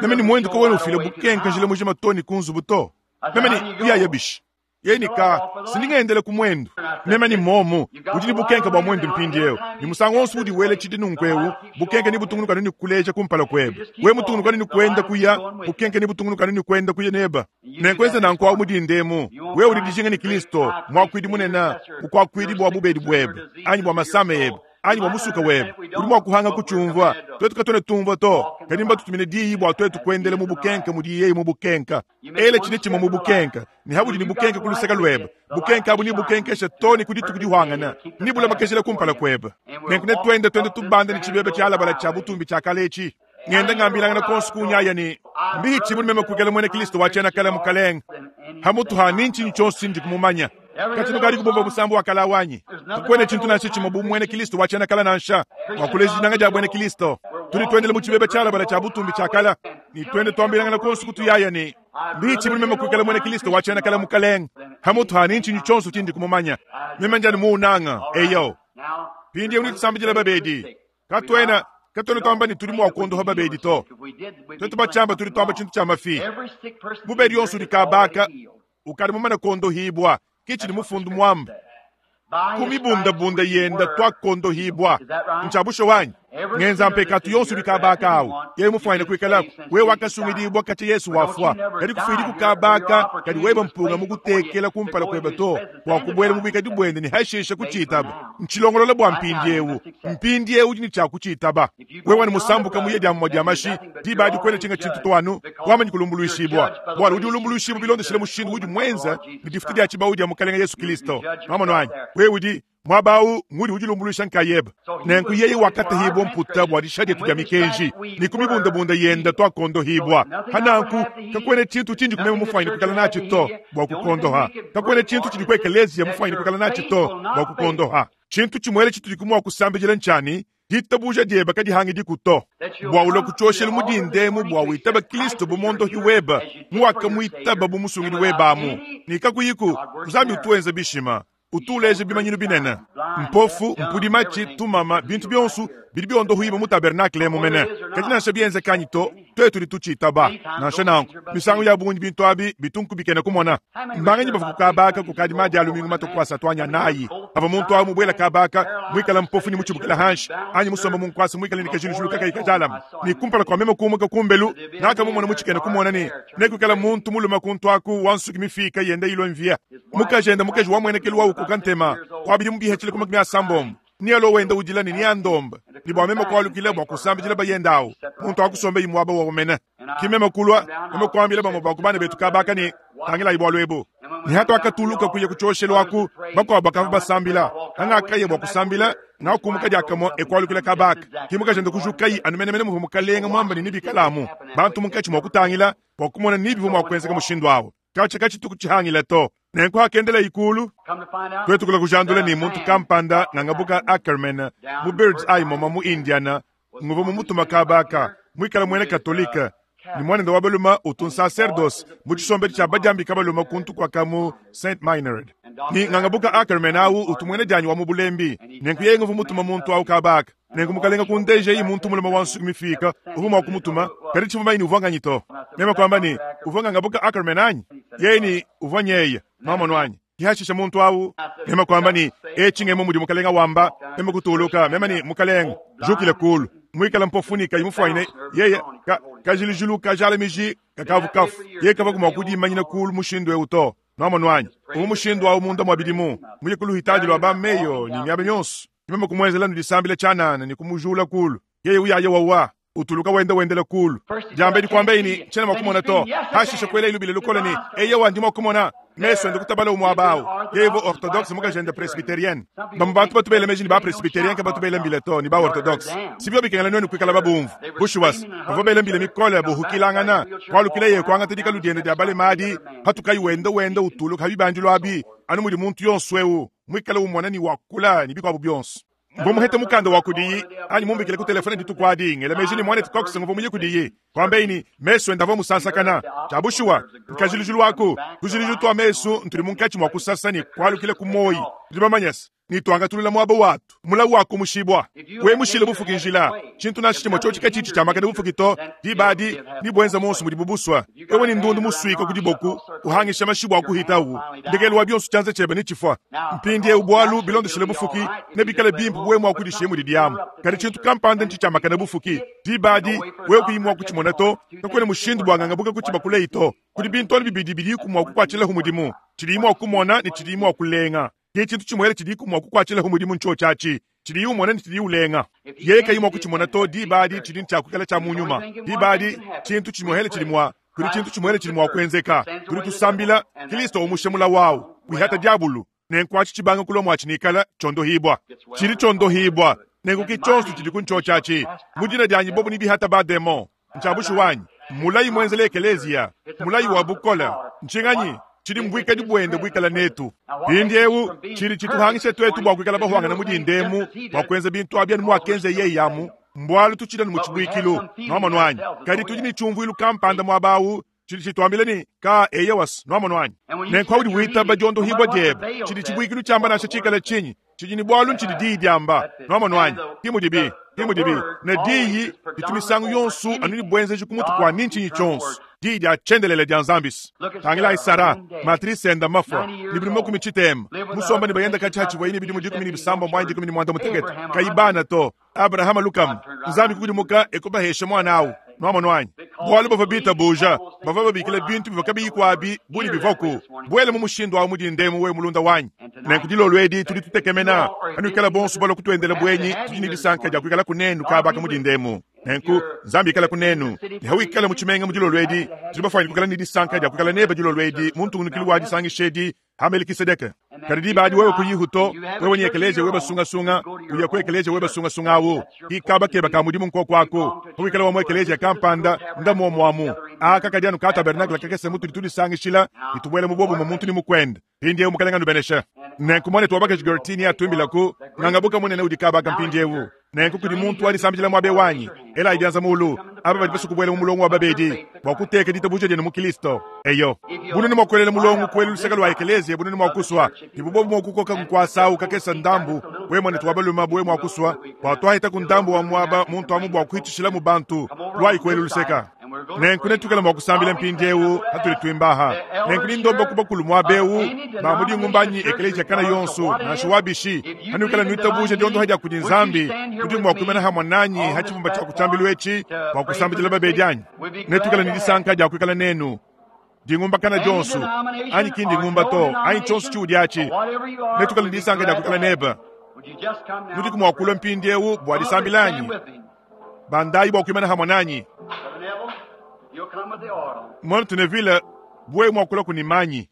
Meme ne, Muendu kawena ufila bukenka njila mujima to ne ku nzubu to. Meme ne, Uyaya bishi? Yeye ne, Ka, sindi ngendela ku muendu. Meme ne, Momu, udi ne bukenka bua muendu mpindieu, ne musangu wonso udi wela tshidi nunku eu, bukenka nebutungunuke anu ne kukuleja kumpala kuebe. Wewe mutungunuke anu ne kuenda kuya, bukenka nebutungunuke anu ne kuenda kuya nebe. Nenkuenze nanku awu mu dinda emu. Wewe udi dijinga ne Kristo, Muakuidi Munene, bukuakuidi bua bubedi buebe, anyi bua masama ebe, anyi bua musuka webe. Udi mua kuhanga kutshiumvua. Tuetu katuena tumvua to, kadi mbatutumine diyi bua tuetu kuendela mu bukenke mudi yeye mu bukenke. Ela tshine tshimue mu bukenke, ne habudi ne bukenke ku luseke luebe. Bukenke abu nebukenkeshe too ne ku dituku dihuangana, nebulamakejile kumpala kuebe. Nenku netuende tuende tubanda ne tshibebe tshialabala tshia butumbi tshia kale etshi. Ngenda ngambilangana konso kunyaya ne, Mbihitshibu ne meme kuikala muena Kristo wa tshiena kale Mukalenge. Hamutu ha ni ntshinyi tshionso tshindi kumumanya. Katshia nukadi kubumvua musambu wa kale awu anyi? Kakuena tshintu nansha tshimue bu muena Kristo wa tshiena kale nansha mua kuleja dinanga dia buena Kristo. Tudi tuendela mu tshibeba tshialabala tshia butumbi tshia kale ne tuende tuambilangana konso kutuyaya ne, Mbihitshibu ne meme kuikala muena Kristo wa tshiena kale Mukalenge. Hamutu ha ni ntshinyi tshionso tshindi kumumanya. Meme ndi anu muunanga. Eyo. Mpindieu netusambidile babedi. Katuena katuena tuamba ne tudi mua kuondoha babedi to. Tuetu batshiamba tudi tuamba tshintu tshia mafi. Mubedi yonso udi kabaka ukadi mumane kuondohibua, ke tshidi mufundu muamba. Ku mibundabunda yenda tuakondohibua. Ntshia bushuwa anyi? Ngenza mpekatu yonso udi kabaka awu, yeye mufuanyine kuikalaku. Wewe wakasungidibua katshia Yesu wafua, kadi kufuidi ku kabaka kadi weba mpunga mukutekela kumpala kuebe to bua kubuela mu buikadi buende ne hashisha kutshitaba. Ntshilongolola bua mpindiewu. Mpindiewu udi ne tshia kutshitaba. Wewe ne musambuka muye dia mumue dia mashi, diba adi kuena tshinga tshintu to anu wamanyi kulumbuluishibua. Bualu udi ulumbuluishibua bilondeshile mushindu udi muenza ne difutu dia tshibawu dia Mukalenge Yesu Kristo. Nwamonu anyi? Wewe udi muaba awu ngudi udilumbuluisha nkayebe. Nenku yeye wakatahibua mputa bua disha dietu dia mikenji, ne ku mibundabunda yenda tuakondohibua. Hananku kakuena tshintu tshindi kumema mufuanyine kuikala natshi to bua kukondoha. Kakuena tshintu tshidi ku ekeleziya mufuanyine kuikala natshi to bua kukondoha. Tshintu tshimuele tshitudi mua kusambidila ntshiani? Ditabuja diebe kadihangidiku to, bua ulue ku tshioshelu mu dinda emu bua witaba Kristo bu mondohi webe, muwakamuitaba bu musungidi webe amu ne kakuyiku. Nzambi utu wenza bishima, utu uleja bimanyinu binene, mpofu, mpudi matshi, tumama, bintu bionso bidi biondohibua mu tabernakle emu mene. Kadi nansha bienzeka anyi to, tuetu tudi tutshitaba. Nansha nanku, misangu ya bungi bintu abi bitu nkubikena kumona. Mbanganyi bavua ku kabaka kukadi madi a lumingu matue ku asatu anyi anayi, pavua muntu awu mubuela kabaka muikale mpofu ne mutshibukila hanshi, anyi musombe mu nkuasa muikale ne kajilujulu kakayi kajalame, ne kumpala kua meme kumuka kumbelu, ngakamumona mu tshikena kumona ne nekuikale muntu mulume kuntu aku wa nsuki mifika yenda ilua mvia, mukajende mukaji wa muenekelu wa ukoka ntema wa bidimu bihetshile ku makumi asambombo, ne alua wenda udila ne neandombe ne bua meme kualukila bua kusambidila bayende awu, muntu akusombe yi muaba wawu mene. Ke meme kulua, meme kuambila bamue ba ku bana betu kabaka ne, Tangilayi bualu ebu. Ne hatuakatuluka kuya ku tshioshelu aku, bakuabu bakavua basambila. Hangakaya bua kusambila, ngakumuka diakamue e kualukila kabaka. Ke mukajende kujukayi anu menemene muvua mukalenge muambe ne nebikalamu bantu munkatshi mua kutangila bua kumona ni bivua mua kuenzeka mushindu awu. Katshia katshituku tshihangila to. Nenku hakendelayi kulu, tuetu kulua kujandula ne muntu kampanda ngangabuka Ackerman mu Bird's Eye moma mu Indiana, nguvua mumutuma kabaka, muikale muena Katolike, ne muanende wa balume utu nsaserdose mu tshisombedi tshia badiambika balume kuntu kuaka mu Saint Meinrad. Ne ngangabuka Ackerman awu utu muena dianyi wa mu bulembi, nenku yeye nguvua mutuma muntu awu kabaka. Nenku mukalenge kundejayi muntu mulume wa nsuki mifika uvua mua kumutuma, kadi tshivua manye ne uvua nganyi to. Meme kuamba ne, Uvua ngangabuka Ackerman anyi? Yeye ne, Uvua nyeye. Nwamonu anyi? Ke hashisha muntu awu, meme kuamba ne, Etshi ngemu mudi mukalenge wamba. Meme kutuluka, meme ne, Mukalenge, jukila kulu. Muikale mpofu ne kayi mufuanyine yeye, ka, kajilujilu kajala miji kakavu kafu. Yeye kavua mua kudimanyina kulu mushindu eu to. Nwamonu anyi? Uvua mushindu awu munda mua bidimu, muye ku luhitadi lua ba Mayo ne miaba yonso. Ke meme kumuenzela nu disambila tshianana ne kumujula kulu. Yeye uyaya wawa, utuluka wenda wendela kulu. Diambedi kuambaye ne, Tshiena mua kumona to. Hashishe kuelaye lubila lukole ne, Eyowa, ndi mua kumona. Mesu ende kutabalawu muaba awu. Yeye uvua Orthodoxe, mukajende Presbyterienne. Bamue bantu batu bela meji ne ba-Presbyterien kabatu bela mbila to, ne ba-Orthodoxe. Si bivua bikengela nuenu kuikala babumvu. Bushuwa se, bavua bela mbila mikole buhukilangana, kualukileye kuangata dikalu diende dia balema adi, patukayi wenda wenda utuluka pa bibandilu abi, anu mudi muntu yonso eu muikale umona ne wakula ne bikuabu bionso. Mvua muhete mukanda wa kudiyi anyi mumbikile ku telefone dituku adi, ngela meji ne muanetu Cox nguvua muye kudiyi. Kuambaye ne, mesu ende avua musansakana. Tshia bushuwa, nkajilujilu aku, tujilujilu tua mesu ntudi munkatshi mua kusasa ne kualukila ku muoyi. Tudi bamanye se, ne tuangatulula muaba watu, mulawu wakumushibua. Wewe mushile bufuki njila, tshintu nansha tshimue tshiotshi katshitshi tshiamakane bufuki to, diba adi nebuenza muonso mudibu busua. Wewe ne ndundu musuika ku diboku, uhangisha mashi bua kuhitawu, ndekelu wa bionso tshianza tshiebe netshifua. Mpindieu bualu bilondeshile bufuki, nebikale bimpe bu wewe mua kudishiya mudi diamu. Kadi tshintu kampanda ntshitshiamakane bufuki, diba adi wewe kuyi mua kutshimona to, kakuena mushindu bua ngangabuka kutshibakuleyi to. Kudi bintu anu bibidi bidiku mua kukuatshilahu mudimu, tshidiyi mua kumona ne tshidiyi mua kulenga. Ke tshintu tshimuele tshidiku mua kukuatshilahu mudimu ntshiotshi atshi, tshidiyi umona ne tshidiyi ulenga. Yeye kayi mua kutshimona to, diba adi tshidi ntshia kuikala tshia mu nyuma. Diba adi tshintu tshimuele tshidi mua kudi tshintu tshimuele tshidi mua kuenzeka. Tudi tusambila, Kristo umushe mulawu awu, wihata diabulu, nenku atshi tshibanga kulua muatshi nikala tshiondohibua. Tshidi tshiondohibua, nenku ki tshionso tshidi ku ntshiotshi atshi. Mu dina dianyi bobu nebihata bademon. Ntshia bushuwa anyi? Mulayi muenzela ekeleziya, mulayi wa bukole. Ntshinganyi tshidi mbuikadi buende buikala netu mpindieu? Tshidi tshituhangisha tuetu bua kuikala bahuangana mu dinda emu bua kuenza bintu abi anu muakenza yeye amu, mbualu tutshidi anu mu tshibuikilu. Nwamonu anyi? Kadi tudi ne tshiumvuilu kampanda muaba awu. Tshidi tshituambila ne, Kaa, eyowa's, nwamonu anyi? Nenku paudi witaba dyondohibwa dyebe, tshidi cibwikilu cyamba nansha ciikale cinyi, tshidi ne bwalu ncidi Diyi dyamba. Nwamonu anyi? Ki mudibi. Ki mudibi. Ne Diyi ditu misangu yonso anu ne bwenzeji kumutu kwa ni ncinyi cyonso, Diyi dya Cyendeleele dya Nzambi's. Tangilaayi Sarah, matrise enda mafwa, ne bidimu makumi citeema, musomba ne bayenda kacya hacivwaye ne bidimu dikumi ne bisambombo anyi dikumi ne mwandamutekete, kayi bana to. Abrahama lukama, Nzambi kukudimuka e kubahesha muana au. Nuamonu anyi? Bualu bavua bitabuja, bavua babikila bintu bivua kabiyiku abi bu ne bivuaku. Buela mu mushindu au mu dinda emu, wewe mulunda wanyi. Nenku dilolo edi tudi tutekemena panuikala bonso balua kutuendela buenyi, tudi ne disanka dia kuikalaku nenu kaba aka mu dinda emu. Nenku, Nzambi ikalaku nenu. Ne hawikala mu tshimenga mu dilolo edi, tudi bafuanyine kuikala ne disanka dia kuikala nebe dilolo edi mu ntungunukilu wa disangisha edi ha Melikisedeke. Kadi diba adi wewe kuyihu to, wewe ne ekeleziya webe sungasunga, uya ku ekeleziya webe sungasunga awu, ki kaba keba ka mudimu nkoku aku. Pawikala wa mu ekeleziya kampanda, nda muomu amu. Aka kadi anu ka tabernakle kakese mutudi tudisangishila ne tubuela mu buobumue muntu ne mukuende. Mpindiewu Mukalenga anubeneshe. Nenku muanetu wa bakaji Gertie neatuimbilaku Ngangabuka munene udi kaba aka mpindiewu. Nenku kudi muntu wa disambidila muaba eu anyi? Elayi bianza muulu, aba badi basue kubuela mu mulongo wa babedi bua kuteka ditabuja dienu mu Kristo. Eyo. Bunene mua kuelela mulongo kuela luseke lua ekeleziya bunene mua kusua, ne bu bobu mua kukoka nkuasa au kakese ndambu, wewe muanetu wa balume bu wewe mua kusua, bua tuahetaku ndambu wa muaba muntu amu bua kuhitshishilamu bantu, luayi kuela luseka. Nenku netuikale mua kusambila mpindieu hatudi tuimba aha. Nenku ndi ndomba ku bakulu muaba eu ba mu dingumba anyi ekeleziya kana yonso, nansha wa bishi, hanuikala nuitabuja diondoha dia kudi Nzambi, nudi mua kuimana hamue nanyi ha tshibumba tshia ku tshiambilu etshi bua kusambidila babedi anyi? Netuikale ne disanka dia kuikala nenu. Dingumbakana dionso, anyi ki ndingumba to, anyi tshionso tshiudi atshi, netuikale ne disanka dia kuikala nebe. Nudiku mua kulua mpindieu bua disambila anyi? Bandayi bua kuimana hamue nanyi. Muanetu Neville, bu wewe mua kulua ku ne manyi.